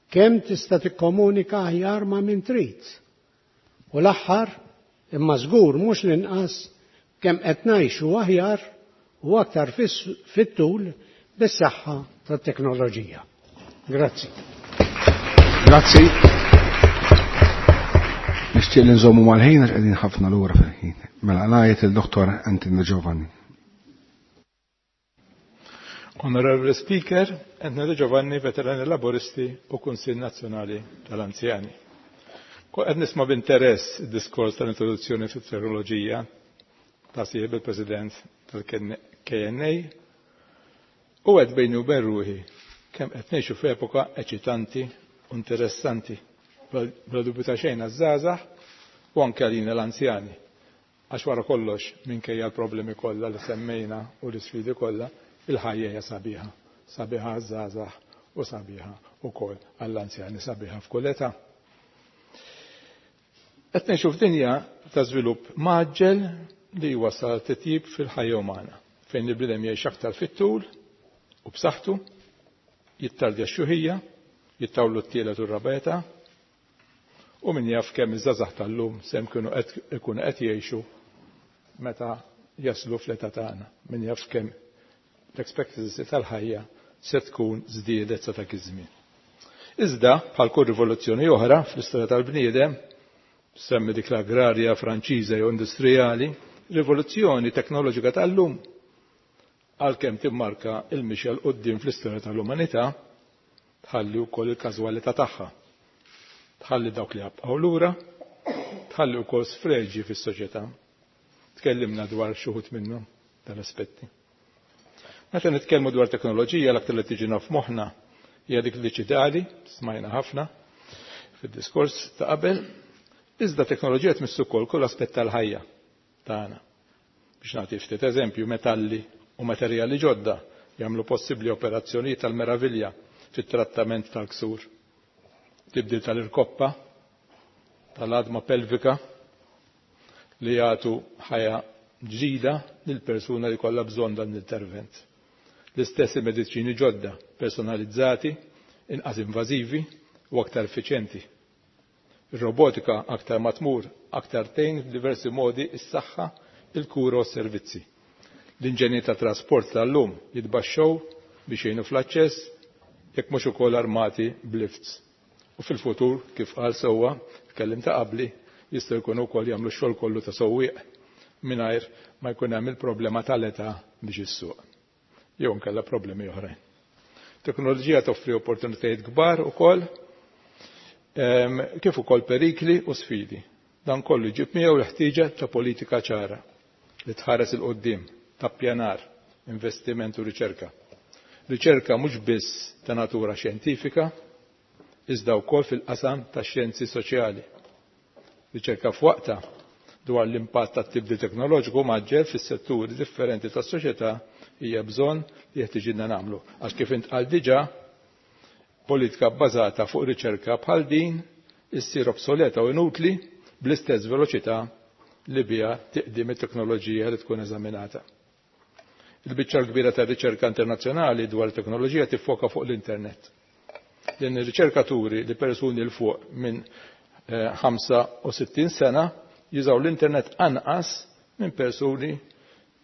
Kemm tista' tikkomunika aħjar ma' min trid. U l-aħħar, imma żgur mhux l-inqas, kemm qed ngħixu aħjar u aktar fit-tul bis-saħħa tat-teknoloġija. Grazzi. Grazzi. Nixtieq li nżommu mal-ħin għax qegħdin ħafna lura fil-ħin. Mela ngħid il-Dottor Anthony Giovanni. Onorevole Speaker, Anthony Giovanni, veterani laboristi u Kunsill Nazzjonali tal-Anzjani. Qed nisma' b'interess id-diskors tal-introduzzjoni fit-teknoloġija ta' sieħeb il-President tal-KNA u għed bejni u bejn ruħi kemm qed ngħixu f'epoka eċitanti u interessanti. Bla dubju ta' xejn għaż-żgħażagħ u anke għalina l-anzjani. Għax wara kollox, minkejja l-problemi kollha li semmejna u l-isfidi kollha, il-ħajja hija sabiħa. Sabiħa għaż-żgħażagħ u sabiħa wkoll għall-anzjani, sabiħa f'kull età. Qed ngħixu f'dinja ta' żvilupp mgħaġġel li jwassal għal titjib fil-ħajja umana, fejn il-bniedem jgħix aktar fit-tul u b'saħħtu, jittardja x-xjuħija, jittawlu t-tielet u r-raba' età, u min jaf kemm iż-żgħażagħ tal-lum se jkunu qed ikunu qed jgħixu meta jaslu fl-età tagħna, min jaf kemm l-expectancy tal-ħajja se tkun żdiedet sa dak iż-żmien. Iżda, bħal kull rivoluzzjoni oħra fl-istorja tal-bniedem, semmi dik l-agrarja Franċiża jew industrijali, rivoluzzjoni teknoloġika tal-lum, għalkemm timmarka il-mixja 'l quddiem fl-istorja tal-umanità, tħalli wkoll il-każwalità tagħha. Tħalli dawk li jabqgħu lura, tħalli wkoll sfreġji fis-soċjetà. Tkellimna dwar xi wħud minnhom dal-aspetti. Meta nitkellmu dwar teknoloġija l-aktar li tiġina f'moħħna hija dik diġitali, smajna ħafna fid-diskors ta' qabel, iżda teknoloġija tmiss ukoll kull aspett tal-ħajja tagħna. Biex nagħti ftit eżempju, metalli u materjali ġodda jagħmlu possibbli operazzjonijiet tal-meravilja fit-trattament tal-ksur. Tibdil tal-irkoppa, tal-għadma pelvika li jagħtu ħajja ġdida lil persuna li kollha bżonn dan l-intervent. L-istess il-mediċini ġodda, personalizzati, inqas invażivi u aktar effiċjenti. Ir-robotika aktar ma tmur, aktar tgħin f'diversi modi s-saħħa, il-kura u s-servizzi. L-inġenji ta' trasport tal-lum jitbaxxew biex jgħinu fl-aċċess, jekk mhux ukoll armati b'lifts. U fil-futur, kif qal sewwa l-kelliem ta' qabli, jistgħu jkunu wkoll jagħmlu x-xogħol kollu ta' sewwieq mingħajr ma jkun hemm il-problema tal-età biex issuq. Jew inkella problemi oħrajn. Teknoloġija toffri opportunitajiet kbar ukoll Kif ukoll perikli u sfidi. Dan kollu jġib miegħu l-ħtieġa ta' politika ċara li tħares 'il quddiem, ta' ppjanar, investiment u riċerka. Riċerka mhux biss ta' natura xjentifika, iżda wkoll fil-qasam tax-xjenzi soċjali. Riċerka f'waqtha dwar l-impatt tat-tibdil teknoloġiku mgħaġġel fis-setturi differenti tas-soċjetà hija bżonn li jeħtiġilna nagħmlu għax kif intqal diġà politika bbażata fuq riċerka bħal din issir obsoleta u inutli bl-istess veloċità li biha tiqdim it-teknoloġija li tkun eżaminata. Il-biċċa l-kbira tar-riċerka internazzjonali dwar it-teknoloġija tiffoka fuq l-internet. Din ir-riċerka turi li persuni 'l fuq minn 65 eh, sena jużaw l-internet anqas minn persuni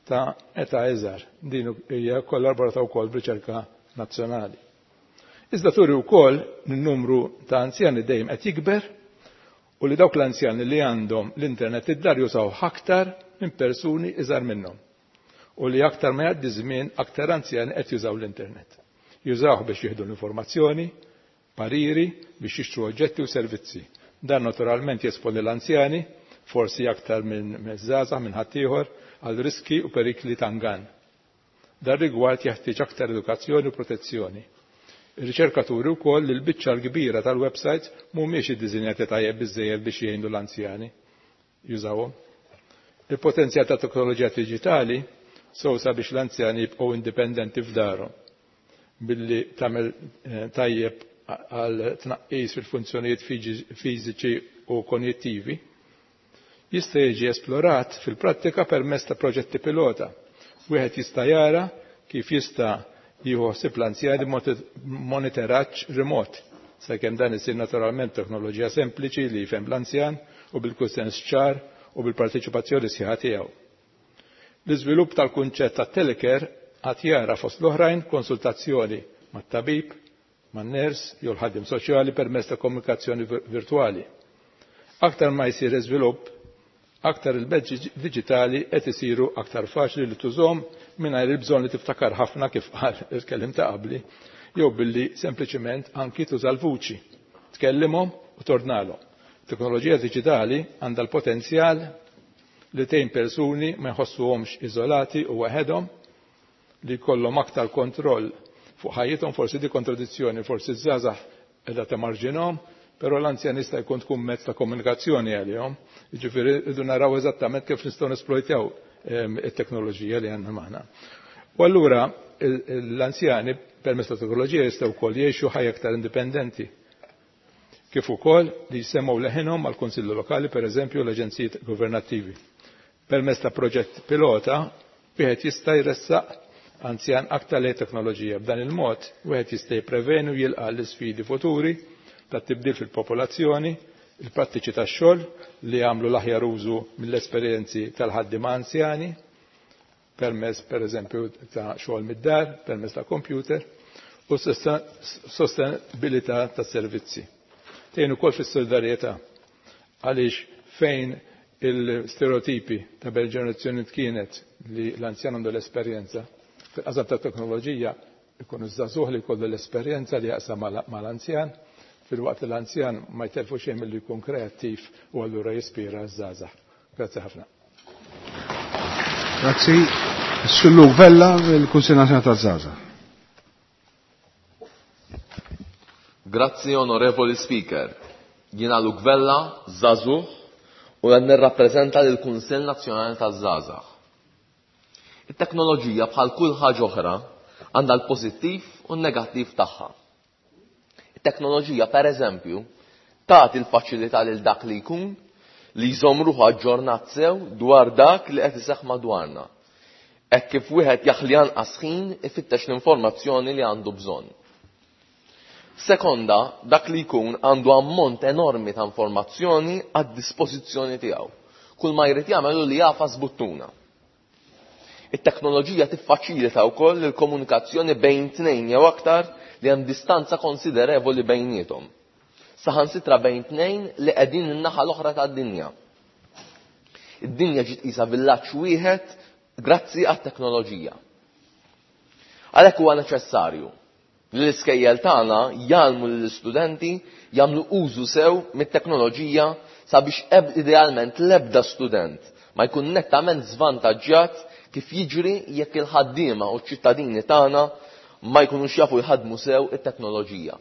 ta' età iżgħar. Din hija kollaborata wkoll b'riċerka nazzjonali. Iżda turi wkoll n-numru ta' anzjani dejjem qed jikber u li dawk l-anzjani li għandhom l-internet id-dar jużaw aktar minn persuni iżgħar minnhom. U li aktar ma jgħaddi żmien aktar anzjani qed jużaw l-internet. Jużawh biex jieħdu l-informazzjoni, pariri, biex jixtru oġġetti u servizzi. Dan naturalment jesponi l-anzjani, forsi aktar minn żgħażagħ minn ħaddieħor, għal riski u perikli ta' ngann. Dan rigward jeħtieġ aktar edukazzjoni u protezzjoni. Ir-riċerkaturi wkoll li l-biċċa l-kbira tal-websites mhumiex iddiżinjati tajjeb biżżejjed biex jgħinu l-anzjani jużawhom. Il-potenzjal ta' teknoloġija diġitali sew sabiex l-anzjani jibqgħu indipendenti f'darhom billi tagħmel eh, tajjeb għal tnaqqis fil-funzjonijiet fiżiċi u konjettivi, jista' jiġi esplorat fil-prattika permezz ta' proġetti pilota. Wieħed jista' jara kif jista' jieħu ħsieb l-anzjani monitoraġġ remot, sakemm dan isir naturalment teknoloġija sempliċi li jifhem l-anzjan u bil-kunsens ċar u bil-parteċipazzjoni sħiħa tiegħu. L-iżvilupp tal-kunċett ta' telecare għad jara fost l-oħrajn konsultazzjoni mat-tabib, man-ners jew l-ħaddiem soċjali permezz ta' komunikazzjoni virtwali. Aktar ma jsir iżvilupp, aktar il-mezzi diġitali qed isiru aktar faċli li tużhom mingħajr il-bżonn li tiftakar ħafna kif qal il-kellim ta' qabli, jew billi sempliċiment anki tuża l-vuċi, tkellimhom u tordnalhom. Teknoloġija diġitali għandha l-potenzjal li tgħin persuni ma jħossuhomx iżolati u waħedhom, li jkollhom aktar kontroll fuq ħajjithom, forsi di kontradizzjoni, forsi ż-żgħażagħ qiegħda temarġinhom, però l-anzjan jista' jkun tkun mezz ta' komunikazzjoni għalihom. Jiġifieri rridu naraw eżattament kif nistgħu nesplojtjaw ehm, it-teknoloġija li għandna magħna. U allura l-anzjani permezz ta' teknoloġija jistgħu wkoll jgħixu ħajja aktar indipendenti. Kif ukoll li jsemgħu leħinhom mal-Kunsillu Lokali, pereżempju l-aġenzijiet governattivi. Permezz ta' proġett pilota wieħed jista' jressaq anzjan aktar lejn teknoloġija. B'dan il-mod wieħed jista' jippreveni u jilqa' l-isfidi futuri tat-tibdil fil-popolazzjoni, il-prattiċi tax-xogħol li jagħmlu l-aħjar użu mill-esperjenzi tal-ħaddiema anzjani, permezz pereżempju ta' xogħol mid-dar, permezz ta' computer, u sostenibilità tas-servizzi. Tgħin ukoll fis-solidarjetà għaliex fejn il-stereotipi ta' bel ġenerazzjoni kienet li l-anzjan għandu l-esperjenza, fil-qasam ta' teknoloġija ikun iż-żagħżugħ li jkollu l-esperjenza li jaqsam mal-anzjan, filwaqt li l-anzjan ma jtelfu xejn milli jkun kreattiv u allura jispira ż-żgħażagħ. Grazzi ħafna. Grazzi. Sullu Vella, il-Kunsill Nazzjonali taż-Żgħażagħ. Grazzi Onorevoli Speaker. Jiena Luke Vella, żagħżugħ, u qed nirrappreżenta lill-Kunsill Nazzjonali taż-Żgħażagħ. It-teknoloġija bħal kull ħaġa oħra għandha l-pożittiv u n-negattiv tagħha. It-teknoloġija pereżempju tagħti l-faċilità lil dak li jkun li jżomm ruħu aġġornat sew dwar dak li qed iseħħ madwarna. Hekk kif wieħed jaħli anqas ħin ifittex l-informazzjoni li għandu bżonn. F'sekonda dak li jkun għandu ammont enormi ta' informazzjoni għad-dispożizzjoni tiegħu. Kull ma jrid jagħmel hu li jagħfas buttuna. It-teknoloġija tiffaċilita wkoll il-komunikazzjoni bejn tnejn jew aktar li hemm distanza konsiderevoli bejniethom. Saħansitra bejn tnejn li qegħdin in-naħa l-oħra tad-dinja. Id-dinja ġiet qisha villaġġ wieħed grazzi għat-teknoloġija. Għalhekk huwa neċessarju Li l-iskejjel tagħna jgħallmu lill-istudenti jagħmlu użu sew mit-teknoloġija sabiex idealment l-ebda student ma jkun nettament żvantaġġjat kif jiġri jekk il-ħaddiema u ċ-ċittadini tagħna ma jkunux jafu jħaddmu sew it-teknoloġija.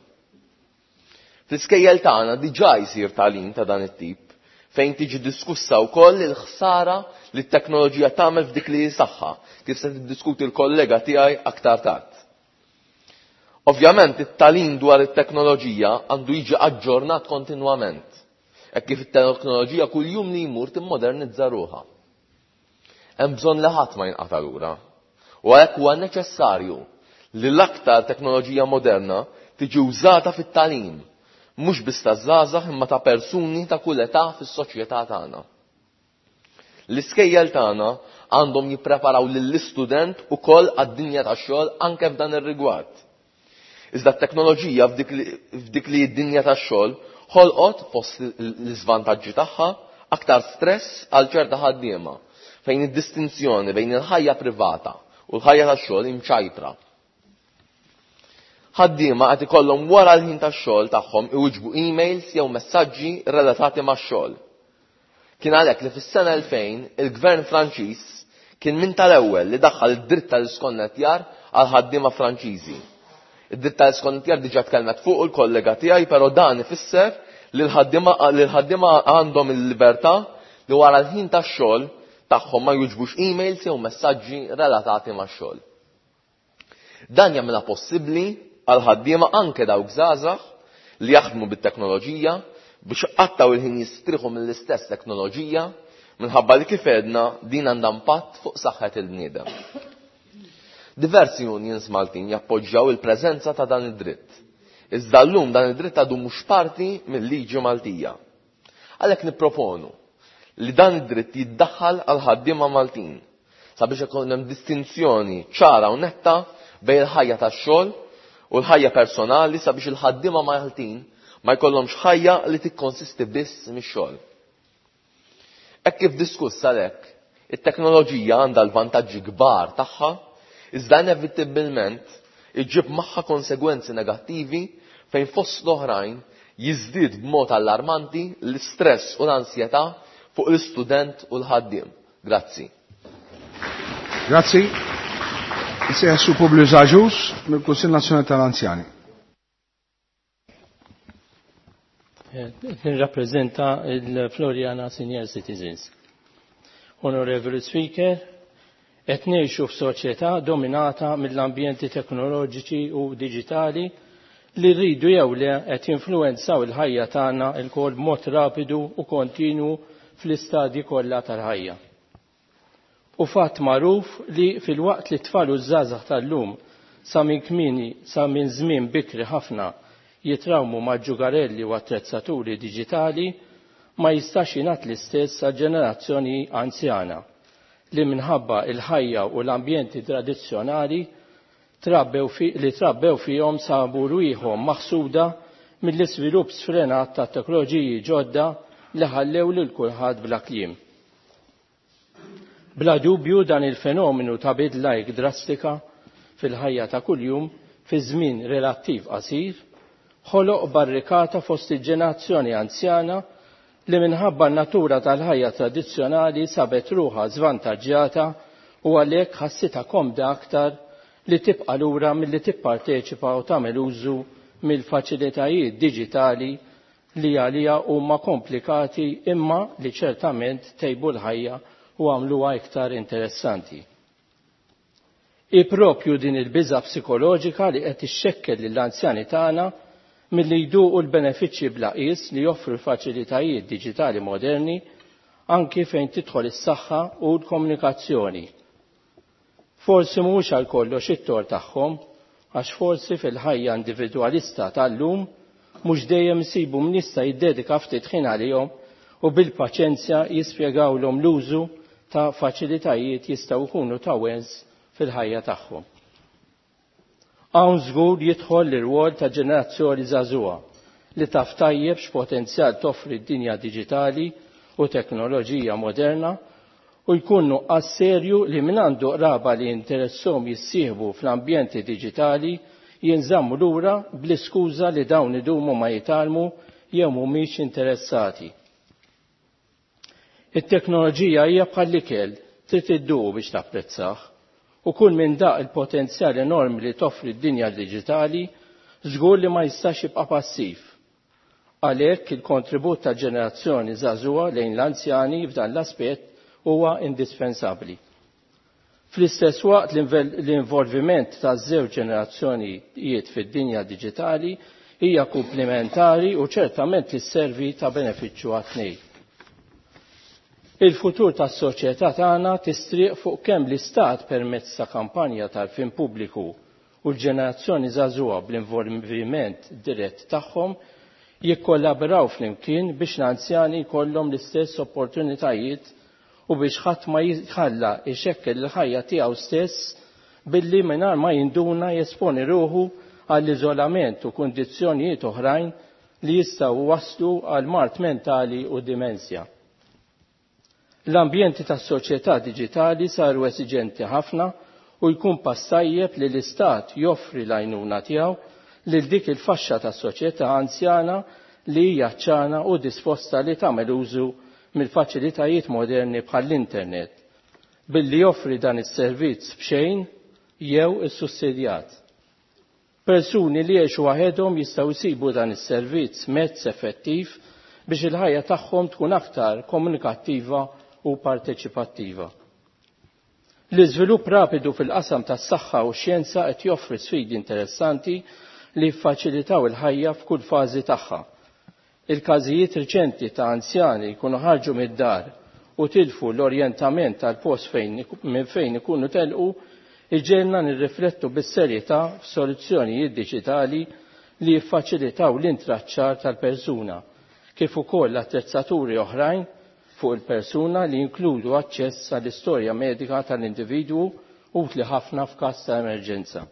Fl-iskejjel tagħna diġà jsir tagħlim ta' dan it-tip fejn tiġi diskussa wkoll il-ħsara li t-teknoloġija tagħmel f'dik li hi saħħa, kif se tiddiskuti l-kollega tiegħi aktar tard. Ovvjament it-tagħlim dwar it-teknoloġija għandu jiġi aġġornat kontinwament, hekk kif it-teknoloġija kuljum li jmur timmodernizza ruħha. Hemm bżonn li ħadd ma jinqata' lura. U għalhekk huwa neċessarju li l-aktar teknoloġija moderna tiġi użata fit-tagħlim, mhux biss taż-żgħażagħ imma ta' persuni ta' kull età fis-soċjetà tagħna. L-iskejjel tagħna għandhom jippreparaw lill-istudent ukoll għad-dinja tax-xogħol anke f'dan ir-rigward. Iżda t-teknoloġija f'dik li d-dinja tax-xogħol ħolqot fost l-iżvantaġġi tagħha aktar stress għal ċerta ħaddiema fejn id-distinzjoni bejn il-ħajja privata u l-ħajja tax-xogħol imċajpra. Ħaddiema qed ikollhom wara l-ħin tax-xogħol tagħhom iwiġbu emails jew messaġġi relatati max-xogħol. Kien għalhekk li fis-sena 2000 il-Gvern Franċiż kien minn tal-ewwel li daħħal id-dritt tal-iskonnettjar għal ħaddiema Franċiżi. Id-dritt tal-iskonnettjar diġà tkellmet fuqu l-kollega tiegħi, però dan ifisser li l-ħaddiema għandhom il-libertà li wara l-ħin tax-xogħol tagħhom ma jwiġbux emails jew messaġġi relatati max-xogħol. Dan jagħmilha possibbli għal ħaddiema anke dawk żgħażagħ li jaħdmu bit-teknoloġija biex iqattgħu il-ħin jistrieħu mill-istess teknoloġija minħabba li kif għedna din għandha impatt fuq saħħet il-bniedem. Diversi unions Maltin jappoġġjaw il-preżenza ta' dan id-dritt. Iżda llum dan id-dritt għadu mhux parti mill-liġi Maltija. Għalhekk nipproponu li dan id-dritt jiddaħħal għal ħaddiema Maltin sabiex ikun hemm distinzjoni ċara u netta bejn il-ħajja tax-xogħol u l-ħajja personali sabiex il-ħaddiema Maltin ma jkollhomx ħajja li tikkonsisti biss mix-xogħol. Hekk kif diskuss għalhekk, it-teknoloġija għandha l-vantaġġi kbar tagħha, iżda inevitibbilment iġġib magħha konsegwenzi negattivi fejn fost l-oħrajn jiżdied b'mod allarmanti l-istress u l-ansjetà fuq l-istudent u l-ħaddiem. Grazzi. Grazzi. Nsejjaħ Sur Publius Agius mill-Kunsill Nazzjonali tal-Anzjani. Nirrappreżenta il-Floriana Senior Citizens. Onorevoli Speaker, qed ngħixu f'soċjetà dominata mill-ambjenti teknoloġiċi u diġitali li rridu jew le qed jinfluwenzaw il-ħajja tagħna lkoll b'mod rapidu u kontinwu fl-istadji kollha tal-ħajja. U fatt magħruf li filwaqt li t-tfal u ż-żgħażagħ tal-lum sa minn kmieni sa minn żmien bikri ħafna jitrawmu ma' ġugarelli u attrezzaturi diġitali, ma jistax jingħad l-istess għall-ġenerazzjoni anzjana li minħabba il-ħajja u l-ambjenti tradizzjonali trabbew fi, li trabbew fihom sabu rwieħhom maħsuda mill-iżvilupp sfrenat ta' teknoloġiji ġodda li ħallew lil kulħadd bla kliem. Bla dubju dan il-fenomenu ta' bidla hekk drastika fil-ħajja ta' kuljum fi żmien relattiv qasir ħoloq barrikata fost il-ġenerazzjoni anzjana li minħabba n-natura tal-ħajja tradizzjonali sabet ruħha żvantaġġjata u għalhekk ħassitha komda aktar li tibqa' lura milli tipparteċipa u tagħmel użu mill-faċilitajiet diġitali li għalija huma komplikati imma li ċertament tejbu l-ħajja u għamluha iktar interessanti. Hi propju din il-biża' psikoloġika li qed ixxekkel lill-anzjani tagħna milli jduqu l-benefiċċji bla qies li joffru l-faċilitajiet diġitali moderni anki fejn tidħol is-saħħa u l-komunikazzjoni. Forsi mhuwiex għal kollox it-tort tagħhom għax forsi fil-ħajja individwalista tal-lum mhux dejjem isibu min jista' jiddedika ftit ħin għalihom u bil-paċenzja jispjegawlhom l-użu ta' faċilitajiet jistgħu jkunu ta' wens fil-ħajja tagħhom. Hawn żgur jidħol l-irwol ta' ġenerazzjoni żagħżugħa li taf tajjeb x'potenzjal toffri d-dinja diġitali u teknoloġija moderna u jkun nuqqas serju li min għandu qraba li jinteresshom jissieħbu fl-ambjenti diġitali jinżammu lura bl-iskuża li dawn idumu ma jitgħallmu jew mhumiex interessati. It-teknoloġija hija bħall-ikel, trid idduqu biex tapprezzah. U kull min daq il-potenzjal enormi li toffri d-dinja diġitali żgur li ma jistax jibqa' passiv. Għalhekk il-kontribut tal-ġenerazzjoni żagħżugħa lejn l-anzjani f'dan l-aspett huwa indispensabbli. Fl-istess waqt l-involviment taż-żewġ ġenerazzjonijiet fid-dinja diġitali hija kumplimentari u ċertament li sservi ta' benefiċċju għat-tnejn. Il-futur tas-soċjetà tagħna tistrieq fuq kemm l-Istat permezz ta' kampanja tal-fin pubbliku u l-ġenerazzjoni żagħżugħa bl-involviment dirett tagħhom jikkollaboraw flimkien biex l-anzjani jkollhom l-istess opportunitajiet u biex ħadd ma jitħalla jxekkel il-ħajja tiegħu stess billi mingħajr ma jinduna jesponi ruħu għall-iżolament u kundizzjonijiet oħrajn li jistgħu waslu għal mard mentali u dimensja. L-ambjenti tas-soċjetà diġitali saru esiġenti ħafna u jkun pass tajjeb li l-Istat joffri l-għajnuna tiegħu lil dik il-faxxa tas-soċjetà anzjana li hija ċana u disposta li tagħmel użu mill-faċilitajiet moderni bħall-internet billi joffri dan is-servizz b'xejn jew issussidjat. Persuni li jgħixu waħedhom jistgħu jsibu dan is-servizz mezz effettiv biex il-ħajja tagħhom tkun aktar komunikattiva u parteċipattiva. L-iżvilupp rapidu fil-qasam tas-saħħa u x-xjenza qed joffri sfidi interessanti li jiffaċilitaw il-ħajja f'kull fażi tagħha. Il-każijiet riċenti ta' anzjani jkunu ħarġu mid-dar u tilfu l-orjentament tal-post fejn minn fejn ikunu telqu iġegħelna nirriflettu bis-serjetà f'soluzzjonijiet diġitali li jiffaċilitaw l-intraċċar tal-persuna kif ukoll attrezzaturi oħrajn fuq il-persuna li jinkludu aċċess għall-istorja medika tal-individwu utli ħafna f'każ ta' emerġenza.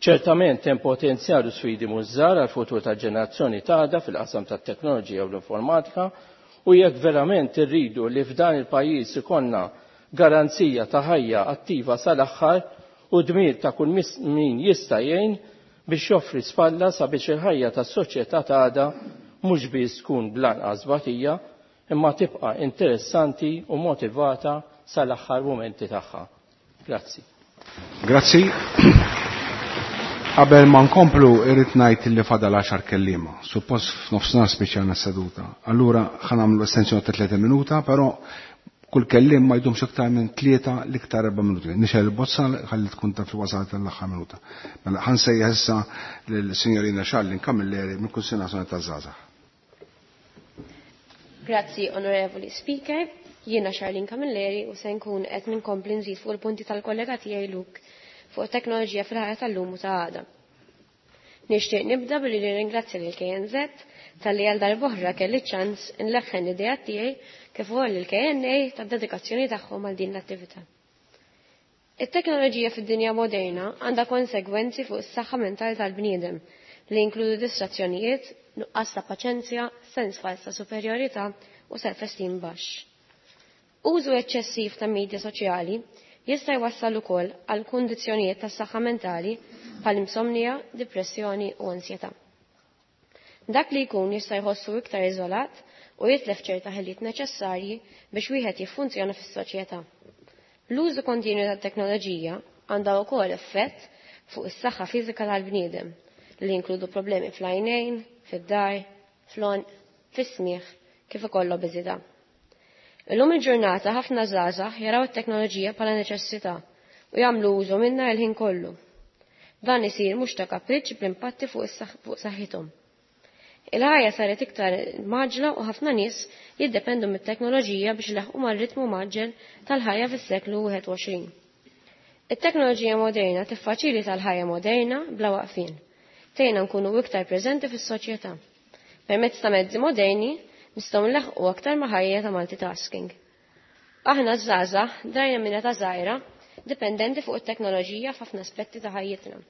Ċertament hemm potenzjal u sfidi mhux żgħar għall-futur tal-ġenerazzjoni t'għada fil-qasam tat-teknoloġija u l-informatika u jekk verament irridu li f'dan il-pajjiż ikollna garanzija ta' ħajja attiva sal-aħħar u dmir ta' kull min jista' jgħin biex joffri spalla sabiex il-ħajja tas-soċjetà t'għada mhux biss tkun bl-anqas tbatija imma tibqa' interessanti u motivata sal-aħħar mumenti tagħha. Grazzi. Grazzi. Qabel ma nkomplu irrid ngħid li fadal għaxar kelliema. Suppost f'nofsinhar spiċċajna s-seduta. Allura ħa nagħmlu estensjoni ta' 30 minuta, però kull kelliem ma jdumx iktar minn tlieta l-iktar erba' minuti. Nixgħel il-bozza ħalli tkun taf li wasalt l-aħħar minuta. Mela ħa nsejjaħ issa lill-Sinjorina Charlene Camilleri mill-Kunsill Nazzjonali taż-Żgħażagħ. Grazzi, Onorevoli Speaker. Jiena Charlene Camilleri u se nkun qed ninkompli nżid fuq il-punti tal-kollega tiegħi Luke fuq it-teknoloġija fil-ħajja tal-lum u ta' għada. Nixtieq nibda billi nirringrazzja lil KNZ talli għal darb'oħra kelli ċ-ċans inleħħen l-ideat tiegħi kif ukoll lil KNA tad-dedikazzjoni tagħhom għal din l-attività. It-teknoloġija fid-dinja moderna għandha konsegwenzi fuq is-saħħa mentali tal-bniedem li jinkludu distrazzjonijiet, nuqqas ta' paċenzja, sens fals ta' superjorità u self-esteem baxx. Użu eċċessiv ta' media soċjali jista' jwassal ukoll għal kundizzjonijiet tas-saħħa mentali bħal insomnija, depressjoni u ansjetà. Dak li jkun jista' jħossu iktar iżolat u jitlef ċerta ħiliet neċessarji biex wieħed jiffunzjona fis-soċjetà. L-użu kontinwu tat-teknoloġija għandha wkoll effett fuq is-saħħa fiżika tal-bniedem li jinkludu problemi fl-għajnejn, fid-dar, fl-għonq, fis-smigħ, kif ukoll l-obeżità. Illum il-ġurnata ħafna żgħażagħ jaraw it-teknoloġija bħala neċessità u jagħmlu użu minnha l-ħin kollu. Dan isir mhux ta' kapriċċ bl-impatti fuq saħħithom. Il-ħajja saret iktar mgħaġġla u ħafna nies jiddependu mit-teknoloġija biex ilaħħqu mar-ritmu mgħaġġel tal-ħajja fis-seklu 21. It-teknoloġija moderna tiffaċilita l-ħajja moderna bla waqfien. Tgħinna nkunu iktar preżenti fis-soċjetà. Permezz ta' mezzi moderni nistgħu nlaħħqu aktar ma' ħajja ta' multitasking. Aħna ż-żgħażagħ drajna minn età żgħira dipendenti fuq it-teknoloġija f'ħafna aspetti ta' ħajjitna.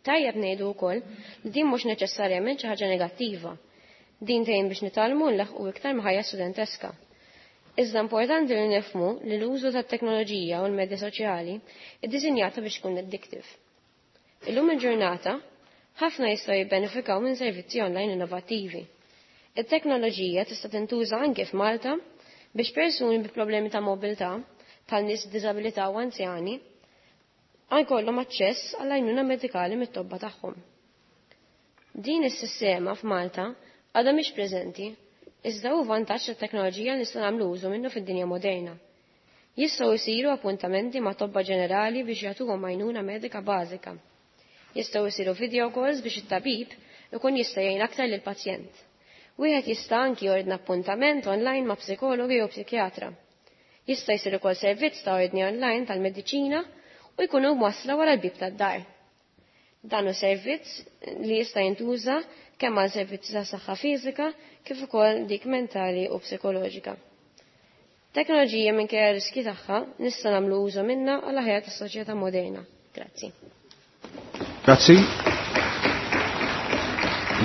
Tajjeb ngħidu wkoll li din mhux neċessarjament xi ħaġa negattiva. Din tgħin biex nitgħallmu nlaħħqu iktar ma' ħajja studenteska. Iżda importanti li nifhmu li l-użu tat-teknoloġija u l-medja soċjali iddisinjata biex tkun addictive. Illum il-ġurnata, ħafna jistgħu jibbenefikaw minn servizzi online innovattivi. It-teknoloġija tista' tintuża anke f'Malta biex persuni bi problemi ta' mobilità, bħal nies b'diżabilità u anzjani, jkollhom aċċess għall għajnuna medikali mit-tobba tagħhom. Din is-sistema f'Malta għadha mhix preżenti, iżda hu vantaġġ tat-teknoloġija li nistgħu nagħmlu użu minnu fid-dinja moderna. Jistgħu jsiru appuntamenti ma' tobba ġenerali biex jagħtuhom għajnuna medika bażika. Jistgħu jsiru video calls biex it-tabib ikun jista' jgħin aktar lill-pazjent. Wieħed jista' anki jordna appuntament online ma' psikologi jew psikjatra. Jista' jsir ukoll servizz ta' ordni online tal-mediċina u jkunu mwassla wara l-bieb tad-dar. Dan hu servizz li jista' jintuża kemm għal servizzi ta' saħħa fiżika kif ukoll dik mentali u psikoloġika. Teknoloġija minkejja r-riskji tagħha nista' nagħmlu użu minnha għal aħjar tas-soċjetà moderna. Grazzi. Grazzi.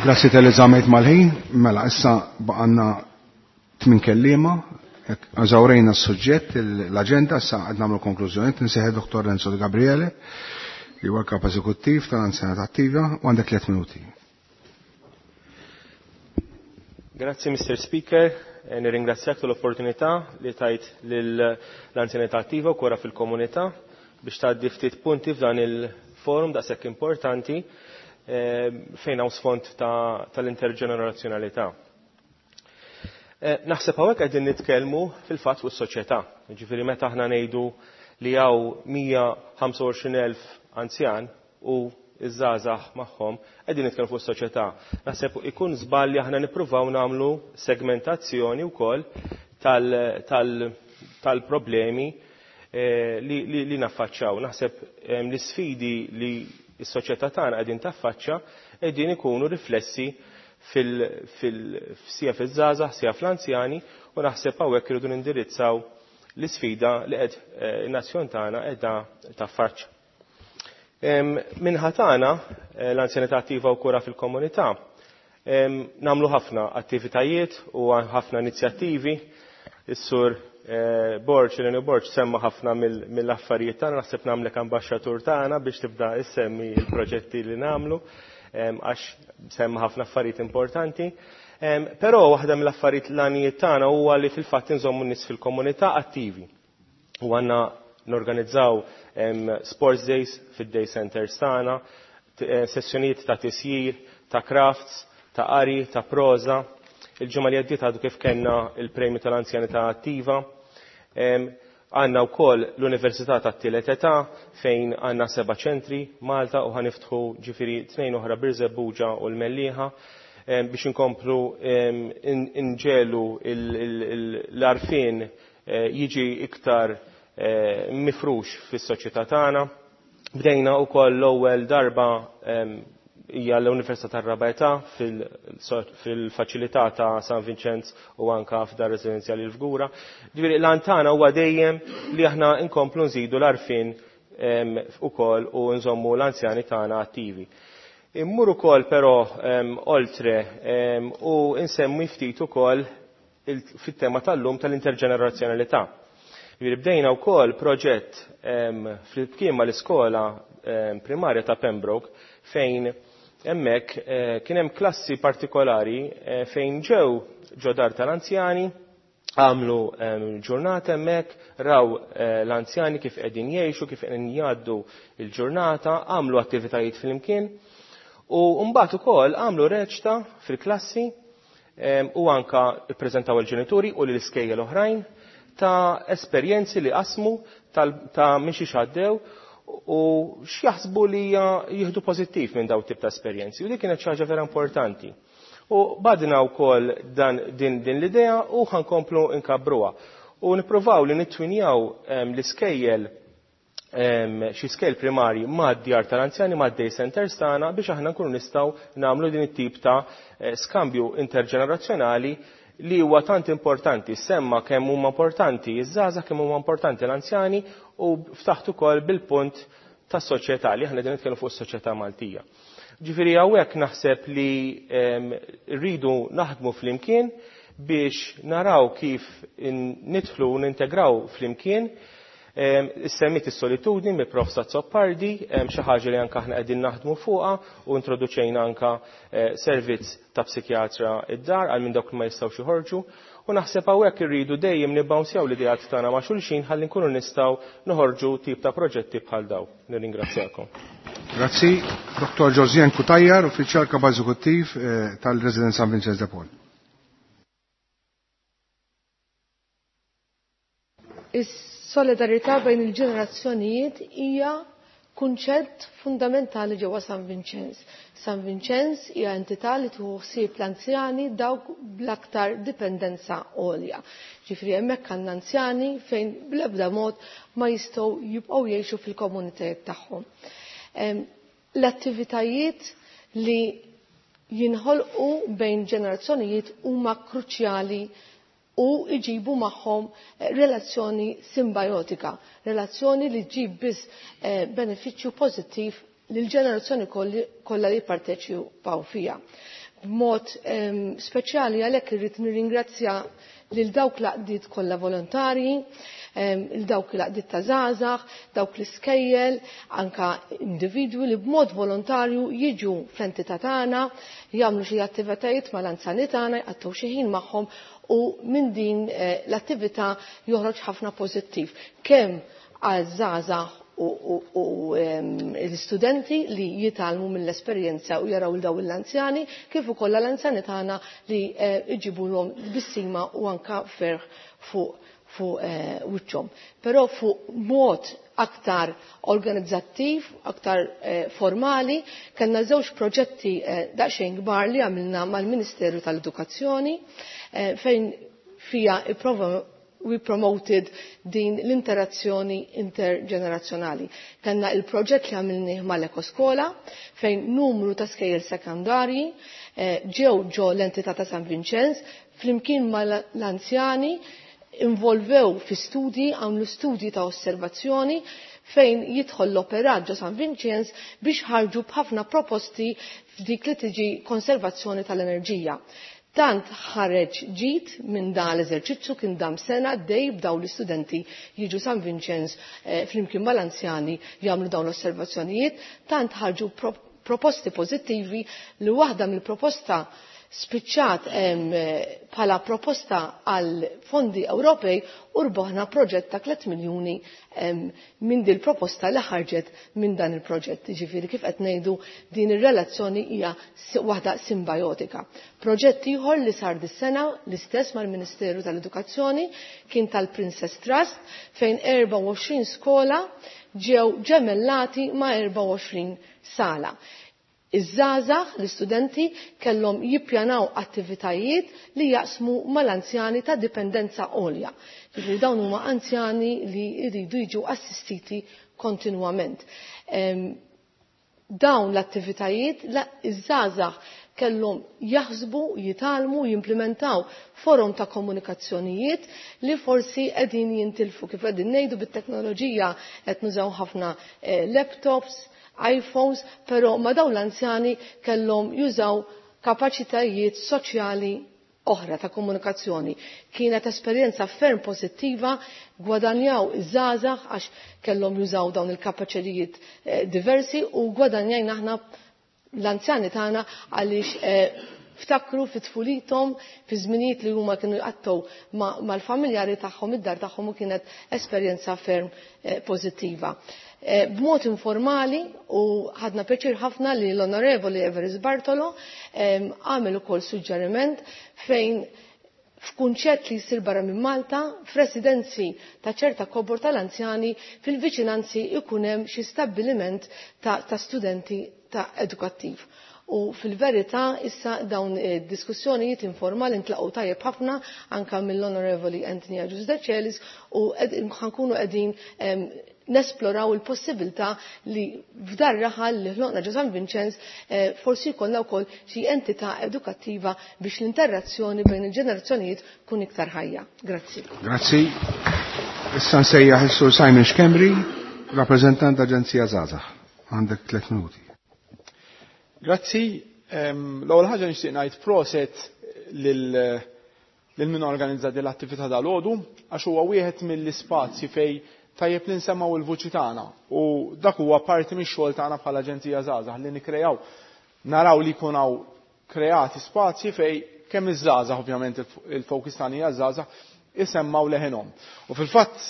Grazzi tal żamejt mal-ħin. Mela, issa baqanna tmin kelliema. Eżawrejna s-suġġett, l-aġenda, issa qed nagħmlu konklużjoni. Nsejħe Dr. Renzo Di Gabriele, li huwa kap eżekuttiv tal-Anzjanità Attiva, u għandek 3 minuti. Grazzi, Mr. Speaker. Nirringrazzjak tal-opportunità li tajt lill-Anzjanità Attiva u kura fil-komunità biex tgħaddi ftit punti f'dan il-forum daqshekk importanti fejn hawn sfond tal-interġenerazzjonalità. Naħseb hawnhekk qegħdin nitkellmu fil-fatt fuq is-soċjetà. Jiġifieri meta aħna ngħidu li hawn 125,000 anzjan u iż-żgħażagħ magħhom, qegħdin nitkellmu fuq is-soċjetà. Naħseb ikun żball li aħna nippruvaw nagħmlu segmentazzjoni wkoll tal-problemi li naffaċċaw. Naħseb l-isfidi li s-soċjetà tagħna qegħdin taffaċċa qegħdin ikunu riflessi sija fiż-żgħażagħ, sija fl-anzjani, u naħseb hawnhekk irridu nindirizzaw l-isfida li qed in-nazzjon tagħna qiegħda taffaċċa. Minħa tagħna l-anzjanità attiva u kura fil-komunità nagħmlu ħafna attivitajiet u ħafna inizjattivi. Is-sur Borg, Eleni Borg, semma ħafna mill-affarijiet tagħna, naħseb nagħmlek ambaxxatur tagħna biex tibda issemmi l-proġetti li nagħmlu, għax semma ħafna affarijiet importanti. Però waħda mill-affarijiet l-għanijiet tagħna huwa li fil-fatt inżommu n-nies fil-komunità attivi. U għandna norganizzaw sports days fid-day centers tagħna, sessjonijiet ta' tisjir, ta' crafts, ta' qari, ta' proża. Il-ġimgħa li għaddiet għadu kif kellna il-premju tal-anzjanità attiva. Għandna wkoll l-Università tat-Tielet Età fejn għandna 7 ċentri Malta u ħaniftħu ġifieri 2 oħra Birżebbuġa u l-Mellieħa biex inkomplu inġelu l-għarfien jiġi iktar mifrux fis-soċjetà tagħna. Bdejna wkoll l-ewwel darba hija l-Università tar-Raba' Età fil-faċilità ta' San Vincenz u anka f'dar residenzjali l-Fgura. Ġifieri l-għan tagħna huwa dejjem li aħna nkomplu nżidu l-għarfien ukoll u nżommu l-anzjani tagħna attivi. Immur ukoll però oltre u nsemmi ftit ukoll fit-tema tal-lum tal-interġenerazzjonalità. Ġifieri bdejna wkoll proġett flimkien mal-iskola primarja ta' Pembroke fejn hemmhekk kien hemm klassi partikolari fejn ġew ġodar tal-anzjani, għamlu ġurnata hemmhekk, raw l-anzjani kif qegħdin jgħixu, kif qegħdin jgħaddu l-ġurnata, għamlu attivitajiet flimkien u mbagħad ukoll għamlu reċta fil-klassi u anka ppreżentaw il-ġenituri u lill-iskejjel oħrajn ta' esperjenzi li qasmu ta' minn xi għaddew u x'jaħsbu li jieħdu pożittiv minn dawn tip ta' esperjenzi. U dik kienet xi ħaġa vera importanti. U badna wkoll din l-idea u ħankomplu nkabbruha. U nippruvaw li nittwinjaw l-iskejjel xi skejjel primarji mad-djar tal-anzjani, mad-day centers tagħna biex aħna nkunu nistgħu nagħmlu din it-tip ta' skambju interġenerazzjonali li huwa tant importanti. Semma kemm huma importanti iż-żgħażagħ, kemm huma importanti l-anzjani u ftaħt ukoll bil-punt tas-soċjetà li aħna qegħdin nitkellmu fuq is-soċjetà Maltija. Ġifieri hawnhekk naħseb li rridu naħdmu flimkien biex naraw kif nidħlu u nintegraw flimkien Issemmit is-solitudni mill Prof Azzopardi, xi ħaġa li anke aħna qegħdin naħdmu fuqha u introduċejna anke servizz ta' psikjatra id-dar għal minn dawk li ma jistgħux joħorġu. U naħseb hawnhekk irridu dejjem nibbawnsjaw l-ideat tagħna ma' xulxin ħalli nkunu nistgħu noħorġu tip ta' proġetti bħal daw. Nirringrazzjakom. Grazzi. Dr. Josien Cutajar, Uffiċjal Kap Eżekuttiv tal-Residenza San Vincenz de Paul. Is-solidarità bejn il-ġenerazzjonijiet hija kunċett fundamentali ġewwa San Vincenz. San Vincenz hija entità li tieħu ħsieb l-anzjani dawk bl-aktar dipendenza għolja. Ġifieri hemmhekk għandna anzjani fejn bl-ebda mod ma jistgħu jibqgħu jgħixu fil-komunitajiet tagħhom. L-attivitajiet li jinħolqu bejn ġenerazzjonijiet huma kruċjali u iġibu magħhom relazzjoni simbiotika, relazzjoni li ġib biss benefiċċju pożittiv lil ġenerazzjoni kollha li jipparteċipaw fiha. B'mod speċjali għalhekk irrid nirringrazzja lil dawk l-għaqdiet kollha volontarji, lil dawk l-għaqdiet ta' żgħażagħ, dawk l-iskejjel, anka individwi li b'mod volontarju jiġu fl-entità tagħna, jagħmlu xi attivitajiet mal-anzjani tagħna, jqattgħu xi ħin magħhom u minn din l-attività joħroġ ħafna pożittiv kemm għaż-żgħażagħ u l-istudenti li jitgħallmu mill-esperjenza u jaraw daw l-anzjani kif ukoll l-anzjani tagħna li jġibulhom tbissima u anka ferħ fuq wiċċhom. Però fuq mod aktar organizzattiv, aktar formali, kellna żewġ proġetti daqsxejn kbar li għamilna mal-Ministeru tal-Edukazzjoni fejn fija we promoted din l-interazzjoni interġenerazzjonali. Kellna il-proġett li għamilnih mal-Ekoskola fejn numru ta' skejjel sekondarji ġew ġo l-entità ta' San Vincenz flimkien mal-anzjani involvew fi studji, għamlu studji ta' osservazzjoni fejn jidħol l-operat ġo San Vincenz biex ħarġu b'ħafna proposti f'dik li tiġi konservazzjoni tal-enerġija. Tant ħareġ ġid minn dan l-eżerċizzju kien dam sena dej b'daw l-istudenti jiġu San Vincenz flimkien mal-anzjani jagħmlu dawn l-osservazzjonijiet, tant ħarġu proposti pożittivi li waħda mill-proposta spiċċat bħala proposta għal fondi Ewropej u rboħna proġett ta' 3 miljuni minn din proposta li ħarġet minn dan il-proġett. Ġifieri kif qed ngħidu din ir-relazzjoni hija waħda simbiotika. Proġett ieħor li sar dis-sena l-istess mal-Ministeru tal-Edukazzjoni kien tal-Princess Trust fejn 24 skola ġew ġemellati ma' 24 sala. Iż-żgħażagħ, l-istudenti, kellhom jippjanaw attivitajiet li jaqsmu mal-anzjani ta' dipendenza għolja. Ġifieri dawn huma anzjani li jridu jiġu assistiti kontinwament. Dawn l-attivitajiet iż-żgħażagħ kellhom jaħsbu, jitgħallmu, jimplementaw forom ta' komunikazzjonijiet li forsi qegħdin jintilfu. Kif qegħdin ngħidu bit-teknoloġija qed nużaw ħafna laptops, iPhones, però ma dawn l-anzjani kellhom jużaw kapaċitajiet soċjali oħra ta' komunikazzjoni. Kienet esperjenza ferm pożittiva, gwadanjaw iż-żgħażagħ għax kellhom jużaw dawn il-kapaċitajiet diversi u gwadanjajna aħna l-anzjani tagħna għaliex ftakru fi tfulithom fi żminijiet li huma kienu jqattgħu mal-familjari tagħhom id-dar tagħhom u kienet esperjenza ferm pożittiva. B'mod informali u ħadna pjaċir ħafna li l-Onorevoli Everest Bartolo għamel ukoll suġġeriment fejn f'kunċett li jsir barra minn Malta, f'residenzi ta' ċerta kobor tal-anzjani fil-viċinanzi ikun hemm xi stabbiliment ta' studenti ta' edukattiv. U fil-verità issa dawn diskussjonijiet informali ntlaqgħu tajjeb ħafna anka mill-Onorevoli Anthony Agius Decelis u ħankunu qegħdin nesploraw il-possibilità li f'dar raħal li ħloqna ġo San Vincenz forsi jkollna wkoll xi entità edukattiva biex l-interazzjoni bejn il-ġenerazzjonijiet tkun iktar ħajja. Grazzi. Grazzi. Issa nsejjaħ is-Sur Simon Schembri, rappreżentant Aġenzija Żgħażagħ. Għandek 3 minuti. Grazzi. L-ewwel ħaġa nixtieq ngħid proset lil min organizza din l-attività dal-għodu għax huwa wieħed mill-ispazji fejn Tajjeb li nsemmgħu l-vuċi tagħna u dak huwa parti mix-xogħol tagħna bħala Aġenzija Żgħażagħ li nikkrejaw naraw li jkun hawn kreati spazji fejn kemm iż-żgħażagħ ovvjament il-focus tagħna hija ż-żgħażagħ isemmgħu leħinhom. U fil-fatt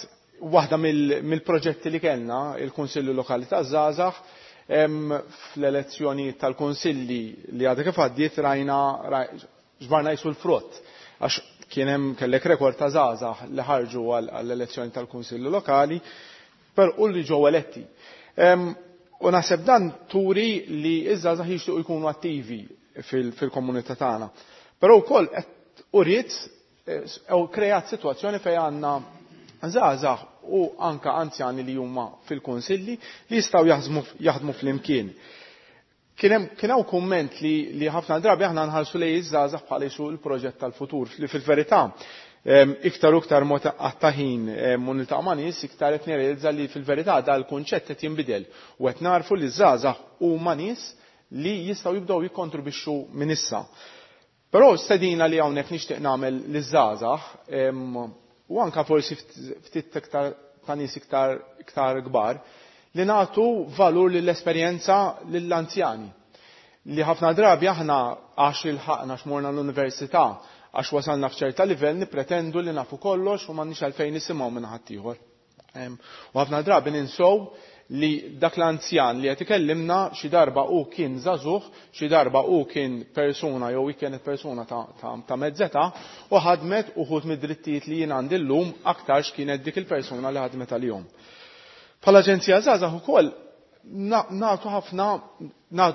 waħda mill-proġetti li kellna il-Kunsilli Lokali taż-Żgħażagħ fl-elezzjonijiet tal-kunsilli li għadha kif għaddiet rajna ġbarna jisu l-frott għax kien hemm kellek rekord ta' żgħażagħ li ħarġu għall-elezzjoni tal-kunsilli lokali per u li ġew eletti. U naħseb dan turi li iż-żgħażagħ jixtiequ jkunu attivi fil-komunità tagħna. Però wkoll qed uriet u kreat sitwazzjoni fejn għandna żgħażagħ u anka anzjani li huma fil-kunsilli li jistgħu jaħdmu flimkien. Kien hemm kien hawn kumment li li ħafna drabi aħna nħarsu lejn iż-żgħażagħ bħala jisu l-proġett tal-futur li fil-verità iktar u iktar mod għatta ħin u niltaqa' ma' nies iktar qed nirrealizza li fil-verità dal-kunċett qed jinbidel u qed narfu li ż-żgħażagħ huma nies li jistgħu jibdew jikkontribwixxu minn issa. Però stedina li hawnhekk nixtieq nagħmel liż-żgħażagħ u anka forsi ftit iktar ta' nies iktar iktar kbar li nagħtu valur lill-esperjenza lill-anzjani. Li ħafna drabi aħna għax ilħaqna x'morna l-università għax wasalna f'ċerta livell nippretendu li nafu kollox u m'għandniex għalfejn nisimgħu minn ħaddieħor. U ħafna drabi ninsow li dak l-anzjan li qed ikellimna xi darba hu kien żagħżugħ, xi darba hu kien persuna jew hi kienet persuna ta', ta, ta' mezzeta u ħadmet uħud mid-drittijiet li jien għandi llum aktarx kienet dik il-persuna li ħadmet għalihom. Bħala Aġenzija Żgħażagħ ukoll nagħtu ħafna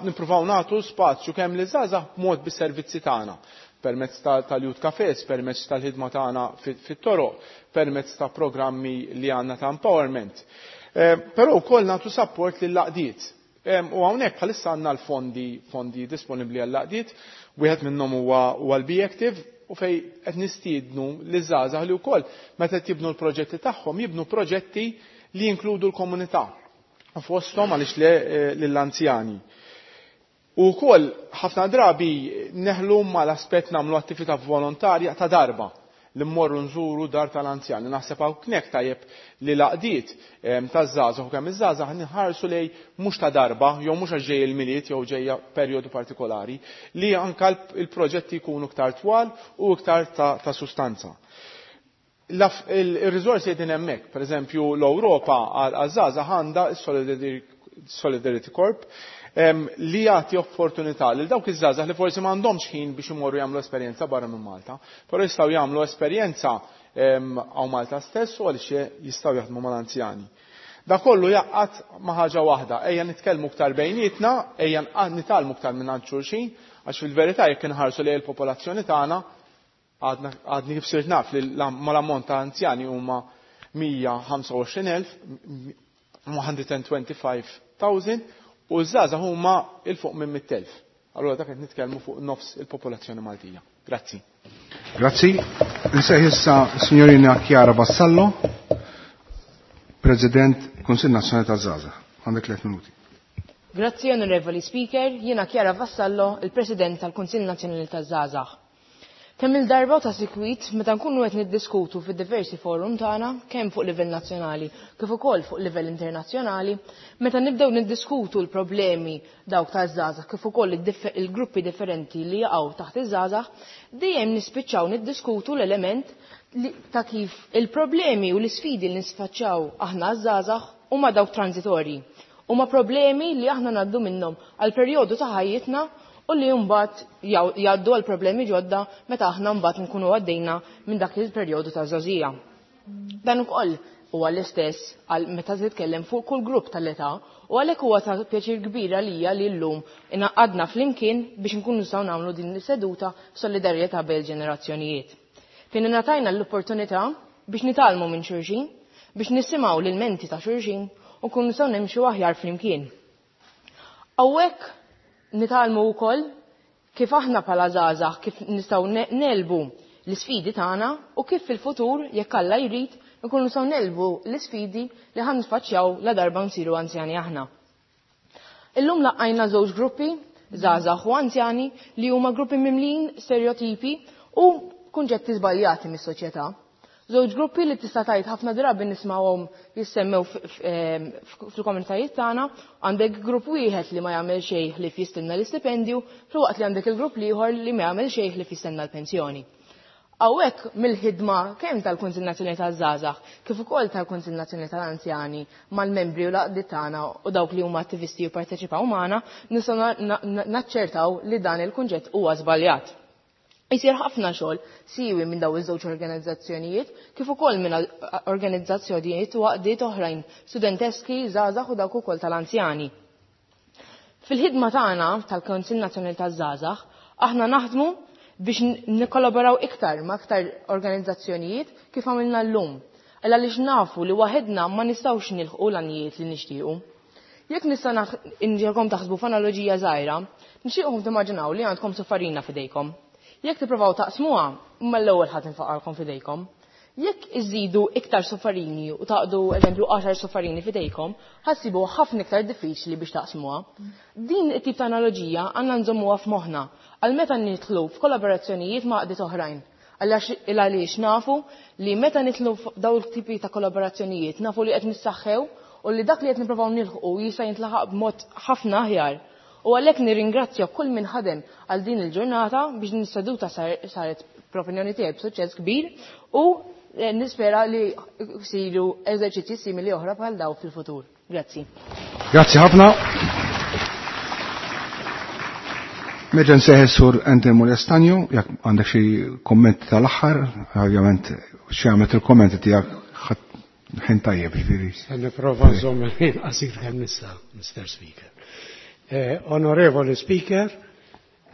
nippruvaw nagħtu spazju kemm li żgħażagħ b'mod bis-servizzi tagħna permezz tal-Youth Cafes, permezz tal-ħidma tagħna fit-toroq, permezz ta' programmi li għandna ta' empowerment. Però wkoll nagħtu support lill-għaqdiet. U hawnhekk bħalissa għandna l-fondi fondi disponibbli għall-għaqdiet, wieħed minnhom huwa l-Be Active u fej qed nistiednu li żgħażagħ li wkoll meta qed jibnu l-proġetti tagħhom jibnu proġetti li jinkludu l-komunità. Fosthom għaliex le lill-anzjani. U wkoll ħafna drabi neħlu mal-aspett nagħmlu attività volontarja ta' darba li mmorru nżuru dar tal-anzjani. Naħseb hawnhekk tajjeb li l-għaqdiet taż-żgħażagħ u kemm iż-żgħażagħ nħarsu lej mhux ta' darba jew mhux għax ġej il-Milied jew ġejja perjodu partikolari, li anka l-proġetti jkunu iktar twal u iktar ta' sustanza. Il-riżorsi qegħdin hemmhekk, pereżempju l-Ewropa għaż-żgħażagħ għandha s-Solidarity Corp li jagħti opportunità lil dawk iż-żgħażagħ li forsi m'għandhomx ħin biex imorru jagħmlu esperjenza barra minn Malta, però jistgħu jagħmlu esperjenza hawn Malta stess u għaliex jistgħu jaħdmu mal-anzjani. Da kollu jaqgħad ma' ħaġa waħda, ejja nitkellmu iktar bejnietna, ejja nitgħallmu iktar minn għand xulxin, għax fil-verità jekk inħarsu lejn il-popolazzjoni tagħna Għadna għadni kif sirt naf li mal-ammont ta' anzjani huma 125,000, 125,000 u ż-żgħażagħ huma 'il fuq minn 100,000. Allura dak qed nitkellmu fuq nofs il-popolazzjoni Maltija. Grazzi. Grazzi. Nsejħ issa signorina Chiara Vassallo, President Kunsill Nazzjonali taż-Żgħażagħ. Għandek 3 minuti. Grazzi Onorevoli Speaker, jiena Chiara Vassallo, il-President tal-Kunsill Nazzjonali taż-Żgħażagħ. Kemm-il darba u ta' sikwit meta nkunu qed niddiskutu fid-diversi forum tagħna, kemm fuq livell nazzjonali kif ukoll fuq livell internazzjonali, meta nibdew niddiskutu l-problemi dawk taż-żgħażagħ kif ukoll il-gruppi differenti li jaqgħu taħt iż-żgħażagħ, dejjem nispiċċaw niddiskutu l-element ta' kif il-problemi u l-isfidi li nisfaċċaw aħna ż-żgħażagħ huma dawk transitorji. Huma problemi li aħna ngħaddu minnhom għal perjodu ta' ħajjitna u li mbagħad jgħaddu għal problemi ġodda meta aħna mbagħad nkunu għaddejna minn dak il-perjodu ta' żgħożija. Dan ukoll huwa l-istess għal meta titkellem fuq kull grupp tal-età u għalhekk huwa ta' pjaċir kbir għalija li llum ingħaqadna flimkien biex nkunu nistgħu nagħmlu din is-seduta f'solidarjetà bejn il-ġenerazzjonijiet. Fejn ingħatajna l-opportunità biex nitgħallmu minn xulxin, biex nisimgħu l-ilmenti ta' xulxin u nkunu nistgħu nimxu aħjar flimkien. Hawnhekk nitgħallmu wkoll kif aħna bħala żgħażagħ kif nistgħu negħlbu l-isfidi tagħna u kif fil-futur jekk Alla jrid nkunu nistgħu negħlbu l-isfidi li ħa niffaċċjaw ladarba nsiru anzjani aħna. Illum laqqajna żewġ gruppi, żgħażagħ u anzjani, li huma gruppi mimlijin stereotipi u kunċetti żbaljati mis-soċjetà. Żewġ gruppi li tista' tgħid ħafna drabi nismawhom jissemmew fil-komunitajiet tagħna, għandek grupp wieħed li ma jagħmel xejn ħlief jistenna l-istipendju, filwaqt li għandek il-grupp l-ieħor li ma jagħmel xejn ħlief jistenna l-pensjoni. Hawnhekk mill-ħidma kemm tal-Kunsill Nazzjonali taż-Żgħażagħ kif ukoll tal-Kunsill Nazzjonali tal-Anzjani mal-membri u l-għaqdiet tagħna u dawk li huma attivisti u jipparteċipaw magħna, nistgħu naċċertaw li dan il-kunċett huwa żbaljat. Isir ħafna xogħol siewi minn dawn iż-żewġ organizzazzjonijiet kif ukoll minn organizzazzjonijiet u għaqdiet oħrajn studenteski, żgħażagħ u dawk ukoll tal-anzjani. Fil-ħidma tagħna tal-Kunsill Nazzjonali taż-Żgħażagħ aħna naħdmu biex nikkollaboraw iktar ma' iktar organizzazzjonijiet kif għamilna llum. Għal għaliex nafu li waħedna ma nistgħux nilħqu l-għanijiet li nixtiequ. Jekk nista' inġegħkom taħsbu f'analoġija żgħira, nixtieqkom timmaġinaw li għandkom suffarina f'idejkom. Jekk tippruvaw taqsmuha, mal-ewwel ħa tinfaqalkom f'idejkom. Jekk iżidu iktar suffarini u taqdu eżempju 10 suffarini f'idejkom, ħa ssibuha ħafna iktar diffiċli biex taqsmuha. Din it-tip ta' analoġija għandna nżommuha f'moħħna għal meta nidħlu f'kollaborazzjonijiet ma' għaqdiet oħrajn. Il għaliex nafu li meta nidħlu f'dawn it-tipi ta' kollaborazzjonijiet nafu li qed nissaħħew u li dak li qed nipprovaw nilħqu jista' jintlaħaq b'mod ħafna aħjar. U għalhekk nirringrazzja kull min ħadem għal din il-ġurnata biex din is-seduta saret fl-opinjoni tiegħi b'suċċess kbir u nispera li jsiru eżerċizzji simili oħra bħal daw fil-futur. Grazzi. Grazzi ħafna. Nerġa' nsejħel Sur Anthony Molestanjo, jekk għandek xi kommenti tal-aħħar, ovvjament xi għamlet il-kommenti tiegħek ħin tajjeb, ġifieri. Se nipprova nżomm il-ħin qasir kemm nista', Mr. Speaker. Onorevoli Speaker,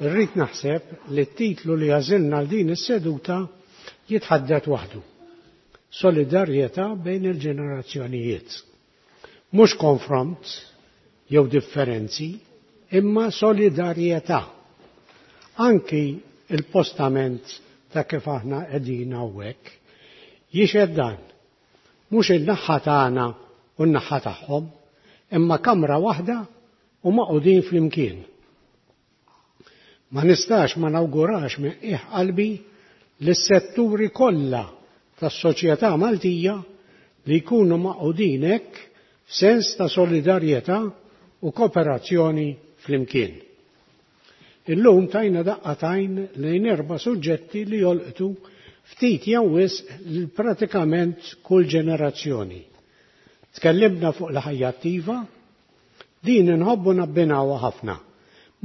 irrid naħseb li t-titlu li għażilna għal din is-seduta jitħaddet waħdu. Solidarjetà bejn il-ġenerazzjonijiet. Mhux konfront jew differenzi, imma solidarjetà. Anki il-postament ta' kif aħna qegħdin hawnhekk jixhed dan. Mhux in-naħa tagħna u n-naħa tagħhom, imma kamra waħda u maqudin flimkien. Ma nistax ma nawgurax minn qiegħ qalbi lis-setturi kollha tas-soċjetà Maltija li jkunu maqudin hekk f'sens ta' solidarjetà u kooperazzjoni flimkien. Illum tajna daqqa t'għajn lejn 4 suġġetti li jolqtu ftit jew wisq lil pratikament kull ġenerazzjoni. Tkellimna fuq l-ħajja attiva, din inħobbu nabbinawha ħafna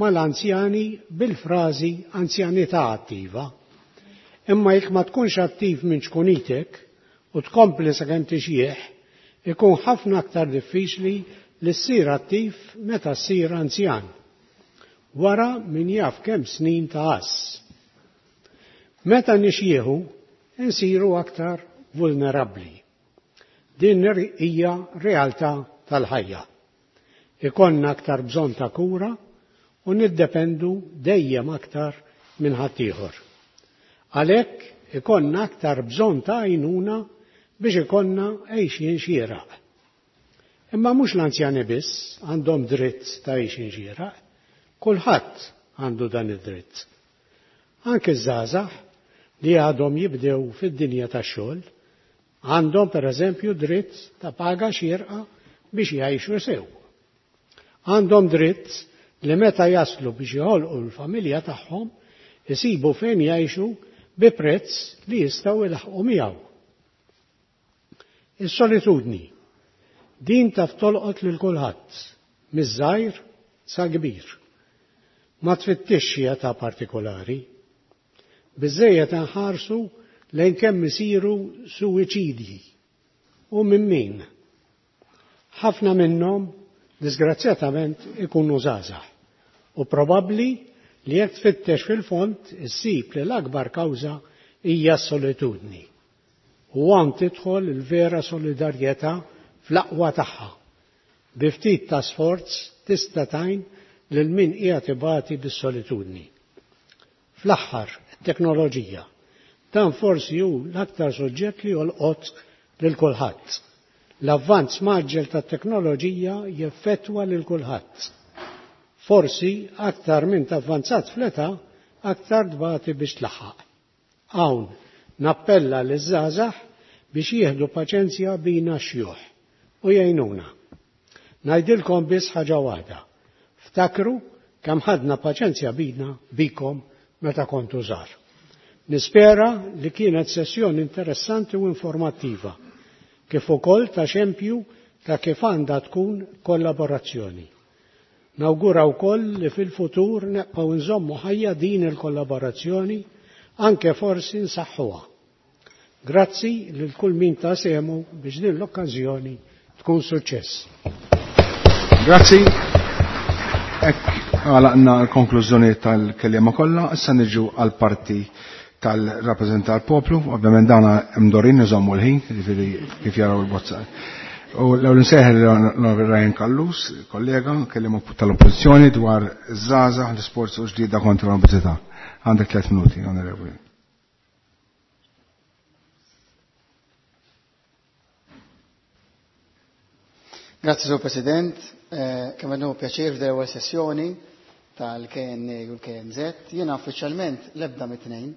mal-anzjani bil-frażi anzjanità attiva. Imma jekk ma tkunx attiv minn ċkunitek u tkompli sakemm tixjieħ, ikun ħafna aktar diffiċli li ssir attiv meta ssir anzjan. Wara min jaf kemm snin ta' għass. Meta nixjieħu, insiru aktar vulnerabbli. Din hija realtà tal-ħajja. Ikollna aktar bżonn ta' kura u niddependu dejjem aktar minn ħaddieħor. Għalhekk ikollna aktar bżonn ta' għajnuna biex ikollna għejxien xieraq. Imma mhux l-anzjani biss għandhom dritt ta' għejxien xieraq, kulħadd għandu dan id-dritt. Anke ż-żgħażagħ li għadhom jibdew fid-dinja tax-xogħol għandhom pereżempju dritt ta' paga xierqa biex jgħixu sew. Għandhom dritt li meta jaslu biex jħolqu l-familja tagħhom isibu fejn jgħixu bi prezz li jistgħu jlaħqu miegħu. Is-solitudni din taf tolqot lil kulħadd, miż-żgħir sa kbir. Ma tfittixx xi età partikolari. Biżżejjed inħarsu lejn kemm isiru suwiċidji u minn min. Ħafna minnhom disgrazzjatament ikunu żgħażagħ u probabbli li jekk tfittex fil-fond issib li l-akbar kawża hija s-solitudni. U hawn tidħol il-vera solidarjetà fl-aqwa tagħha. Bi ftit ta' sforz tista' tgħin lil min qiegħed ibati bis-solitudni. Fl-aħħar, it-teknoloġija. Dan forsi hu l-aktar suġġett li jolqot lil kulħadd. L-avvanz maġġel tat-teknoloġija jeffettwa lil kulħadd. Forsi aktar minn tavvanzat fl-età, aktar tbati biex tlaħħaq. Hawn nappella liż-żgħażagħ biex jieħdu paċenzja bina xjuħ u jgħinuna. Ngħidilkom biss ħaġa waħda. Ftakru kemm ħadna paċenzja bina bikom meta kontu żgħar. Nispera li kienet sessjoni interessanti u informattiva, kif ukoll ta' xempju ta' kif għandha tkun kollaborazzjoni. Nawgura wkoll li fil-futur neqgħu nżommu ħajja din il-kollaborazzjoni anke forsi nsaħħuha. Grazzi lil kull min ta' sehmu biex din l-okkażjoni tkun suċċess. Grazzi. Hekk għalaqna l-konklużjoni tal-kelliema kollha, issa niġu għall-parti tal-rappreżentant tal-poplu, ovvjament dawna mdorin iżommu l-ħin, jiġifieri kif jaraw il-bozza. U l-ewwel insejħel l-Onorevoli Ryan Callus, kollega, kelliema tal-Oppożizzjoni dwar iż-żgħażagħ, l-isports u ġlieda kontra l-obeżità. Għandek 3 minuti, Onorevoli. Grazzi, Sur President. Kemm għandu pjaċir f'din l-ewwel sessjoni tal-KNA u l-KNZ. Jiena uffiċjalment l-ebda mit-tnejn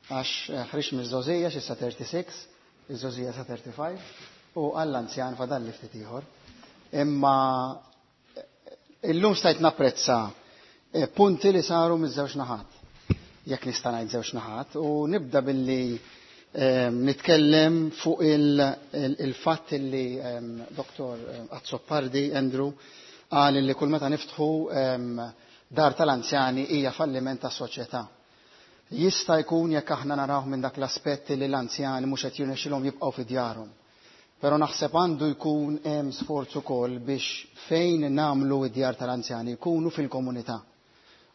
għax ħriġt miż-żgħożija xi sa 36, iż-żgħożija sa 35 u għall-anzjan fadalli ftit ieħor. Imma illum stajt napprezza punti li saru miż-żewġ naħat. Jekk nista' ngħid żewġ naħat, u nibda billi nitkellem fuq il-fatt li Dr. Azzopardi Andrew qal li kull meta niftħu dar tal-anzjani hija falliment tas-soċjetà. Jista' jkun jekk aħna naraw minn dak l-aspett li l-anzjani mhux qed jirnexxilhom jibqgħu fi djarhom. Però naħseb għandu jkun hemm sforz ukoll biex fejn nagħmlu d-djar tal-anzjani jkunu fil-komunità.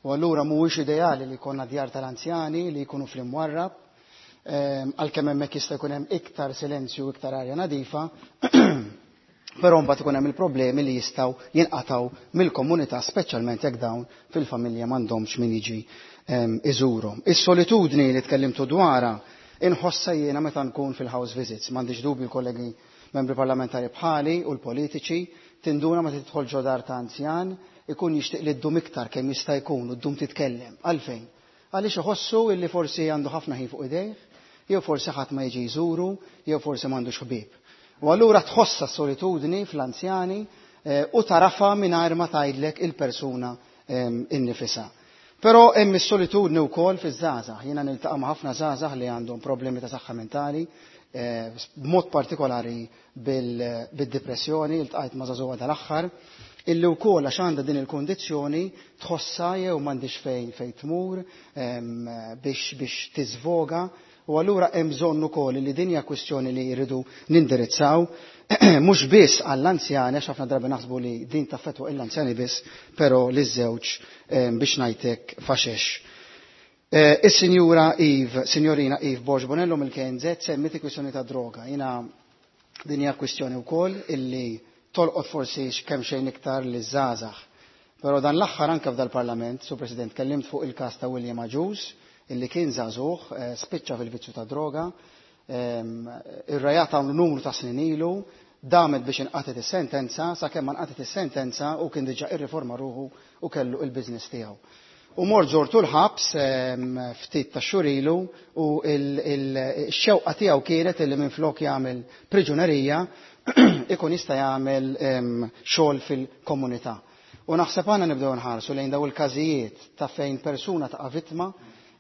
U allura mhuwiex ideali li jkollna djar tal-anzjani li jkunu fl-imwarrab, għalkemm hemmhekk jista' jkun hemm iktar silenzju u iktar arja nadifa, però mbagħad ikun hemm il-problemi li jistgħu jinqatgħu mill-komunità, speċjalment jekk dawn fil-familja m'għandhomx min jiġi iżurhom. Is-solitudni li tkellimtu dwarha inħossha jiena meta nkun fil-house visits, m'għandix dubju l-kollegi membri parlamentari bħali u l-politiċi, tinduna meta tidħol ġo dar ta' anzjan ikun jixtieq li ddum iktar kemm jista' jkun u ddum titkellem. Għalfejn? Għaliex iħossu illi forsi għandu ħafna ħin fuq idejh, jew forsi ħadd ma jiġi jżuru, jew forsi m'għandux ħbieb. U allura tħossa s-solitudni fl-anzjani u tarafa mingħajr ma tgħidlek il-persuna innifisha. Però hemm is-solitudni wkoll fiż-żgħażagħ. Jiena niltaqa' ma' ħafna żgħażagħ li għandhom problemi ta' saħħa mentali, b'mod partikolari bid-depressjoni, iltqajt ma' żagħżugħa dal-aħħar, illi wkoll għax għandha din il-kundizzjoni tħossha jew m'għandix fejn tmur biex tiżvoga. U allura hemm bżonn ukoll li din hija kwistjoni li jridu nindirizzaw mhux biss għall-anzjani, għax ħafna drabi naħsbu li din taffettwa l-anzjani biss, però li żewġ biex ngħidlek faxex. Is-Sinjura Eve, Sinjorina Eve Borg Bonello mill-KNZ semmiet il-kwistjoni ta' droga. Jiena din hija kwistjoni wkoll illi tolqot forsi kemm xejn iktar li żgħażagħ. Però dan l-aħħar anke f'dal-Parlament, Sur President, kellimt fuq il-każ ta' William Agius, illi kien żagħżugħ, spiċċa fil-vizzju ta' droga, irrajat hawn numru ta' snin ilu, damet biex inqatet is-sentenza, sakemm ma nqatet is-sentenza u kien diġà irriforma ruħu u kellu il-business tiegħu. U mort żortu l-ħabs ftit ta' xhur ilu u x-xewqa tiegħu kienet illi minflok jagħmel priġunerija ikun jista' jagħmel xogħol fil-komunità. U naħseb għandna nibdew nħarsu lejn daw il-każijiet ta' fejn persuna taqa' vittma,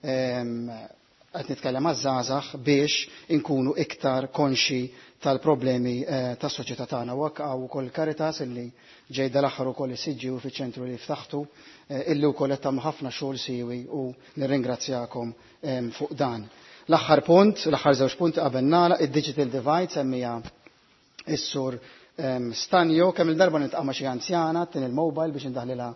qed nitkellem għaż-żgħażagħ biex inkunu iktar konxi tal-problemi tas-soċjetà tagħna. U hekk hawn ukoll Caritas illi ġej dal-aħħar ukoll is-Siġġiewi fiċ-ċentru li ftaħtu, illi wkoll qed tagħmlu ħafna xogħol siewi u nirringrazzjakom fuq dan. L-aħħar punt, l-aħħar żewġ punti qabel nagħlaq, id-digital divide semmija is-sur Stanjo, kemm il-darba niltaqa' ma' xi anzjana tin il-mobile biex indaħlilha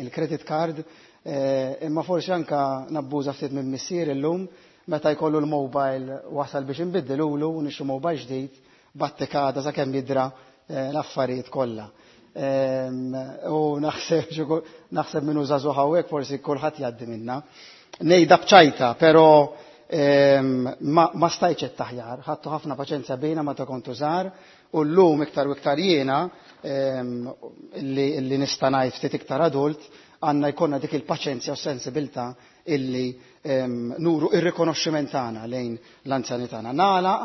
il-credit card, imma forsi anka nabbuża ftit minn missier illum meta jkollu l-mobile wasal biex inbiddilulu u nixtru mobile ġdid battikada sakemm jidra l-affarijiet kollha. U naħseb minnu żagħżugħ hawnhekk forsi kulħadd jgħaddi minna. Ngħidha b'ċajta, però ma stajtx qed taħjar, ħadtu ħafna paċenzja bejna meta kontu żgħar u llum iktar u iktar jiena li nista' ngħid ftit iktar adult għandna jkollna dik il-paċenzja u sensibilità illi nuru ir-rikonoxximent tagħna lejn l-anzjani tagħna. Nagħlaq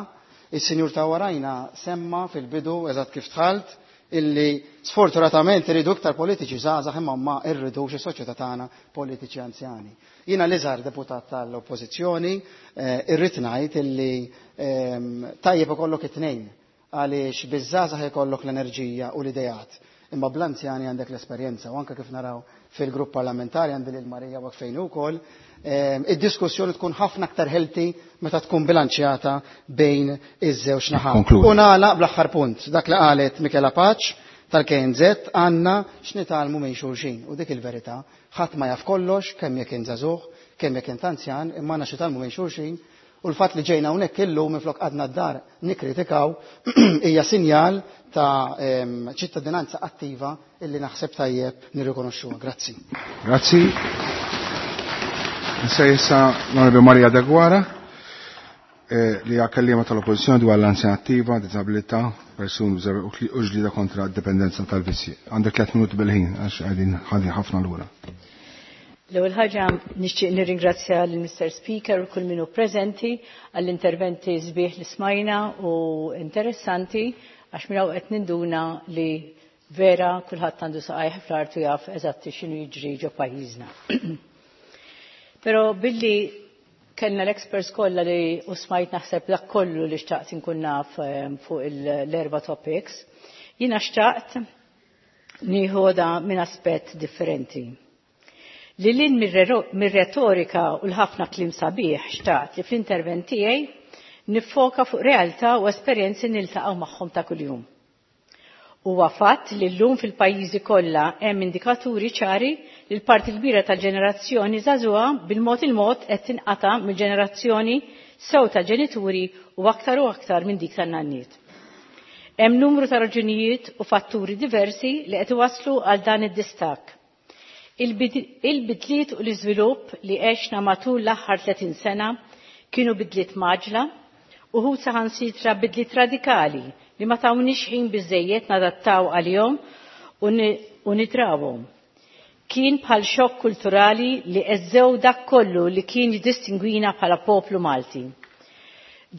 Is-sinjur ta' warajna semma fil-bidu eżatt kif dħalt illi sfortunatament irridu iktar politiċi żgħażagħ imma ma rridux is-soċjetà tagħna politiċi anzjani. Jiena l-iżgħar deputat tal-Oppożizzjoni irrid ngħid illi tajjeb ikollok it-tnejn għaliex biż-żgħażagħ ikollok l-enerġija u l-ideat imma bl-anzjani għandek l-esperjenza u anke kif naraw fil-grupp parlamentari għandi lil Marija waqt fejn ukoll id-diskussjoni tkun ħafna aktar healthy meta tkun bilanċjata bejn iż-żewġ naħat. U nagħlaq bl-aħħar punt, dak li qalet Michela Pace tal-KNZ għandna x'nitgħallmu minn xulxin u dik il-verità, ħadd ma jaf kollox kemm jekk int żagħżugħ, kemm jekk int anzjan, imma għandna x'nitgħallmu minn xulxin u l-fatt li ġejna hawnhekk illum minflok qgħadna d-dar nikkritikaw hija sinjal ta' ċittadinanza attiva illi naħseb tajjeb nirrikonoxxuha. Grazzi. Grazzi. Issa issa l-Onorevoli Maria Deguara li hija kelliema tal-Oppożizzjoni dwar l-anzjana attiva, diżabilità, persuni u ġlieda kontra d-dipendenza tal-vizzji. Għandek 3 minuti bil-ħin għax qegħdin ħadin ħafna lura. L-ewwel ħaġa nixtieq nirringrazzja lil Mr. Speaker u kull min hu preżenti għall-interventi sbieħ li smajna u interessanti għax minn hawn qed ninduna li vera kulħadd għandu saqajh fl-art u jaf eżatti x'inhu jiġri ġo pajjiżna. Però billi kellna l-experts kollha li u smajt naħseb dak kollu li xtaqt inkun naf fuq l-erba' topics, jiena xtaqt nieħodha minn aspett differenti. Li lin mir-retorika u l-ħafna kliem sabiħ xtaqt li fl-intervent tiegħi niffoka fuq realtà u esperjenzi niltaqgħu magħhom ta' kuljum. Huwa fatt li llum fil-pajjiżi kollha hemm indikaturi ċari li l-parti kbira tal-ġenerazzjoni żagħżugħa bil-mod il-mod qed tinqata' mill-ġenerazzjoni sew tal-ġenituri u aktar u aktar minn dik tan-nanniet. Hemm numru ta' raġunijiet u fatturi diversi li qed iwasslu għal dan id-distakk. Il-bidliet u l-iżvilupp li għexna matul l-aħħar 30 sena kienu bidliet maġla uħud saħansitra bidliet radikali li ma tawniex ħin biżejjed nadattaw għalihom u nidrawhom. Kien bħal xokk kulturali li eżżew dak kollu li kien jiddistingwina bħala poplu Malti.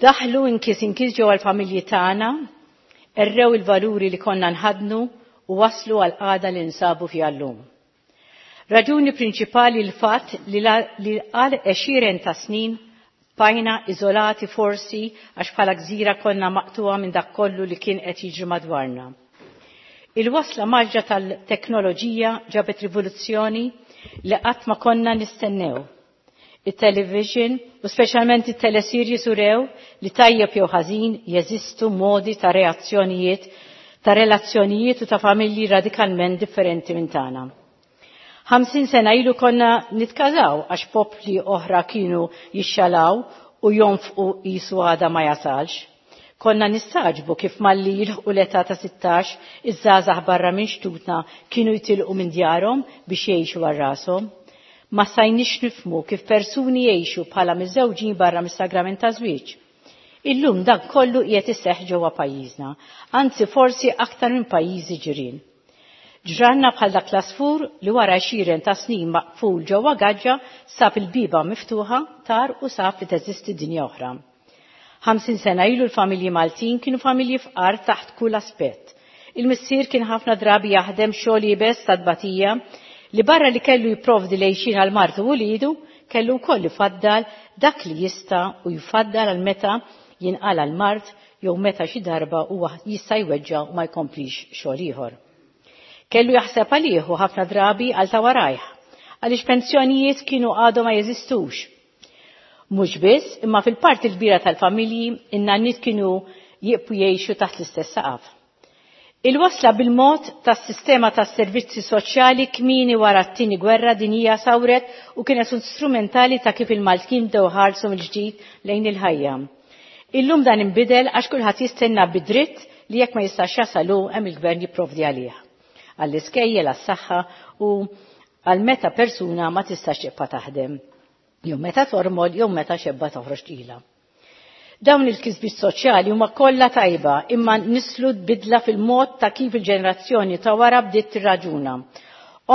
Daħlu inkis inkis ġewwa l-familji tagħna, errew il-valuri li konna nħadnu u waslu għal qagħda li nsabu fiha llum. Raġuni prinċipali l-fatt li għal għexieren ta' snin bajna iżolati forsi għax bħala gżira konna maqtuwa minn dak kollu li kien qed jiġri madwarna. Il-wasla maġġa tal-teknoloġija ġabet rivoluzzjoni li qatt ma konna nistennew. Il-television u speċjalment it-teleseries urew li tajjeb jew ħażin jeżistu modi ta' reazzjonijiet, ta' relazzjonijiet u ta' familji radikalment differenti minn tagħna. 50 sena ilu konna nitkażaw għax popli oħra kienu jixxalaw u jonfqu jisu għada ma jasalx. Konna nistaġbu kif malli jilħqu l-età ta' 16 iż-żgħażagħ barra minn xtutna kienu jitilqu minn djarhom biex jgħixu għal rashom. Ma stajniex nifhmu kif persuni jgħixu bħala miżżewġin barra mis-sagrament ta' żwieġ. Illum dan kollu qiegħed iseħħ ġewwa pajjiżna, anzi forsi aktar minn pajjiżi ġirien. Ġranna bħal dak l-asfur li wara għexieren ta' snin maqful ġewwa gaġġa sab il-biba miftuħa tar u sab li teżisti dinja oħra. 50 sena ilu l-familji Maltin kienu familji fqar taħt kull aspett. Il-missier kien ħafna drabi jaħdem xogħol iebes ta' tbatija li barra li kellu jipprovdi lejxin għal martu u lidu, kellu wkoll ifaddal dak li jista' u jfaddal għal meta jinqala l-mard jew meta xi darba huwa jista' jweġġa' u ma jkomplix xogħol ieħor. Kellu jaħseb għalih u ħafna drabi għal ta' warajh, għaliex pensjonijiet kienu għadhom ma jeżistux. Mhux biss, imma fil-parti l-kbira tal-familji in-nanniet kienu jibqu jgħixu taħt l-istess saqaf. Il-wasla bil-mod tas-sistema tas-servizzi soċjali kmieni wara t-tieni gwerra dinjija sawret u kienet strumentali ta' kif il-Maltin bdew ħarsu mill-ġdid lejn il-ħajja. Illum dan inbidel għax kulħadd jistenna bidritt li jekk ma jistax jasalu hemm il-gvern jipprovdi għalih. Għall-iskejjel, għas-saħħa u għal meta persuna ma tistax tibqa' taħdem. Jew meta tormol, jew meta xebba toħroġ tqila. Dawn il-kisbiet soċjali huma kollha tajba imma nislu bidla fil-mod ta' kif il-ġenerazzjoni ta' wara bdiet tirraġuna.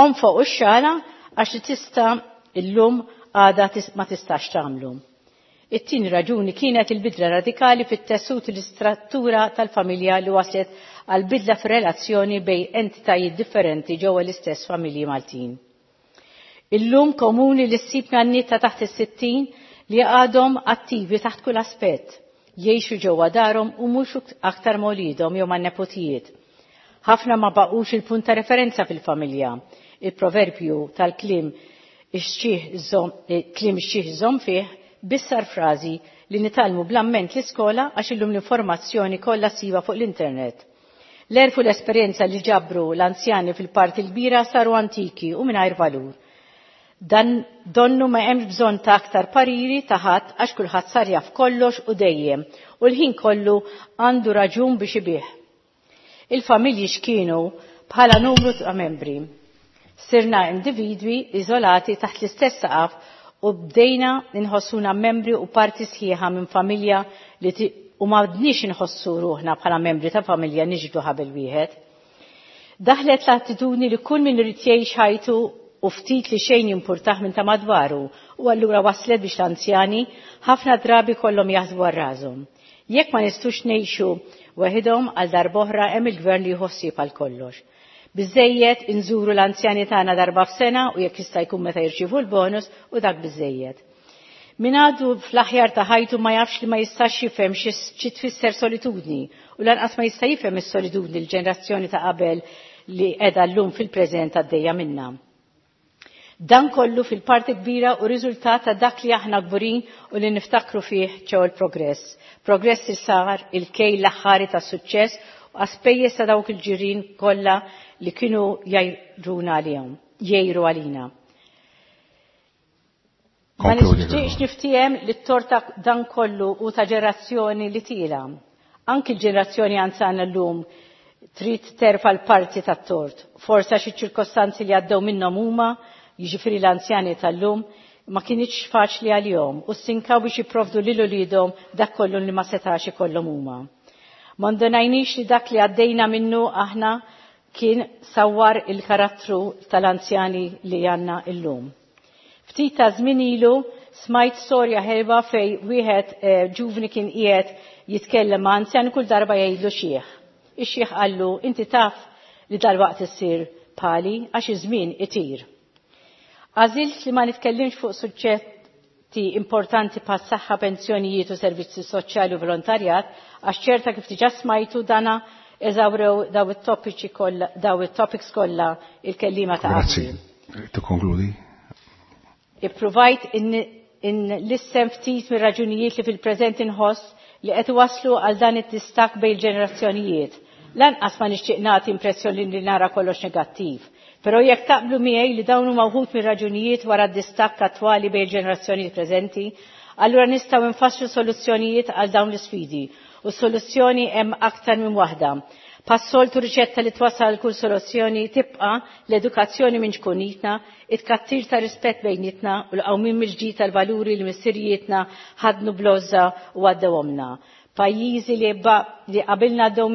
Onfoq u xala għax li tista' illum għada ma tistax tagħmlu. It-tieni raġuni kienet il-bidla radikali fit-tessut l-istruttura tal-familja li waslet għal bidla fir-relazzjoni bejn entitajiet differenti ġewwa l-istess familji Maltin. Illum komuni li ssib nanniet ta' taħt is-60 li għadhom attivi taħt kull aspett, jgħixu ġewwa darhom u mhux aktar ma' wliedhom jew man-nepotijiet. Ħafna ma baqgħux il-punt ta' referenza fil-familja. Il-proverbju tal-kliem kliem ix-xiħ iżomm fih bissar frażi li nitgħallmu bl-amment l-iskola għax illum l-informazzjoni kollha ssibha fuq l-internet. L-għerf u l-esperjenza li ġabru l-anzjani fil-parti l-kbira saru antiki u mingħajr valur. Dan donnu ma hemmx bżonn ta' aktar pariri ta' ħadd għax kulħadd sar jaf kollox u dejjem u l-ħin kollu għandu raġun biex ibih. Il-familji x'kienu bħala numru ta' membri. Sirna individwi iżolati taħt l-istess saqaf u bdejna nħossuna membri u parti sħiħa minn familja li u ma bdniex inħossu ruħna bħala membri ta' familja niġbdu ħabel wieħed. Daħlet l-attitudni li kull min irid jgħix ħajtu u ftit li xejn jimpurtah minn ta' madwaru u allura waslet biex l-anzjani ħafna drabi kollhom jaħsbu għal rashom. Jekk ma nistux ngħixu waħidhom għal darb'oħra hemm il-gvern li jieħu ħsieb għal kollox. Biżżejjed inżuru l-anzjani tagħna darba f'sena u jekk jista' jkun meta jirċievu l-bonus u dak biżżejjed. Min għadu fl-aħjar ta' ħajtu ma jafx li ma jistax jifhem xi tfisser solitudni u lanqas ma jista' jifhem is-solitudni l-ġenerazzjoni ta' qabel li qiegħda llum fil-preżent għaddejja minnha. Dan kollu fil-parti kbira u riżultat ta' dak li aħna kburin u li niftakru fih ċew il-progress. Progress li sar il-kejl l-aħħari ta' suċċess u għaspejjeż ta' dawk il-ġirien kollha li kienu jgħiruna għalihom, jgħiru għalina. Ma nixtieqx niftiehem li t-torta dan kollu hu ta' ġenerazzjoni li tiela'. Anki l-ġenerazzjoni anzjana llum trid terfa' l-parti tat-tort. Forsi għax iċ-ċirkostanzi li għaddew minnhom huma, jiġifieri l-anzjani tal-lum, ma kinitx faċli għalihom u stinkaw biex jipprovdu lil uliedhom dak kollu li ma setax ikollhom huma. Ma ndunajniex li dak li għaddejna minnu aħna kien sawwar il-karattru tal-anzjani li għandna illum. Ftit ta' żmien ilu smajt storja ħelwa fej wieħed ġuvni kien qiegħed jitkellem ma' anzjan kull darba jgħidlu xiħ. Ix-xiħ qallu inti taf li dalwaqt issir bħali għax iż-żmien itir. Għażilt li ma nitkellimx fuq suġġetti importanti bħas saħħa, pensjonijiet u servizzi soċjali u volontarjat għax ċerta kif diġà smajtu dana eżawrew daw it-topiċi kollha, daw it-topics kollha il-kelliema ta' Grazzi. Tikkonkludi. Ippruvajt in lissem ftit mir-raġunijiet li fil-preżent inħoss li qed iwasslu għal dan id-distakk bejn il-ġenerazzjonijiet. Lanqas ma nixtieq nagħti impressjoni li nara kollox negattiv. Però jekk taqblu miegħi li dawn huma wħud mir-raġunijiet wara d-distakk attwali bejn il-ġenerazzjonijiet preżenti, allura nistgħu nfasslu soluzzjonijiet għal dawn l-isfidi. U s-soluzzjoni hemm aktar minn waħda. Passoltu riċetta li twassal kull soluzzjoni tibqa' l-edukazzjoni minn ċkunitna, it-kattir ta' rispett bejnietna u l-qawmien mill-ġdid tal-valuri li missirijietna ħadnu bl-għożża u għaddewhomlna. Pajjiżi li li qabilna għaddew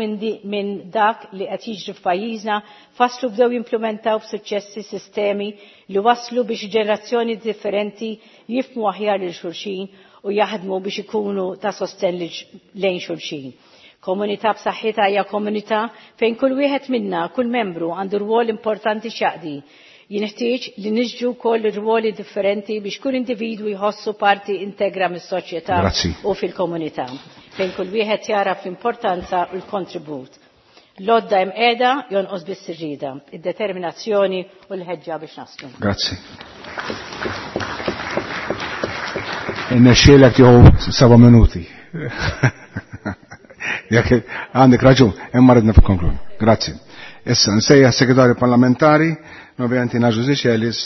minn dak li qed jiġri f'pajjiżna fasslu bdew jimplementaw b'suċċessi sistemi li waslu biex ġenerazzjoni differenti jifhmu aħjar lil xulxin u jaħdmu biex ikunu ta' sostenn lejn xulxin. Komunità b'saħħitha hija komunità fejn kull wieħed minna, kull membru għandu rwol importanti x'jaqdi. Jinħtieġ li niġġu wkoll rwoli differenti biex kull individwu jħossu parti integra mis-soċjetà Grazzi. u fil-komunità, fejn kull wieħed jara fl-importanza u l-kontribut. L-għodda hemm qiegħda jonqos biss ir-rieda, id-determinazzjoni u l-ħeġġa biex naslu. Grazzi. Innexxielek tieħu 7 minuti. Jekk għandek raġun, imma ridna f'konkludi. Grazzi. Issa nsejjaħ segretarju parlamentari, ovvjament Naġu Ziċelis,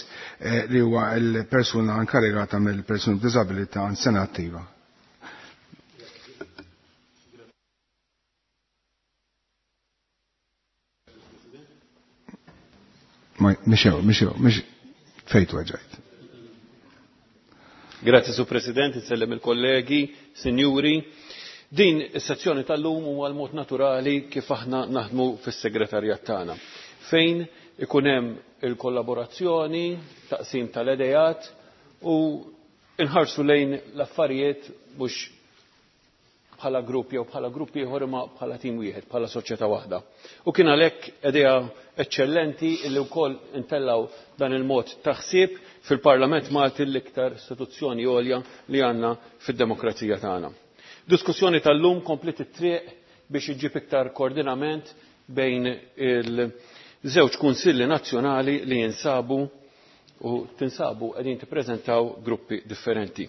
li huwa l-persuna inkarigata mill-persuni b'diżabilità għand sena attiva. Ma, mixew, mixew, mix fejtu għagġajt. Grazie, Su President, insellem il-kollegi, sinjuri. Din is-sezzjoni tal-lum huwa l-mod naturali kif aħna naħdmu fis-segretarjat tagħna, fejn ikun hemm il-kollaborazzjoni, taqsim tal-idejat u inħarsu lejn l-affarijiet mhux bħala grupp jew bħala grupp ieħor imma bħala tim wieħed, bħala soċjetà waħda. U kien għalhekk idea eċċellenti li wkoll intellaw dan il-mod ta' ħsieb fil-Parlament Malti l-iktar istituzzjoni għolja li għandna fid-demokrazija tagħna. Diskussjoni tal-lum kompliet it-triq biex iġġib iktar koordinament bejn il-żewġ kunsilli nazzjonali li jinsabu u tinsabu qegħdin tippreżentaw gruppi differenti.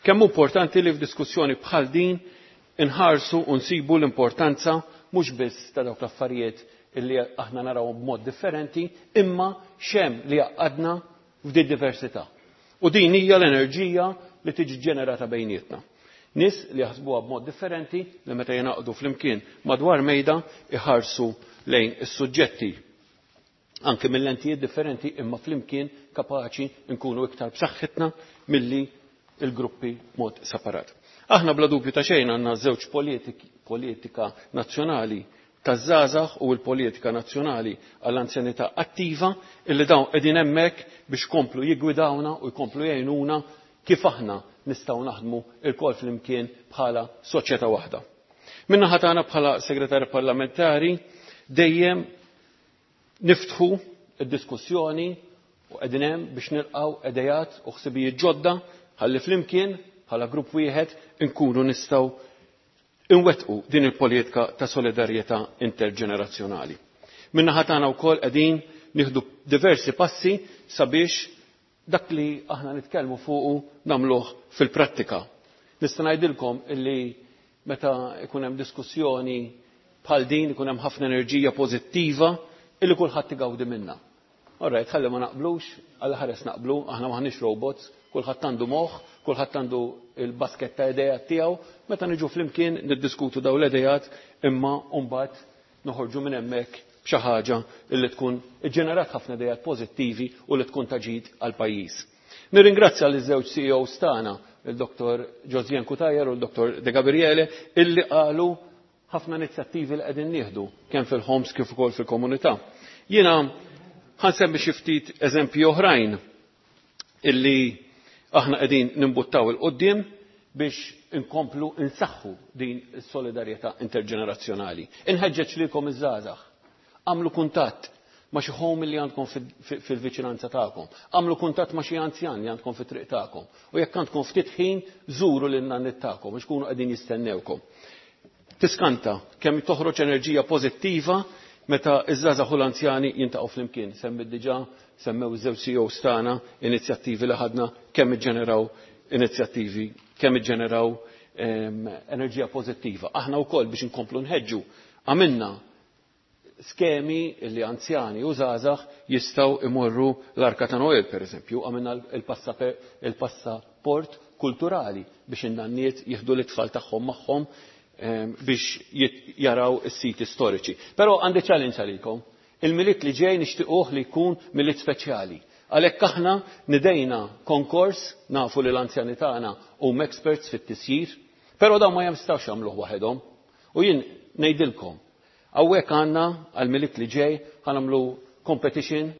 Kemm importanti li f'diskussjoni bħal din inħarsu u nsibu l-importanza mhux biss ta' dawk l-affarijiet illi aħna naraw b'mod differenti, imma xem li għadna f'di diversità. U din hija l-enerġija li tiġi ġenerata bejnietna. Nis li jaħsbuha b'mod differenti li meta jingħaqdu flimkien madwar mejda iħarsu lejn is-suġġetti anke mill-lentijiet differenti imma flimkien kapaċi nkunu iktar b'saħħitna milli il-gruppi mod separat. Aħna bla dubju ta' xejn għandna żewġ politika nazzjonali taż-żgħażagħ u l-politika nazzjonali għall-anzjanità attiva illi dawn qegħdin hemmhekk biex komplu jiggwidawna u jkomplu jgħinuna kif aħna nistgħu naħdmu lkoll flimkien bħala soċjetà waħda. Min-naħa tagħna bħala segretarju parlamentari dejjem niftħu id-diskussjoni u qegħdin hemm biex nilqgħu idejat u ħsibijiet ġodda ħalli flimkien bħala grupp wieħed inkunu nistgħu inwettqu din il-politika ta' solidarjetà interġenerazzjonali. Min-naħa tagħna wkoll qegħdin nieħdu diversi passi sabiex dak li aħna nitkellmu fuqu nagħmluh fil-prattika. Nista' ngħidilkom illi meta ikun hemm diskussjoni bħal din ikun hemm ħafna enerġija pożittiva illi kulħadd igawdi minnha. Alright, ħalli ma naqblux, għal ħares naqblu, aħna maħniex robots, kulħadd għandu moħħ, kulħadd għandu il-basket ta' idejat tiegħu, meta niġu flimkien niddiskutu dawn l-idejat imma mbagħad noħorġu minn hemmhekk b'xi ħaġa li tkun iġġenerat ħafna idejat pożittivi u li tkun ta' ġid għall-pajjiż. Nirringrazzja liż żewġ CEOs tagħna, il-Dr. Josien Cutajar u l-Dr. De Gabriele, illi qalu ħafna inizjattivi li qegħdin nieħdu kemm fil-homes kif ukoll fil-komunità. Jiena ħansemmi xi ftit eżempji oħrajn illi aħna qegħdin nimbuttaw 'il quddiem biex inkomplu insaħħu din is-solidarjetà interġenerazzjonali. Inħeġġeġ lilkom iż-żgħażagħ. Agħmlu kuntatt ma' xi home li għandkom fil-viċinanza tagħkom. Agħmlu kuntatt ma' xi anzjan li għandkom fit-triq tagħkom. U jekk għandkom ftit ħin, żuru lin nanniet tagħkom biex kunu qegħdin jistennewkom. Tiskanta kemm toħroġ enerġija pożittiva meta iż-żgħażagħ u l-anzjani jintaqgħu flimkien. Semmit diġà semmew iż-żewġ CEOs tagħna inizjattivi li ħadna kemm iġġeneraw inizjattivi, kemm iġġeneraw enerġija pożittiva. Aħna wkoll biex inkomplu nħeġġu għamilna skemi li anzjani u żgħażagħ jistgħu imorru l-Arka ta' Noel, per eżempju, għamilna il-passaport kulturali biex in-nanniet jieħdu l-itfal tagħhom magħhom biex jaraw is-siti storiċi. Però għandi challenge għalikom. Il-Milied li ġej nixtiequh li jkun Milied speċjali. Għalhekk aħna nidejna konkors, nafu li l-anzjani tagħna huma experts fit-tisjir, però dawn ma jistgħux jagħmluh waħedhom. U jien ngħidilkom, hawnhekk għandna għall-Milied li ġej ħa nagħmlu competition.